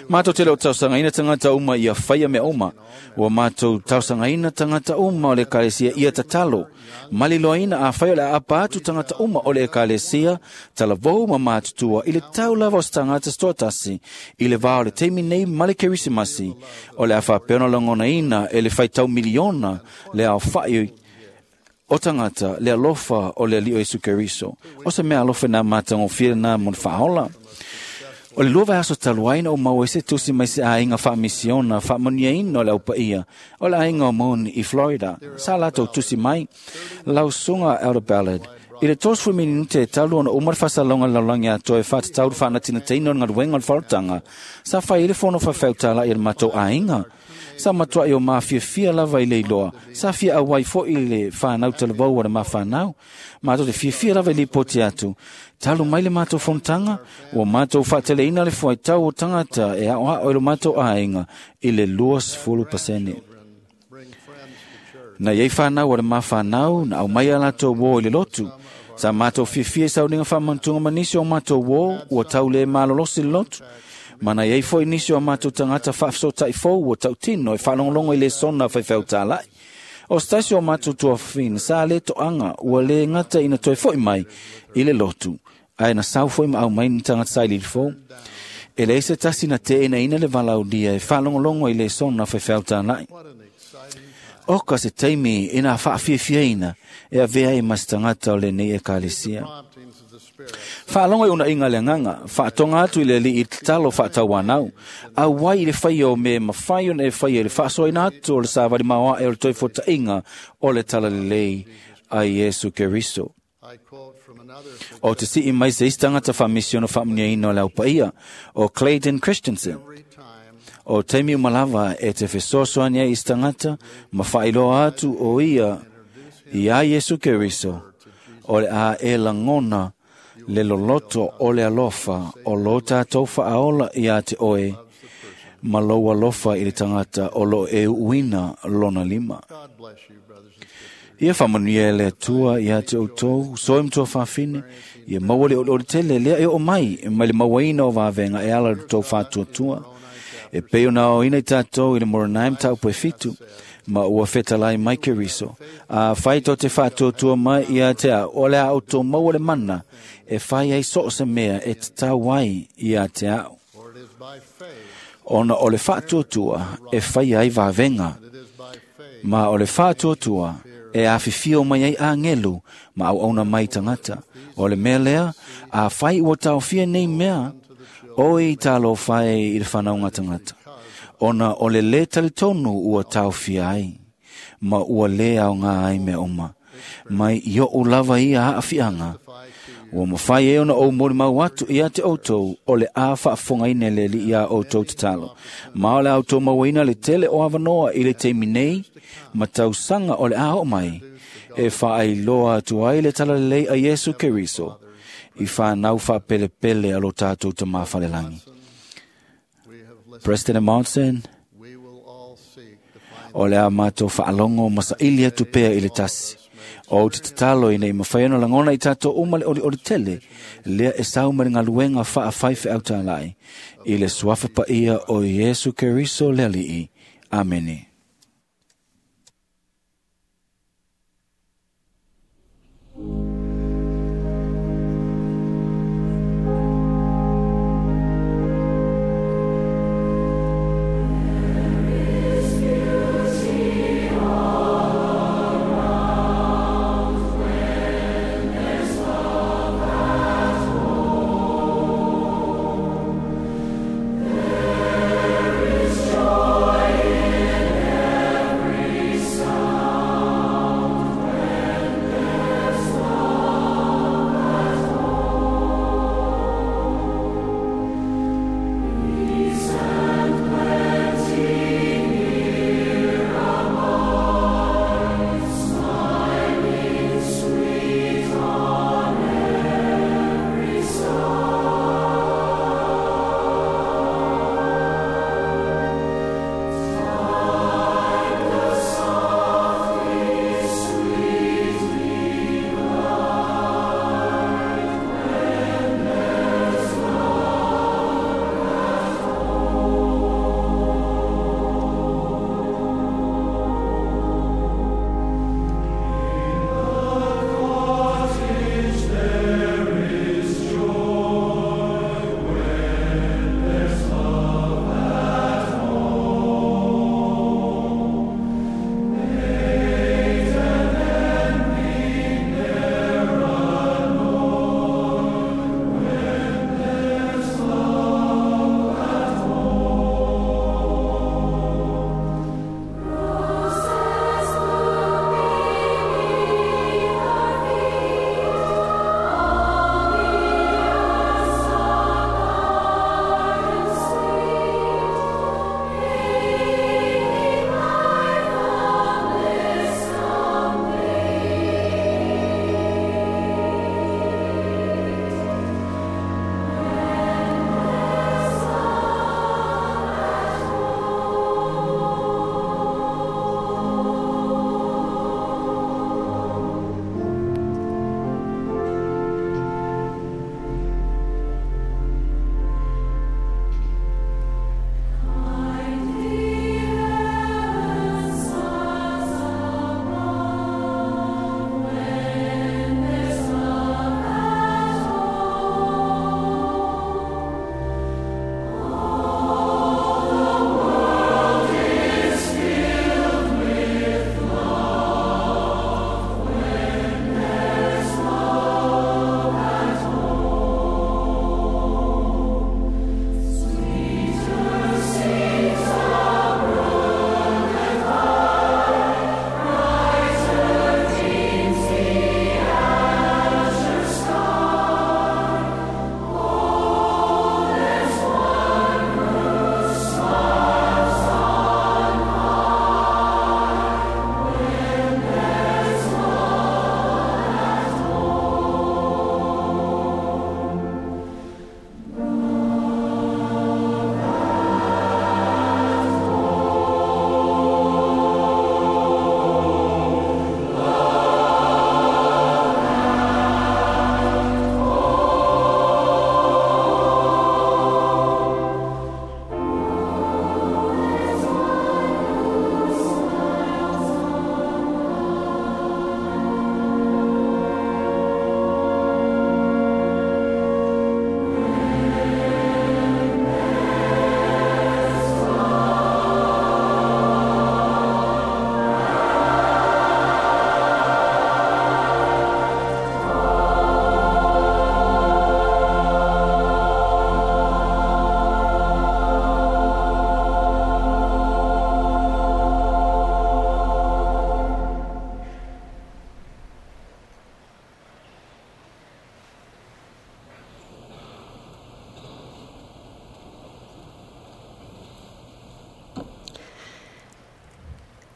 Mātou te leo tausagaina tagata uma ia faia mea uma. Ua mātou tausagaina tagata uma o le ekalesia ia tatalo. Maliloaina afai o le aapa atu tagata uma o le ekalesia, talavou ma matutua i le tau lava o se tagata se toatasi, i le vā o le taimi nei ma le Kerisimasi, o le a faapea ona lagonaina e le faitau miliona le aofa'i o tagata le alofa o le Alii o Iesu Keriso. O se mea alofa na matagofie lena mo le faaola. O le lua vaiaso talu ai na ou maua ai se tusi mai se aiga faamisiona faamanuiaina o le aupaia o le aiga o Moon i Florida. Sa latou tusi mai lausuga Elder Ballard i le 30 minute e talu ona uma le faasalaga i le lalolagi atoa e faatatau le faanatinataina o le galuega o le faaolataga sa fai ai le fono faifeau i le matou aiga. Sa matuai o mafiafia lava i le iloa. Sa fia auai foi i le whanau talavou o le mawhanau. Mātou te fiafia lava i lipoti atu. Talu mai le mātou fonotaga, ua mātou faateleina le fuaitau o tagata e aoao i lo mātou aiga i le 20%. Na iai whanau o le mawhanau, na au mai a latou uō i le lotu. Sa mātou fiafia i sauniga faamanatuga ma nisi o mātou uō, ua tau le malolosi le lotu. Ma na iai foi nisi o mātou tagata faafesootai fou ua tautino e faalogologo i lesona faifeau tāla'i. O se tasi o mātou tuafafine sa le toaga ua lē gata ina toe fo'i mai i le lotu, ae na sau foi ma aumai ni tagata sailiili fou. E leai se tasi na te'enaina le valaaulia e faalogologo i lesona faifeau tāla'i. Oka se taimi ina faafiafiaina e avea ai ma se tagata o lenei ekalesia. Faalogo i unaiga le agaga, faatoga atu i le Alii i le tatalo faatauanau. Auai i le faia o mea e mafai ona e faia i le faasoaina atu o le savali maoae o le toefuataʻiga o le talalelei a Iesu Keriso. O te sii mai se isi tagata faamisiono faamanuiaina o le aupaia, o Clayton Christensen. O taimi uma lava e te fesoasoani ai i se tagata ma faailoa atu o ia iā Iesu Keriso, o le a e lagona le loloto o le alofa o lo tātou faaola iā te oe ma lou alofa i le tagata o loo e uuina lona lima. Ia faamanuia e le Atua iā te outou, soe ma tuafafine, ia maua le olioli tele lea e oo mai mai le mauaina o vavega e ala i le tou faatuatua. E pei ona aoina i tātou i le Moronai mataupu e 7, ma ua fetalai mai Keriso. Afai tou te faatuatua mai ia te au, o le a outou maua le mana e fai ai so o se mea e tatau ai ia te au. Ona o le faatuatua e faia ai vavega, ma o le faatuatua e afifio mai ai agelu ma auauna mai tagata. O le mea lea, afai ua taofia nei mea, oi talofa e i le whanauga tagata. Ona o le lē talitonu ua taofia ai, ma ua lē aogā ai mea uma. Mai i oʻu lava ia aafiaga, ua mafai ai ona ou molimau atu ia te outou o le a faafofogaina e le Alii iā outou tatalo. Ma o le a outou mauaina le tele o avanoa i le taimi nei ma tausaga o le a oo mai, e faailoa atu ai le talalelei a Iesu Keriso i whanau whaapelepele a lo tātou te mawhalelagi. President Monson, o le a mātou whaalongo ma saili atu pea i le tasi. O te tatalo ina i mawhai ona lagona i tātou uma le olioli tele, lea e sau ma le galuega faafai feau tāla'i, i le suafa paia o Iesu Keriso le Alii. Amene. There is joy in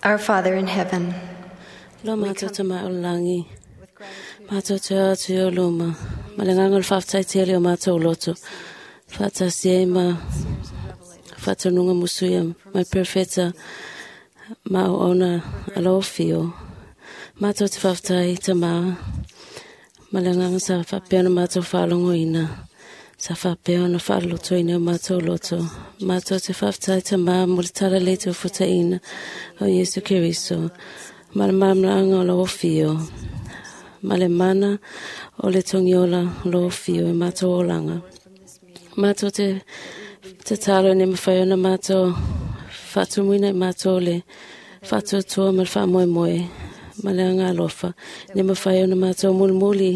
Our Father in heaven, Lo mātou te mai o langi. Mātou te atu o luma. Ma le nganga o le whaftai tele o mātou loto. Whatasi e ma whatanunga musuia mai perfeta ma o ona alo fio. Mātou te whaftai te maa. Ma le nganga sa whapea na mātou whalongo ina. Sa whapea na whaloto ina o mātou loto. Mātou te whaftai te maa mo le tala le te ufuta ina o Yesu Keriso. Ma le malamalaanga o lau fio. Ma le mana o le tongiola o lau fio e mātou olanga. Mātou te te talo ne mawhai ona mātou whatumuina i mātou le whatuatua ma le whaamoemoe ma le anga alofa ne mawhai ona mātou mulimuli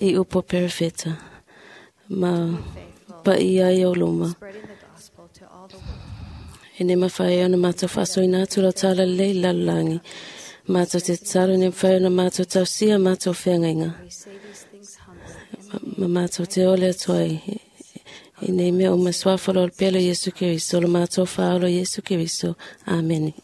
i upo perefeta ma pa i ai o luma. E ne mawhai ona mātou whasoina atu lau tala lei lalalangi. Mātou te talo ne mawhai ona mātou tausia mātou whengainga. Ma mātou te ole atu ai. I nei mea o maswafalo o le pelo Yesu Keriso, lo mātou whaalo Yesu Keriso. Amene.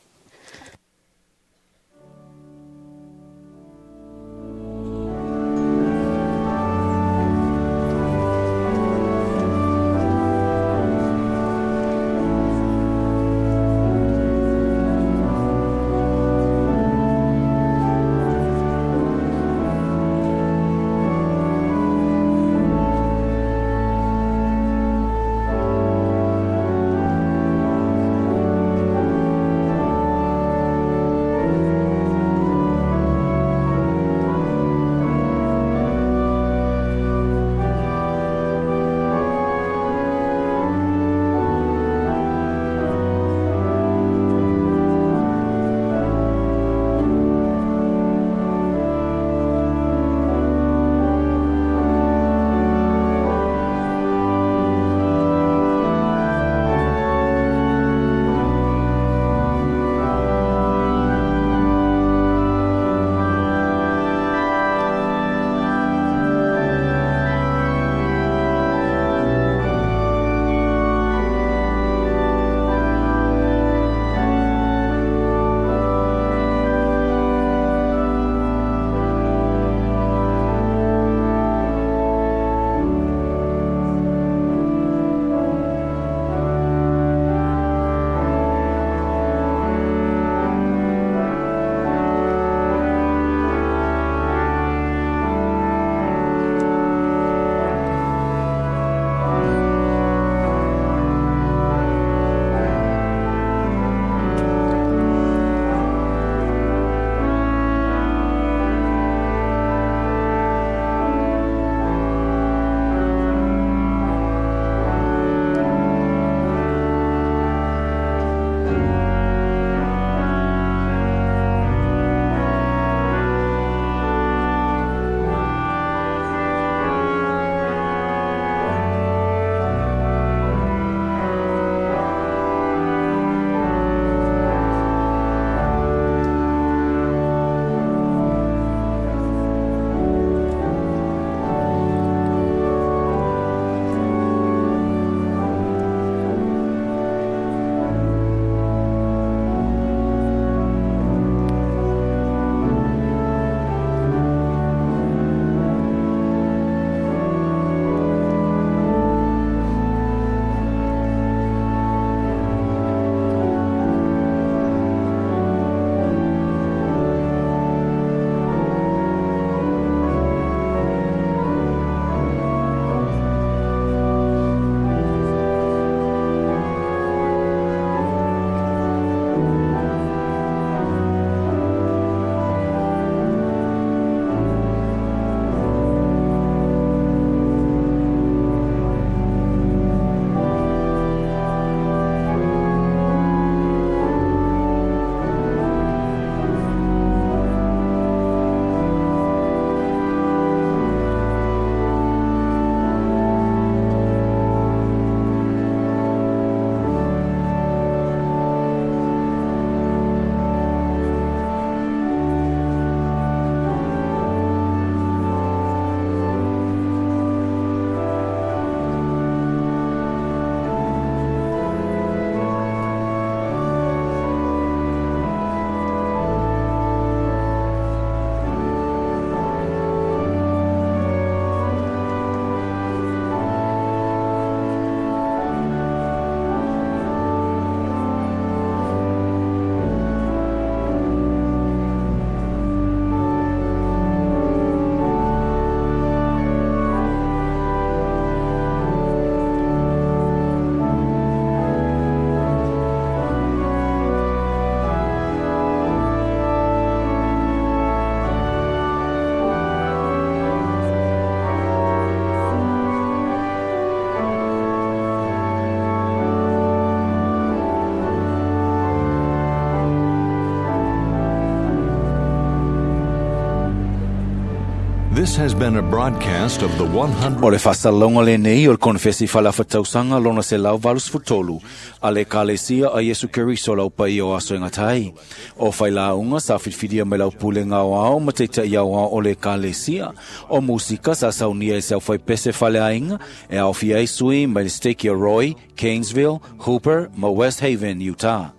This has been a broadcast of the 100. O le faasalalauga lenei o le konefesi faaleafatausaga lona 183 a le Ekalesia a Iesu Keriso lau paia o aso e gata ai. O failauga sa filifilia mai lau pulega aoao ma taitaʻi aoao o le Ekalesia. O musika sa saunia e se aufaipese faleaiga e aofia ai sui mai le Stake Roy, Kanesville, Hooper ma West Haven, Utah.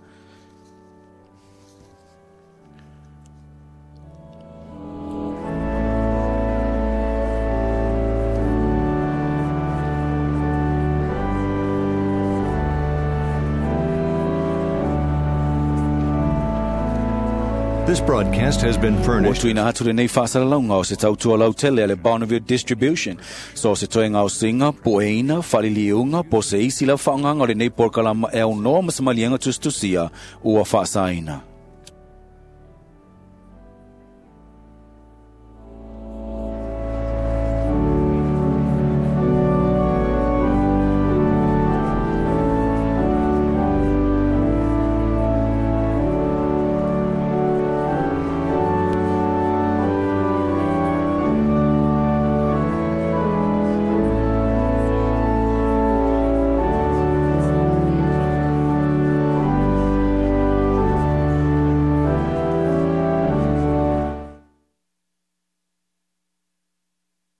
This broadcast has been Ua furnished. tuina atu lenei faasalalauga o se tautua lautele a le Bonneville Distribution. So se toega o singa, poeina, faliliuga, po se isi lau faaaogaga o lenei polokalama e aunoa ma se maliega tusitusia ua faasaina.